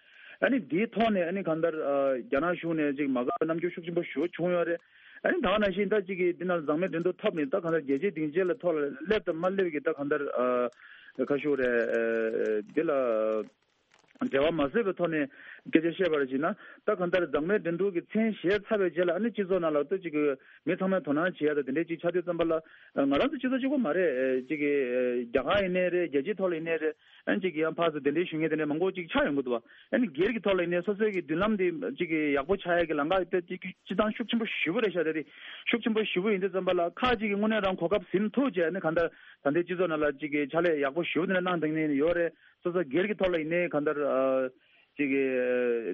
ཨ་ནི་དེའི་ཐོག་ནས་ཨ་ནི་གང་ལྟར་ཨ་རྒྱ་ནག་གཞུང་ནས་ཅིག་མ་དགའ་བའི་རྣམ་འགྱུར་ཤུགས་ཆེན་པོ་ཞེ་པོ་བྱུང་ཡོད་རེད། ཨ་ནི་ད་ག་ནང་བཞིན་ད་ཅིག་གི་འདི་ནང་མཛངས་མའི་འགྲན་བསྡུར་ཐོབ་ནས་ད་གང་ལྟར་རྒྱལ་སྤྱིའི་སྡིངས་ཆའི་ལ་ཐོག་ལ་སླེབས་དང་མ་སླེབས་ཀྱི་ད་གང་ལྟར་ཨ་ཁ་ཤུ་རེད། ཨ་འདི་ལ་འབྲེལ་བ་མ་བཟོས་པའི་ཐོག་ནས་སྐད་ཆ་བཤད་པར་བྱས་ན། ད་གང་ལྟར་མཛངས་མའི་འགྲན་བསྡུར་གྱི་མཚན་བཞེས་ཚར་བའི་རྗེས་ལ་ཨ་ནི་སྤྱི་ཚོགས་ནང་ལ་ད་ཅིག་གི་མི་ཚང་མས་དོ་སྣང་བྱེད་ཡ་ད་དེ་འདྲའི་ཅིག་ཆགས་དུས་ཙམ་པ་ལ། ང་རང་ཚོ་སྤྱི་ཚོགས་གཅིག་པོ་མ་རེད། ཅིག་གི་རྒྱ་གར་ཡིན་ནའི་རེད། རྒྱལ་སྤྱིའི་ཐོག་ལ་ཡིན་ནའི་རེད། ཨ་ནི་ཅིག་གི་ཡང་ཕར་ཚུར་གདན་འདྲེན་ཞུ་མཁན་དེ་འདྲ་མང་པོ་ཅིག་ཆགས་ཡོང་གི་འདུག་བ། ཨ་ནི་སྒེར་གྱི་ཐོག་ལ་ཡིན་ནའི་སོ་སོའི་གི་མདུན་ལམ་དེ་ཅིག་གི་ཡག་པོ་ཆགས་ཡ་གི་ལམ་ཁ་དེ་ཅིག་གི་སྤྱི་བཏང་ཤུགས་ཆེན་པོ་ཞེ་པོ་རེད་ཤག་དེ་དེ་ཤུགས་ཆེན་པོ་ཞེ་པོ་ཡིན་དུས་ཙམ་པ་ལ་ཁག་ཅིག་གི་དངོས་གནས་རང་གོ་སྐབས་ཟིན་ཐུབ་བྱས་ཨ་ནི་གང་ལྟར་ད་ལྟའི་སྤྱི་ཚོགས་ནང་ལ་ཅིག་གི་ཕྱག་ལས་ཡག་པོ་ཞེ་པོ་དེ་འདྲ་གནང་བསྡད་མཁན་ཡོད་རེད། སོ་སོ་སྒེར་གྱི་ཐོག་ལ་ཡིན་ནའི་གང་ལྟར་ཨ་ཅིག་གི་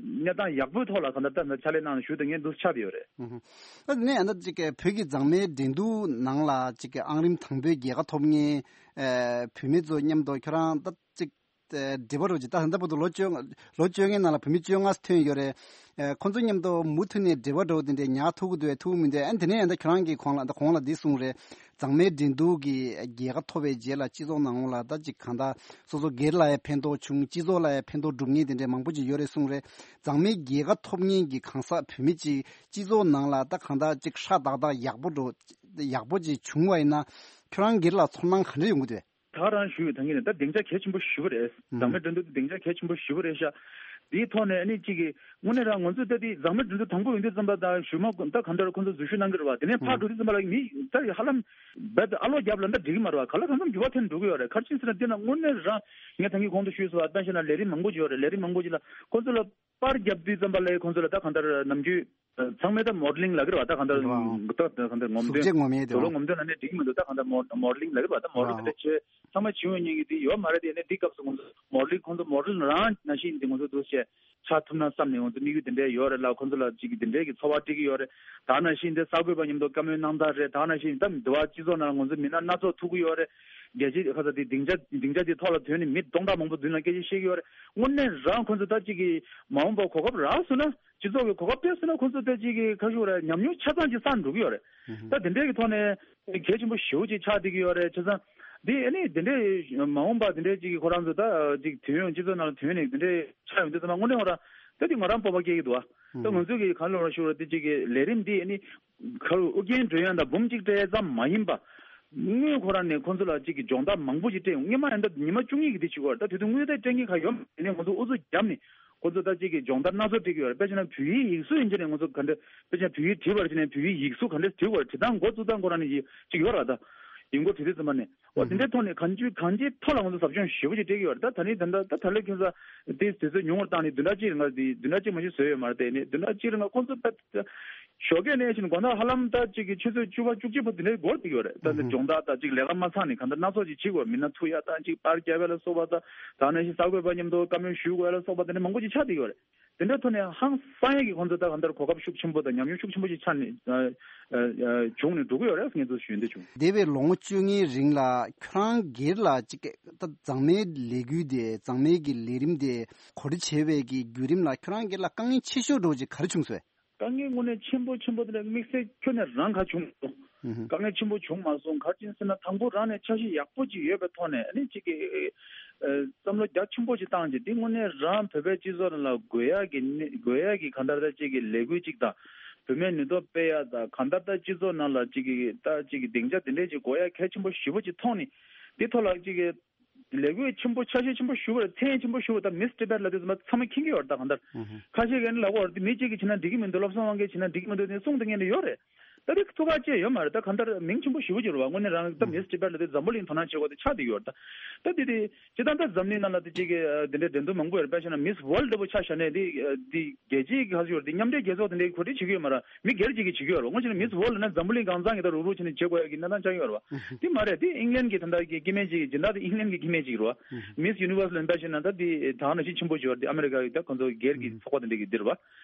གནས་སྟངས་ཡག་པོའི་ཐོག་ལ་གང་ལྟར་ད་ཕྱག་ལས་གནང་ཞུ་དང་ངས་འདུག་ཆགས་ཡོད་རེད། ཨ་ནི་ཨ་ནི་ཅིག་གི་བོད་ཀྱི་མཛངས་མའི་འགྲན་བསྡུར་ནང་ལ་ཅིག་གི་ཨང་རིམ་དང་པོའི་རྒྱལ་ཁ་ཐོབ་མཁན་ཨ་བུད་མེད་ཚོ་མཉམ་དུ་ཁྱོད་རང་ད་ཅིག་ཨ་འབྲེལ་བ་རོགས་ཅིག་ད་ད་ལྟ་བར་དུ་ལོ་བཅོ་ལོ་བཅོ་ལྔའི་ནང་ལ་བུད་མེད་བཅོ་ལྔ་ཐོན་ཡོད་རེད། ཨ་ཁོང་ཚོ་མཉམ་དུ་མུ་མཐུད་ནས་འབྲེལ་བ་འགྲོ་དེ་འདྲས་ཉར་ཐུབ་ཀྱི་འདུག་ཐུབ་ཀྱི་མི་འདུག་ཨ་ནི་དེ་ནས་ཨ་ནི་ཁྱོད་རང་གིས་གོང་ལ་ད་གོང་ལ་འདི་གསུངས་རེད། མཛངས་མའི་འགྲན་བསྡུར་གྱི་རྒྱལ་ཁ་ཐོབ་པའི་རྗེས་ལ་སྤྱི་ཚོགས་ནང་ལོགས་ལ་ད་ཅིག་གང་ལྟར་སོ་སོ་སྒེར་ལ་ཡང་ཕན་ཐོགས་བྱུང་། སྤྱི་ཚོགས་ལ་ཡང་ཕན་ཐོགས་སྒྲུབ་མཁན་དེ་འདྲས་མང་པོ་ཅིག་ཡོད་རེད་གསུངས་རེད། མཛངས་མའི་རྒྱལ་ཁ་ཐོབ་མཁན་གྱི་གང་ཟག་བུད་མེད་ཅིག་སྤྱི་ཚོགས་ནང་ལ་ད་གང་ལྟར་ཅིག་ཧྲ་ཏག་ཏག་ཡག་པོ་འགྲོ་ཡག་པོ་ཅིག་བྱུང་བ་ཡིན་ན་ཁྱོད་རང་སྒེར་ལ་ཚོར་སྣང་ག་འདྲ་ཡོང་གི་འདུག་ད་རང་ཞུས་ཡོད་ད་ངས་ནི་ད་སྡིངས་ཆ་གལ་ཆེན་པོ་ཞེ་པོ་རེད། ཨུམ། མཛངས་མའི་འགྲན་བསྡུར་དེ་སྡིངས་ཆ་གལ་ཆེན་པོ་ཞེ་པོ་རེད་ཤག་དེའི་ཐོག་ནས་ཨ་ནི་གཅིག་གིས་དངོས་གནས་རང་ང་ཚོས་ད་དེ་མཛངས་མའི་འགྲན་བསྡུར་དང་པོ་ཡིན་དུས་ཙམ་པ་དང་ཞུ་མ་ད་གང་ལྟར་ཁོང་ཚོ་འཛུལ་ཞུགས་གནང་གི་རེད་བ། དེ་ནས་ཕར་ཨུམ། འགྲོ་དུས་ཙམ་པ་ལ་མི་ད་ཧ་ལམ་རྦད་དེ་ཨ་ལོ་བརྒྱབ་ལབ་ན་འགྲིག་གི་མ་རེད་བ། ག་ལ་གང་འཚམ་འགྱུར་བ་ཐོན་འགྲོ་གི་ཡོད་རེད། ག་རེ་ཕྱིན་ཟེར་ན་དེ་ན་དངོས་གནས་རང་ངས་ད་གིན་གོང་དུ་ཞུས་སོང་བ། ད་བཤད་ན་ལས་རིགས་མང་པོ་ཅིག་ཡོད་རེད། ལས་རིགས་མང་པོ་ཅིག་ལ་ཁོང་ཚོ་ལ་པར་བརྒྱབ་དུས་ཙམ་པ་ལ་ཁོང་ཚོ་ལ་ད་གང་ལྟར་ནམ་རྒྱུན་ཚང་མས་ད་མོ་ཌེ་ལིང་ལབ་ཀྱི་རེད་བ། ད་གང་ལྟར་རེད་བ། ད་གང་ལྟར་ངོམ་གཟུགས་བྱད་ངོམ་ཡས་དེ་དུག་ལོག་བ། ངོམ་སྟོན་ལབ་ནས་འགྲིག་མི་འདུག་ད་གང་ལྟར་མོ་མོ་ཌེ་ལིང་ལབ་ཀྱི་རེད་བ། ད་མོ་ཌེ་ལིང་དེ་འདྲ་བྱས་ཚང་མ་བྱེད་འོས་མཁན་གྱི་དེ་ཡོད་མ་རེད་དེ། ནས་འདི་སྐབས་སུ་ཁོང་ཚོ་མོ་ཌེ་ལིང་ཁོང་ཚོ་མོ་ཌེ་ལིང་རང་ནང་བཞིན་དེ་ཁོང་ཚོ་འདུག་བྱས་ཆགས་ཐུབ་ན་བསམ་ནས་ཁོང་ཚོ་དམིགས་ཡུལ་དེ་འདྲ་ཡོད་རེད་ལ། ཁོང་ཚོ་ལ་ཅིག་དེ་འདྲའི་གི་ཚོར་བ་སྤྲད་ཀྱི་ཡོད་རེད། ད་ནང་བཞིན་དེ་གསར་འགོད་པ་མཉམ་དུ་བཀའ་མོལ་གནང་སྟངས་རེད། ད་ནང་བཞིན་ད་འདི་བ་སྤྱི་ཚོགས་ནང་ང་ཚོ་མི་སྣ་སྣ་ཚོགས་ཐུག་གི་ཡོད་རེད། རྒྱལ་སྤྱིའི་ཁ་ས་དེ་སྡིངས་ཆ་སྡིངས་ཆ་དེ་ཐོག་ལ་ཐོན་ནས་མི་སྟོང་ཕྲག་མང་པོ་མདུན་ལ་སྐད་ཆ་བཤད་ཀྱི་ཡོད་རེད། དངོས་གནས་རང་ཁོ་ཚོ་ད་ཅིག་གི་མ་འོངས་པ་གོ་སྐབས་རག་སོང་ན། སྤྱི་ཚོགས་ཀྱི་གོ་སྐབས་སྤྲད་སོང་ན་ཁོ་ཚོ་ད་ཅིག་གི་ཁ་ཤུགས་རེད། ཉམས་མྱོང་ཆ་ཚང་ཅིག་བསགས་འགྲོ་གི་ཡོད་རེད། ད་དེ་འདྲའི་གི་ཐོག་ནས་གལ་ཆེན་པོ་ཞེ་པོ་ཅིག་ཆགས་བསྡད་ཀྱི་ཡོད་རེད། བྱས་ཙང་དེ་ཨ་ནི་དེ་འདྲའི་མ་འོངས་པ་དེ་འདྲའི་ཅིག་གི་ཁོ་རང་ཚོ་ད་ཅིག་ཐོན་ཡོང་སྤྱི་ཚོགས་ནང་ལ་ཐོན་ནས་དེ་འདྲའི་ཆགས་ཡོང་དུས་ཙམ་པ་དངོས་གནས་ཁོ་རང་ད་དེ་ང་རང་སྤོབས་པ་སྐྱེ་གི་འདུག་ཨ། ད་ང་ཚོས་གི་ག་ལ་ར་ཞུ་ར་དེ་ཅིག་གི་ལས་རིམ་འདི་ཨ་ནི་ཁ་རུ་ཨུ་རྒྱན་སྒྲོལ་དབྱངས་དང་འབུམ་གཅིག་སྤྲད་ཙམ་མ་ཡིན་པ། དངུལ་ཁོ་རང་ནས་ཁོ་ཚོ་ལ་ཅིག་གི་སྦྱོང་བརྡར་མང་པོ་ཞིག་སྤྲད་ཡོང་། སྔོན་མ་ཡིན་ད་ཉི་མ་བཅུ་གཉིས་ཀྱི་དེ་བྱེད་དགོས་རེད། ད་དེ་དུས་དངུལ་དེ་སྤྲད་མཁན་ག་ཡོད་མ་རེད། ནས་ང་ཚོ་ཨུ་ཚུགས་བརྒྱབ་ནས་ཁོ་ཚོ་ད་ཅིག་གི་སྦྱོང་བརྡར་སྣ་ཚོགས་སྤྲད་ཀྱི་ཡོད་རེད། དཔེ་བྱས་ན་བོད་ཡིག་ཡིག་གཟུགས་ཡིན་ཆ་ནས་ང་ཚོ་ག་འདྲ་དཔེ་བྱས་ན་བོད་ཡིག་བྲིས་པར་བྱས་ནས་བོད་ཡིག་ཡིག་གཟུགས་ག་འདྲ་བྲིས་དགོས་རེད། བྲིས་སྟངས་འགོ་བཙུགས་སྟངས་ཁོ་རང་ནས་ཅིག་ཡོད་རེད། ད་ཡིན་སྐོར་བྲིས་དུས་ཙམ་པ་ནས་འོ་དེ་འདྲའི་ཐོག་ནས་གང་ཅི་གང་ཅིའི་ཐོག་ལ་ང་ཚོ་ཟབ་སྦྱོང་ཞེ་པོ་ཅིག་སྤྲད་ཀྱི་ཡོད་རེད། ད་ད་ནི་ད་ད་ད་ལོའི་ཁ་སང་དེ་དུས་ཚོད་ཉུང་བར་བཏང་ནས་བདུན་ཕྲག་གཅིག་རིང་ལ་དེ་བདུན་ཕྲག་གཅིག་མ་གཏོགས་བཟོས་ཡོད་མ་རེད། དེ་ནས་བདུན་ཕྲག་གཅིག་རིང་ལ་ཁོང་ཚོ་ད། ཞོགས་ཀས་ནས་ཕྱིན་དགོང་དག་ཧ་ལམ་ད་ཅིག་གི་ཆུ་ཚོད་བཅུ་པ་བཅུ་གཅིག་བར་དེ་འདྲའི་འགོར་བསྡད་ཡོད་རེད། ད་ནི་སྦྱོང་བརྡར་ད་ཅིག་ལས་ཀ་མ་ཚང་ནས་གང་ལྟར་སྣ་ཚོགས་ཅིག་བྱེད་དགོས། མི་སྣ་ཐུག་ཡ་ད་ཅིག་པར་རྒྱབ་ཡ་ལ་སོགས་པ་ད་ད་ནང་བཞིན་གསར་འགོད་པ་མཉམ་དུ་བཀའ་མོལ་ཞུ་དགོས་ཡ་ལ་སོགས་པ་དེ་འདྲ་མང་པོ་ཅིག་ཆགས་བསྡད་ཡོད་རེད། དེ་འདྲ་ཐོག་ནས་ཧང་སང་ཡ་གི་ཁོང་ཚོ་ད་གང་ལྟར་གོ་སྐབས་ཤུགས་ཆེན་པོ་དང་ཉམས་མྱོང་ཤུགས་ཆེན་པོ་ཅིག་ཆགས་ནས་བྱུང་ནས་འགྲོ་གི་ཡོད་རེད། ངས་ཚོ་ཞུ་འདོད་བྱུང་། འདས་པའི་ལོ་ངོ་བཅོ་ལྔའི་རིང་ལ་ཁྱོད་རང་སྒེར་ལ་ཅིག་ད་མཛངས་མའི་ལས་འགུལ་དེ་མཛངས་མའི་གི་ལས་རིམ་དེ་གོ་སྒྲིག་བྱས་པའི་གི་བརྒྱུད་རིམ་ལ་ཁྱོད་རང་སྒེར་ལ་དཀའ་ངལ་ཆེ་ཤོས་འདྲ་བོ་ཅིག་ག་རེ་བྱུང་སོང་། དཀའ་ངལ་དངོས་གནས་ཆེན་པོ་ཆེན་པོ་དེ་འདྲ་དམིགས་བསལ་ཁྱོན་ནས་རང་ག་བྱུང་མ་སོང་། ཨུ་ཧུ། དཀའ་ངལ་ཆེན་པོ་བྱུང་མ་སོང་། ག་རེ་ཡིན་ཟེར་ན་དང་པོ་རང་ནས་འཆར་གཞི་ཡག་པོ་ཅིག་ཡོད་པའི་ཐོག་ནས་ཨ་ནི་གཅིག་གི་ཨ་བསམ་བློ་རྒྱ་ཆེན་པོ་ཅིག་བཏང་རྗེས་འདི་དངོས་གནས་རང་བོད་པའི་སྤྱི་ཚོགས་ནང་ལ་དགོས་ཡག་གི་གནས་དགོས་ཡག་གི་གང་ལྟར་ད་གཅིག་གི་ལས་འགུལ་ཅིག་དང་། བུད་མེད་ནུས་སྟོབས་སྤེལ་ཡག་དང་གང་ལྟར་ད་སྤྱི་ཚོགས་ནང་ལ་གཅིག་གི་ད་གཅིག་གི་སྡིངས་ཆ་དེ་འདྲས་ཅིག་དགོས་ཡག་གལ་ཆེན་པོ་ཞེ་པོ་ཅིག་མཐོང་ནས་འདི་ཐོག་ལ་གཅིག་གི་ལས་འགུལ་ཆེན་པོ་འཆར་གཞི་ཆེན་པོ་ཞུ་བར་མཚན་ཆེན་པོ་ཞུ་བ་དང་མིས་ཊི་བྷེཊ་ལབ་དུས་ཙམ་པ་ཚང་མས་མཁྱེན་གྱི་ཡོད་རེད། ད་གང་ལྟར་ཨུ་ཧུ། ཁ་ཤས་ཀྱིས་ནི་ལབ་ཀྱི་ཡོད་རེད། དེ་མི་གཅིག་གིས་བྱས་ན་འགྲིག་གི་མི་འདུག་བློ་བཟང་དབང་གིས་བྱས་ན་འགྲིག་གི་མི་འདུག་དེ་གསུང་དེ་ངས་ནི་ཡོད་རེད། ད་དེ་ཐུགས་ཁག་ཅིག་ཡོད་མ་རེད། ད་གང་ལྟར་མིང་ཆེན་པོ་ཞེ་པོ་ཅིག་རེད་བ། དངོས་གནས་རང་ད་མིས་ཊི་བྷེཊ་ལབ་དུས་འཛམ་བུ་གླིང་དོ་སྣང་བྱེད་དགོས་དེ་ཆགས་བསྡད་ཡོད་རེད། ད་ད་དེ་དེ་སྤྱིར་བཏང་ད་འཛམ་གླིང་ནང་ལ་དེ་གཅིག་གི་དེ་འདྲའི་འགྲན་བསྡུར་མང་པོ་ཡོད་རེད། དཔེ་བཞག་ན་མིས་ཝརལ་ཌི་ལྟ་བུ་ཆ་བཞག་ནས་དེ་དེ་རྒྱལ་སྤྱིའི་ག་ཚོད་ཡོད་རེད། དེ་མཉམ་འབྲེལ་རྒྱལ་ཚོགས་དེ་འདྲའི་གོ་སྒྲིག་བྱེད་ཀྱི་ཡོད་མ་རེད། མི་སྒེར་གཅིག་གིས་བྱེད་ཀྱི་ཡོད་རེད་བ། དངོས་གཞི་ནས་མིས་ཝརལ་ཌི་ལབ་ན་འཛམ་བུ་གླིང་གང་ཚང་གི་ད་རུག་རུག་བྱས་ནས་བྱེད་དགོས་ཡ་གི་གནས་སྟངས་ཆགས་ཀྱི་ཡོད་རེད་བ། དེ་མ་རེད། དེ་ཨིང་ལན་གྱི་ད་ལྟ་གི་སྐྱེ་དམན་གཅིག་གི་སྦྱིན་བདག་དེ་ཨིང་ལན་གྱི་སྐྱེ་དམན་གཅིག་རེད་བ། མིས་ཡུ་ནི་ཝར་སི་ལབ་ན་ད་དེ་ད་ག་ནང་བཞིན་ཆེན་པོ་ཅིག་ཡོད་རེད། དེ་ཨ་མེ་རི་ཀ་གི་ད་ཁོང་ཚོ་སྒེར་གྱི་ཚོགས་པ་དེ་འདྲ་གི་འདིར་བ།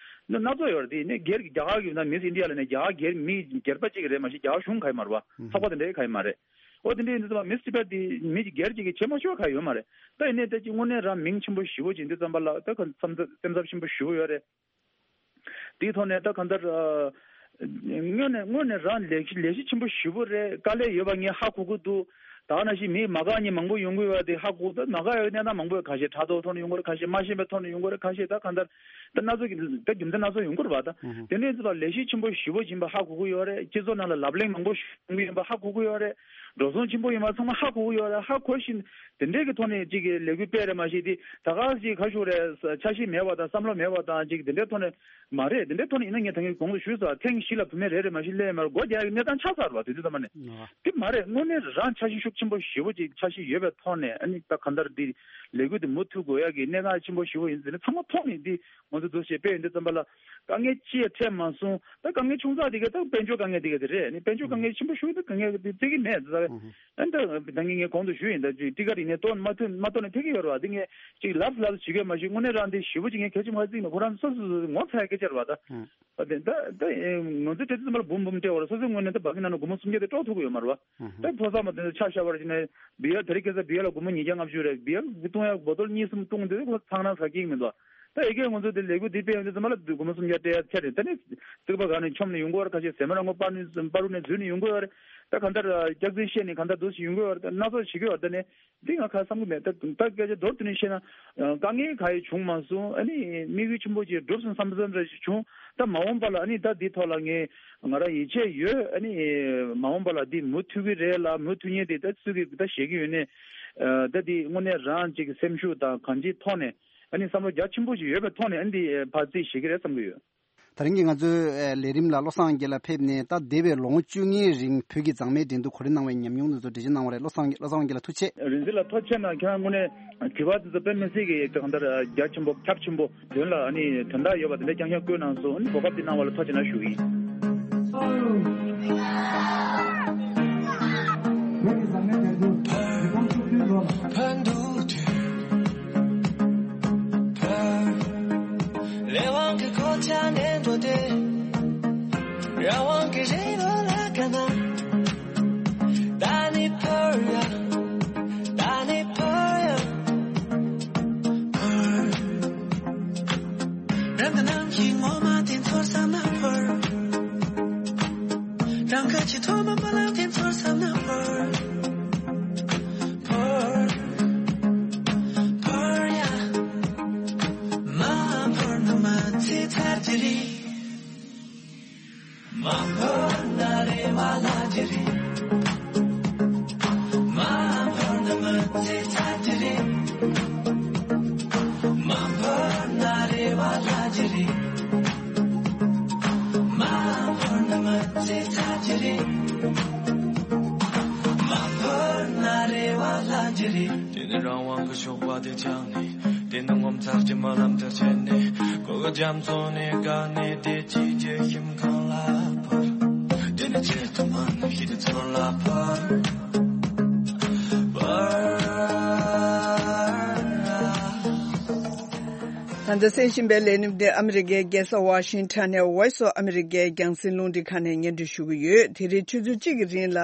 འདི་སྣ་ཚོགས་ཡོད་རེད། དེ་ནས་སྒེར་གྱི་རྒྱ་གར་གྱི་ད་མིས་ཨིན་ཌི་ཡ་ལབ་ནས་རྒྱ་གར་སྒེར་མི་སྒེར་པ་གཅིག་རེད་མ་གཞི་རྒྱ་གར་གཞུང་ག་ཡི་མ་རེད་བ། ཚོགས་པ་དེ་འདྲ་ག་ཡི་མ་རེད། ཨོ་དེ་འདྲ་ཡིན་དུས་ཙམ་པ་མིས་ཊི་བྷེཊ་དེ་མི་སྒེར་གཅིག་གིས་བྱེད་མ་ཆོག་ག་ཡོད་མ་རེད། ད་ཡིན་ནའི་ད་ཅིག་དངོས་གནས་རང་མིང་ཆེན་པོ་ཞེ་པོ་ཅིག་ཡིན་དུས་ཙམ་པ་ལ་ད་ག་སེམས་འཚབ་སེམས་འཚབ་ཆེན་པོ་ཞེ་པོ་ཡོད་རེད། དེའི་ཐོག་ནས་ད་གང་ལྟར་ཨ། དངོས་གནས་དངོས་གནས་རང་ལས་གཞི་ལས་གཞི་ཆེན་པོ་ཞེ་པོ་རེད། དཀའ་ལས་ཡོད་པ་ངས་ཧ་གོ་གི་འདུག་ད་ག་ནང་བཞིན་མི་མ་དགའ་མཁན་མང་པོ་ཡོང་གི་ཡོད་པ་དེ་ཧ་གོ། ད་མ་དགའ་ཡག་གནས་སྟངས་མང་པོ་ཡོད། ཁ་ཤས་ཕྲག་དོག་ཐོག་ནས་ཡོང་གི་རེད། ཁ་ཤས་མ་ཤེས་པའི་ཐོག་ནས་ཡོང་གི་རེད། ཁ་ཤས་ད་གང་ལྟར་ད་སྣ་ཚོགས་ཀྱི་ད་རྒྱུ་མཚན་སྣ་ཚོགས་ཡོང་གི་རེད་བ། ད་ཨུ་ཧུ། དེ་འདྲའི་ཚོ་ལ་ལས་གཞི་ཆེན་པོ་ཞེ་པོ་ཡིན་པ་ཧ་གོ་གི་ཡོད་རེད། སྤྱི་ཚོགས་ནང་ལ་ལབ་གླེང་མང་པོ་ཡོང་གི་ཡིན་པ་ཧ་གོ་གི་ཡོད་རེད། འགྲོ་སོང་ཆེན་པོ་ཡིན་པ་ཚང་མ་ཧ་གོ་གི་ཡོད་རེད། ཧ་གོ་བཞིན་དེ་འདྲའི་གི་ཐོག་ནས་ཅིག་གི་ལས་འགུལ་སྤེལ་རེད་མ་གཞི་དེ་ད་ག་ཞིག་ག་ཞུ་རེད། འཆར་གཞི་མེད་པ་དང་བསམ་བློ་མེད་པ་དང་ཅིག་དེ་འདྲའི་ཐོག་ནས་མ་རེད། དེ་འདྲའི་ཐོག་ནས་ཡིན་ན་ངས་ད་གིན་གོང་དུ་ཞུས་སོང་། ཐེངས་བཞི་ལ་བུད་མེད་རེ་རེ་མ་གཞི་སླེབས་མ་རེད། སྒོ་རྒྱག་ཡག་གི་གནས་སྟངས་ཆགས་ཚར་བ་དེ་དུས་ཙམ་པ་ནས། ཨ། དེ་མ་རེད། དངོས་གནས་རང་འཆར་གཞི་ཤུགས་ཆེན་པོ་ཞེ་པོ་ཅིག་འཆར་གཞི་ཡོད་པའི་ཐོག་ནས་ཨ་ནི་ད་གང་ལྟར་དེ་ལས་འགུལ་དེ་མུ་མཐུད་དགོས་ཡག་གི་གནད་འགག་ཆེན་པོ་ཞེ་པོ་ཡིན་ཟེར་ནས་ཚང་མ་ཐོག་ནས་དེ་ང་ཚོ་འདུ་ཤེས་སྤེལ་ཡོང་དུས་ཙམ་པ་ལ་དཀའ་ངལ་ཅི་ཡང་འཕྲད་མ་སོང་། ད་དཀའ་ངལ་ཆུང་ཙག་དེ་ག་ད་དཔལ་འབྱོར་དཀའ་ངལ་དེ་ག་དེ་རེད། ཨ་ནི་དཔལ་འབྱོར་དཀའ་ངལ་ཆེན་པོ་ཞེ་པོ་ད་དཀའ་ངལ་དེ་བརྩི་གི་མེད་ཟེར། ཨ་ནི་ད་ད་ངས་ངས་གོང་དུ་ཞུས་ཡིན། ད་ཅིག་ཊི་ཀ་རིག་ནས་གཏོང་མ་ཐུབ་མ་གཏོང་ནས་ཕེབས་ཀྱི་ཡོད་རེད་བ། དེ་ངས་ཅིག་ལབ་ལབ་བྱེད་ཀྱི་ཡོད་མ་གཞི་དངོས་གནས་རང་དེ་ཞེ་པོ་ཅིག་ངས་གལ་ཆེན་པོ་བརྩིས་མེད། ཁོ་རང་སོ་སོ་སོ་ངོ་ཚ་ཡག་སྐད་ཆ་རེད་བ། ད་ཨ། ད་དེ་ད་ད་ང་ཚོ་དེ་ཚོ་ཚང་མ་ལ་འབུམ་འབུམ་སྤྲད་བར་སོ་སོའི་ངོས་ནས་ད་བ་གི་ནང་ན་སྒོར་མོ་སུམ་བརྒྱ་དེ་དཀྲོག་ཐུབ་ཀྱི་ཡོད་མ་རེད་བ། ཨ་ཧུ། ད་ཕོ་གསར་མ་དེ་ཚོ་ཆ་བཞག་པར་བྱས་ནས་བི་ཡ་དེ་རིང་ཁ་སང་བི་ཡ་ལ་སྒོར་མོ་ཉིས་བརྒྱ་ལྔ་བཅུ་རེད། བི་ཡ་གཏོང་ཡག་བོ་ཏོལ་གཉིས་གསུམ་བཏུང་དེ་ཁོ་ཚང་ན་ཟ་སྐྱིད་མི་འདུག་ད་ཡི་གེ་ང་ཚོ་དེ་ལས་འགུལ་འདི་སྤེལ་ཡོང་དུས་ཚང་མ་ལ་སྒོར་མོ་སུམ་བརྒྱ་སྤྲད་ཡག་ཆ་རེད། ད་ནི་རྩིག་པ་སྒང་ནས་མཆོངས་ནས་ཡོང་གི་ཡོད་རེད། ཁ་ཤས་ཟས་མ་ར་ངོ་པར་ནས་པར་རུ་ནས་འཛུལ་ནས་ཡོང་གི་ཡོད་རེད། ད་གང་ལྟར་སྐྱག་རྫུན་བཤད་ནས་གང་ལྟར་འདུག་སེ་ཡོང་གི་ཡོད་རེད། ད་སྣ་ཚོགས་བྱེད་ཀྱི་ཡོད་རེད། ད་ནི། འདི་ང་ཁ་བསམ་གྱི་མེད། ད་ད་སྐད་ཆ་མདོར་བསྡུས་ནས་བཤད་ན། ཨ། དཀའ་ངལ་ག་ཡེ་བྱུང་མ་སོང་། ཨ་ནི་དམིགས་ཡུལ་ཆེན་པོ་ཅིག་འགྲུབ་སོང་བསམ་བསམ་འདྲ་ཞིག་བྱུང་། ད་མ་འོངས་པ་ལ་ཨ་ནི་ད་འདི་ཐོག་ལ་ངས་ང་རང་ཡིད་ཆེས་ཡོད། ཨ་ནི་མ་འོངས་པ་ལ་འདི་མུ་མཐུད་ཀྱི་རེད་ལ། མུ་མཐུད་མཁན་དེ་ད་སུ་གིས་ད་བཞེད་ཀྱི་ཡོད་ནའི། ཨ། ད་འདི་དངོས་གནས་རང་ཅིག་སེམས་ཤུགས་དང་གང་ཅིའི་ཐོག་ནས་ཨ་ནི་བསམ་བློ་རྒྱ་ཆེན་པོ་ཞིག་ཡོད་པའི་ཐོག་ནས་ཨ་ནི་འདི་ཕར་རྩིས་བཞེས་ཀྱི་རེད་བསམ་གྱི་ཡོད། ད་རིང་གི་ང་ཚོའི་ལས་རིམ་ལ་བློ་བཟང་དབང་རྒྱལ་ལགས་ཕེབས་ནས། ད་འདས་པའི་ལོ་ངོ་བཅུ་གཉིས་རིང་བོད་ཀྱི་མཛངས་མའི་འགྲན་བསྡུར་གོ་སྒྲིག་གནང་བའི་ཉམས་མྱོང་དེ་ཚོ་འགྲེལ་བརྗོད་གནང་བ་རེད། བློ་བཟང་བློ་བཟང་དབང་རྒྱལ་ལགས་ཐུགས་རྗེ་ཆེ། རིག་འཛིན་ལགས་ཐུགས་རྗེ་ཆེ་གནང་། ཁྱེད་རང་དངོས་གནས་དྲི་བ་དེ་ཚོ་དཔེ་མི་སྲིད་ཀྱི་གང་ལྟར་རྒྱ་ཆེན་པོ་ཁྱབ་ཆེན་པོ་དོན་ལ་ཨ་ནི་དོན་དག་ཡོད་པ་དེ་འདྲ་རྐྱང་རྐྱང་བཀོད་གནང་སོང་། ཨ་ནི་གོ་སྐབས་དེ་གནང་བ་ལ་ཐུགས་རྗེ་ཆེ་གནང་ཞུ་གི་ཡིན། བོད་ཀྱི་མཛངས་མའི་འགྲན་བསྡུར་ཉིས་སྟོང་བཅུ་བདུན་ལོར། དེ་ནི་རང་དབང་གི་ཞོགས་པ་དེ་ཆགས་ནས། དེ་ནི་ངོ་མཚར་གྱི་རྨི་ལམ་དེར་ཆེན་ནས། གོ་གི་རྒྱ་མཚོ་ནས་བཀག་ནས། བདེ་སྐྱིད་ཀྱི་ཁྱིམ་ཁང་ལ་བབས། དེ་ནི་ཆེད་དུ་མ་ནུས་ཤིང་དེ་ཚོར་ལ་བབས། ད་ལྟ་གསན་བཞིན་པའི་ལས་རིམ་འདི་ཨ་མི་རི་ཀའི་རྒྱལ་ས་ཝ་ཤིང་ཊོན་ནས་Voice of America རྒྱང་སྲིང་རླུང་འཕྲིན་ཁང་ནས་སྙན་སྒྲོན་ཞུ་གི་ཡོད། དེ་རིང་ཆུ་ཚོད་གཅིག་གི་རིང་ལ།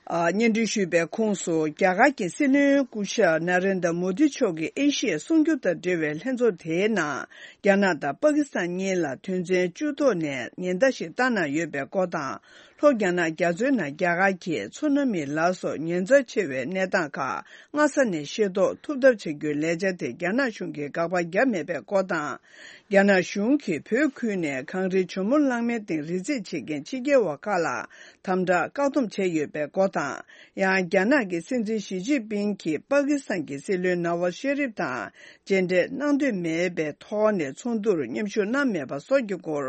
ཨ། སྙན་སྒྲོན་ཞུས་པའི་ཁོངས་སུ། རྒྱ་གར་གྱི་སྲིད་བློན་སྐུ་ཞབས་ན་རེན་དྲ་མོ་དི་མཆོག་གིས་ཨེ་ཤི་ཡའི་སྲུང་སྐྱོབ་དང་འབྲེལ་བའི་ལྷན་ཚོགས་དེའི་ནང་། རྒྱ་ནག་དང་པ་ཀི་སི་ཐན་གཉིས་ལ་དོན་ཚན་བཅུ་ཐོག་ནས་ཉེན་བརྡ་ཞིག་བཏང་གནང་ཡོད་པའི་སྐོར་དང་། ལྷོ་རྒྱ་ནག་རྒྱ་མཚོའི་ནང་རྒྱ་གར་གྱི་མཚོ་ནང་མིའི་ལཱ་སོགས་ཉེན་ཚབས་ཆེ་བའི་གནས་སྟངས་ཁག་སྔ་ས་ནས་ཤེས་རྟོགས་ཐུབ་ཐབས་བྱ་རྒྱུའི་ལས་འཆར་དེ་རྒྱ་ནག་གཞུང་གིས་དགག་པ་བརྒྱབ་མེད་པའི་སྐོར་དང་། རྒྱ་ནག་གཞུང་གིས་བོད་ཁུལ་ནས་གངས་རིའི་ཇོ་མོ་གླང་མའི་སྟེང་རི་འཛེག་བྱེད་མཁན་ཕྱི་རྒྱལ་བ་ཁག་ལ་དམ་དྲག་བཀག་སྡོམ་བྱས་ཡོད་པའི་སྐོར་དང་། ཡང་རྒྱ་ནག་གི་སྲིད་འཛིན་ཞི་ཅིན་ཕིང་གིས་པ་ཀི་སི་ཐན་གྱི་སྲིད་བློན་ནཱ་ཝཱ་ཤེ་རིབ་དང་མཇལ་འཕྲད་གནང་འདོད་མེད་པའི་ཐོག་ནས་ཚོགས་འདུར་མཉམ་ཞུགས་གནང་མེད་པ་སོགས་ཀྱི་སྐོར་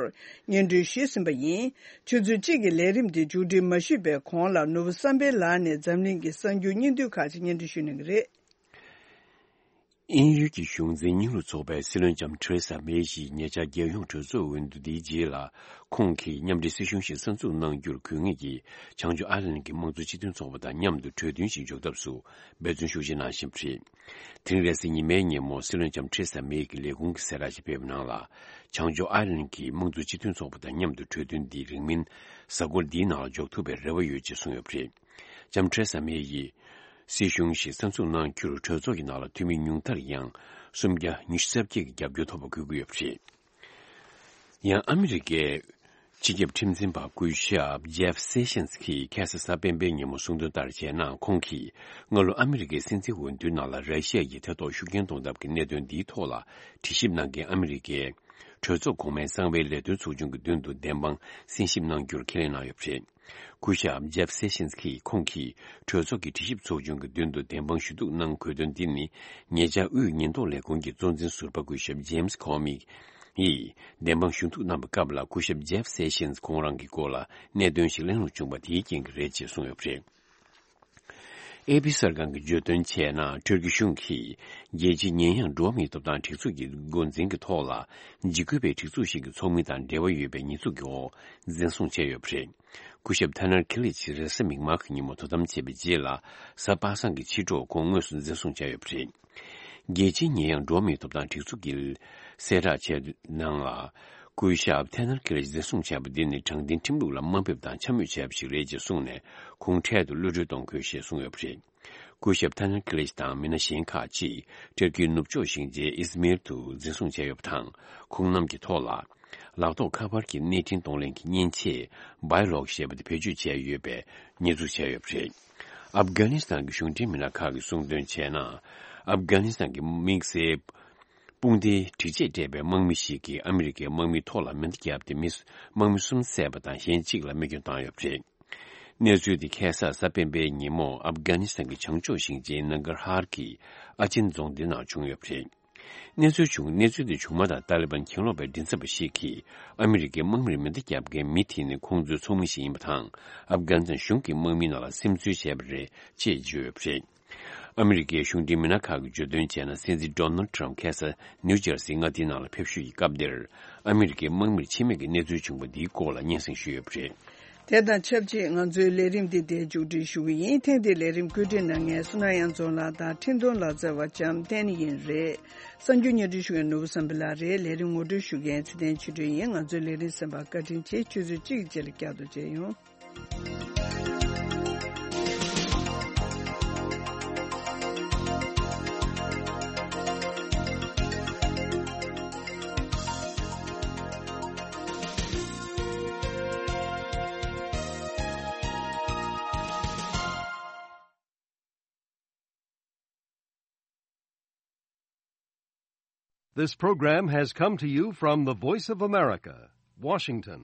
སྙན་སྒྲོན་ཞུས་ཟིན་པ་ཡིན། ཆུ་ཚོད་གཅིག་གི་ལས་རིམ་འདི་མཇུག་སྒྲིལ་མ་ཞུས་པའི་གོང་ལ། ནོར་བུ་བསམ་འཕེལ་ལགས་ནས་འཛམ་གླིང་གི་གསར་འགྱུར་སྙིང་བསྡུས་ཁག་ཅིག་སྙན་སྒྲོན་ཞུ་གནང་གི་རེད། དབྱིན་ཡུལ་གྱི་གཞུང་འཛིན་རྙིང་ལུགས་ཚོགས་པའི་སྲིད་བློན་ལྕམ་ཐེ་རེ་ས་མེ་ཡིས་ཉེ་ཆར་རྒྱལ་ཡོངས་གྲོས་ཚོགས་འོས་བསྡུ་འདིའི་རྗེས་ལ། ཁོང་གིས་མཉམ་འབྲེལ་སྲིད་གཞུང་ཞིག་གསར་འཛུགས་གནང་རྒྱུར་དགོས་ངེས་ཀྱི་བྱང་ཕྱོགས་ཨའི་ལན་གྱི་དམངས་གཙོ་སྤྱི་མཐུན་ཚོགས་པ་དང་མཉམ་དུ་གྲོས་མཐུན་ཞིག་འཇོག་ཐབས་སུ་འབད་བརྩོན་ཤུགས་ཆེ་གནང་བཞིན་པ་རེད། དེ་རིང་རེས་གཟའ་ཉི་མའི་ཉིན་མོ་སྲིད་བློན་ལྕམ་ཐེ་རེ་ས་མེ་ཡི་ལས་ཁུངས་ཀྱི་གསལ་བསྒྲགས་ཤིག་སྤེལ་བའི་ནང་ལ། བྱང་ཕྱོགས་ཨའི་ལན་གྱི་དམངས་གཙོ་སྤྱི་མཐུན་ཚོགས་པ་དང་མཉམ་དུ་གྲོས་མཐུན་འདི་རིང་མིན་གཟའ་འཁོར་འདིའི་ནང་ལ་འཇོག་ཐུབ་པའི་རེ་བ་ཡོད་ཅེས་གསུངས་ཡོད་པ་རེད། ལྕམ་ཐེ་རེ་ས་མེ་ཡིས། སྲིད་གཞུང་ཞིག་གསར་འཛུགས་གནང་རྒྱུར་གྲོས་ཚོགས་ཀྱི་ནང་ལ་འཐུས་མི་ཉུང་མཐར་ཡང་སུམ་བརྒྱ་ཉི་ཤུ་རྩ་བརྒྱད་ཀྱི་རྒྱབ་སྐྱོར་ཐོབ་པ་དགོས་ཀྱི་ཡོད་པ་རེད། ཡང་ཨ་མི་རི་ཀའི་སྤྱི་ཁྱབ་ཁྲིམས་འཛིན་པ་སྐུ་ཞབས་ཇེབ་སེ་ཤན་གྱིས་ཁ་སང་གཟའ་སྤེན་པའི་ཉིན་མོ་གསུངས་དོན་ལྟར་བྱས་ན། ཁོང་གིས་སྔ་ལོ་ཨ་མི་རི་ཀའི་སྲིད་འཛིན་འོས་བསྡུའི་ནང་ལ་ར་ཤི་ཡ་ཡིས་ཐེ་གཏོགས་ཤུགས་རྐྱེན་གཏོང་ཐབས་ཀྱི་གནད་དོན་འདིའི་ཐོག་ལ་དྲི་ཞིབ་གནང་མཁན་ཨ་མི་རི་ཀའི་གྲོས་ཚོགས་གོང་མའི་གསང་བའི་ལས་དོན་ཚོགས་ཆུང་གི་མདུན་དུ་བདེན་དཔང་གསན་ཞིབ་གནང་རྒྱུར་ཁས་ལེན་གནང་ཡོད་པ་རེད། སྐུ་ཞབས་ཇེབ་སེ་ཤན་གྱིས་ཁོང་གིས་གྲོས་ཚོགས་ཀྱི་དྲི་ཞིབ་ཚོགས་ཆུང་གི་མདུན་དུ་བདེན་དཔང་ཞུ་གཏུག་གནང་དགོས་དོན་འདི་ནི། ཉེ་ཆར་དབུས་ཉེན་རྟོག་ལས་ཁུངས་ཀྱི་གཙོ་འཛིན་ཟུར་པ་སྐུ་ཞབས་ཇེམ་སི་ཁོ་མི་ཡིས་བདེན་དཔང་ཞུ་གཏུག་གནང་བའི་སྐབས་ལ། སྐུ་ཞབས་ཇེབ་སེ་ཤན་ཁོང་རང་གི་སྐོར་ལ་གནད་དོན་ཞིག་གླེང་ལུགས་བྱུང་བ་དེའི་རྐྱེན་གྱིས་རེད་ཅེས་གསུངས་ཡོད་པ་རེད། ཨེ་པི་གསར་ཁང་གིས་བརྗོད་དོན་བྱས་ན། ཊུར་ཀི་གཞུང་གིས་རྒྱལ་སྤྱིའི་ཉེས་ཡངས་འགྲོ་བ་མིའི་ཐོབ་ཐང་སྒྲིག་འཛུགས་ཀྱི་འགོ་འཛིན་གྱི་ཐོག་ལ་འཇིགས་སྐུལ་བའི་སྒྲིག་འཛུགས་ཤིག་གི་ཚོགས་མི་དང་འབྲེལ་བ་ཡོད་པའི་ཉེས་འཛུགས་ཀྱི་འོག་འཛིན་བཟུང་བྱས་ཡོད་པ་རེད། སྐུ་ཞབས་ཐ་ནར་ཁི་ལིཆ་རེས་གཟའ་མིག་དམར་གྱི་ཉིན་མོ་དོ་དམ་བྱས་པའི་རྗེས་ལ། གཟའ་པ་སངས་ཀྱི་ཕྱི་དྲོ་ཁོང་དངོས་སུ་འཛིན་བཟུང་བྱས་ཡོད་པ་རེད། རྒྱལ་སྤྱིའི་ཉེས་ཡངས་འགྲོ་བ་མིའི་ཐོབ་ཐང་སྒྲིག་འཛུགས་ཀྱིས་གསལ་བསྒྲགས་བྱས་ནང་ལ། སྐུ་ཞབས་ཐ་ནར་ཁི་ལིཆ་འཛིན་བཟུང་བྱས་པ་འདི་ནི་དྲང་བདེན་ཁྲིམས་ལུགས་ལ་དམའ་འབེབས་དང་འཕྱ་སྨོད་བྱས་པ་ཞིག་རེད་ཅེས་གསུངས་ནས། ཁོང་འཕྲལ་དུ་གློད་གྲོལ་གཏོང་དགོས་ཞེས་གསུངས་ཡོད་པ་རེད། སྐུ་ཞབས་ཐ་ནར་ཁི་ལིཆ་དང་མི་སྣ་གཞན་ཁག་ཅིག་ཏུར་ཀིའི་ནུབ་ཕྱོགས་ཞིང་ཆེན་ཨིས་མིར་དུ་འཛིན་བཟུང་བྱས་ཡོད་པ་དང་། ཁོང་རྣམས་ཀྱི་ཐོག་ལ་ལག་ཐོགས་ཁ་པར་གྱི་གནས་འཕྲིན་གཏོང་ལེན་གྱི་མཉེན་ཆས་བྷའི་ལོག་ཞེས་པ་དེ་བེད་སྤྱོད་བྱས་ཡོད་པའི་ཉེས་འཛུགས་བྱས་ཡོད་པ་རེད། ཨབ་གྷ་ནི་སི་ཐན་གྱི་གཞུང་འབྲེལ་མི་སྣ་ཁག་གིས་གསུངས་དོན་བྱས་ན། ཨབ་གྷ་ནི་སི་ཐན་གྱི་དམིགས་བསལ་དཔུང་སྡེའི་སྒྲིག་ཆས་སྤྲས་པའི་དམག་མི་ཞིག་གིས་ཨ་མི་རི་ཀའི་དམག་མིའི་ཐོག་ལ་མེ་མདའ་བརྒྱབ་སྟེ། མི་དམག་མི་གསུམ་བསད་པ་དང་། གཞན་གཅིག་ལ་རྨས་སྐྱོན་བཏང་ཡོད་པ་རེད། གནས་ཚུལ་དེ་ཁ་སང་གཟའ་སྤེན་པའི་ཉིན་མོ་ཨབ་གྷ་ནི་སི་ཐན་གྱི་བྱང་ཕྱོགས་ཞིང་ཆེན་ནང་གར་ཧར་གྱི་ཨ་ཆེན་རྫོང་དེ་ནང་བྱུང་ཡོད་པ་རེད། གནས་ཚུལ་བྱུང་། གནས་ཚུལ་དེ་བྱུང་མ་ཐག་ཏཱ་ལི་བན་གྱེན་ལོག་པའི་མགྲིན་ཚབ་པ་ཞིག་གིས་ཨ་མི་རི་ཀའི་དམག་མིར་མེ་མདའ་བརྒྱབ་མཁན་མི་དེ་ནི་ཁོང་ཚོའི་ཚོགས་མི་ཞིག་ཡིན་པ་དང་། ཨབ་གྷ་ནི་སི་ཐན་གཞུང་གི་དམག་མིའི་ནང་ལ་སིམ་འཛུལ་བྱས་པ་རེད་ཅེས་བརྗོད་ཡོད་པ་རེད། ཨ་མི་རི་ཀའི་གཞུང་འབྲེལ་མི་སྣ་ཁག་གིས་བརྗོད་དོན་བྱས་ན། སྲིད་འཛིན་ཌོ་ནལ་ཊམ་ཁ་སང་ནིའུ་ཇར་སིའི་མངའ་སྡེའི་ནང་ལ་ཕེབས་བཞུད་ཀྱི་སྐབས་དེར། ཨ་མི་རི་ཀའི་དམག་མིར་འཆི་རྨས་ཀྱི་གནས་ཚུལ་བྱུང་བ་འདིའི་སྐོར་ལ་སྙན་སེང་ཞུས་ཡོད་པ་རེད། དེ་དང་ཆབས་ཅིག་ང་ཚོའི་ལས་རིམ་འདི་འདིར་མཇུག་སྒྲིལ་ཞུ་གི་ཡིན། ཐེངས་འདིའི་ལས་རིམ་བཀོད་སྒྲིག་གནང་མཁན་བསོད་ནམས་དབྱངས་འཛོམས་ལགས་དང་འཕྲིན་གཏོང་ལག་རྩལ་བ་འཇམ་བསྟན་ཡིན་རེད། གསར་འགྱུར་སྙན་སྒྲོན་ཞུ་མཁན་ནོར་བུ་བསམ་འཕེལ་ལགས་རེད། ལས་རིམ་ངོ་སྤྲོད་ཞུ་མཁན་ཚེ་བརྟན་ཆོས་སྒྲོན་ཡིན། ང་ཚོའི་ལས་རིམ་གསན་པར་བཀའ་དྲིན་ཆེ། ཆུ་ཚོད་གཅིག་གི་རྗེས་ལ་བསྐྱར་དུ་མཇལ་ཡོང་། This program has come to you from the Voice of America, Washington.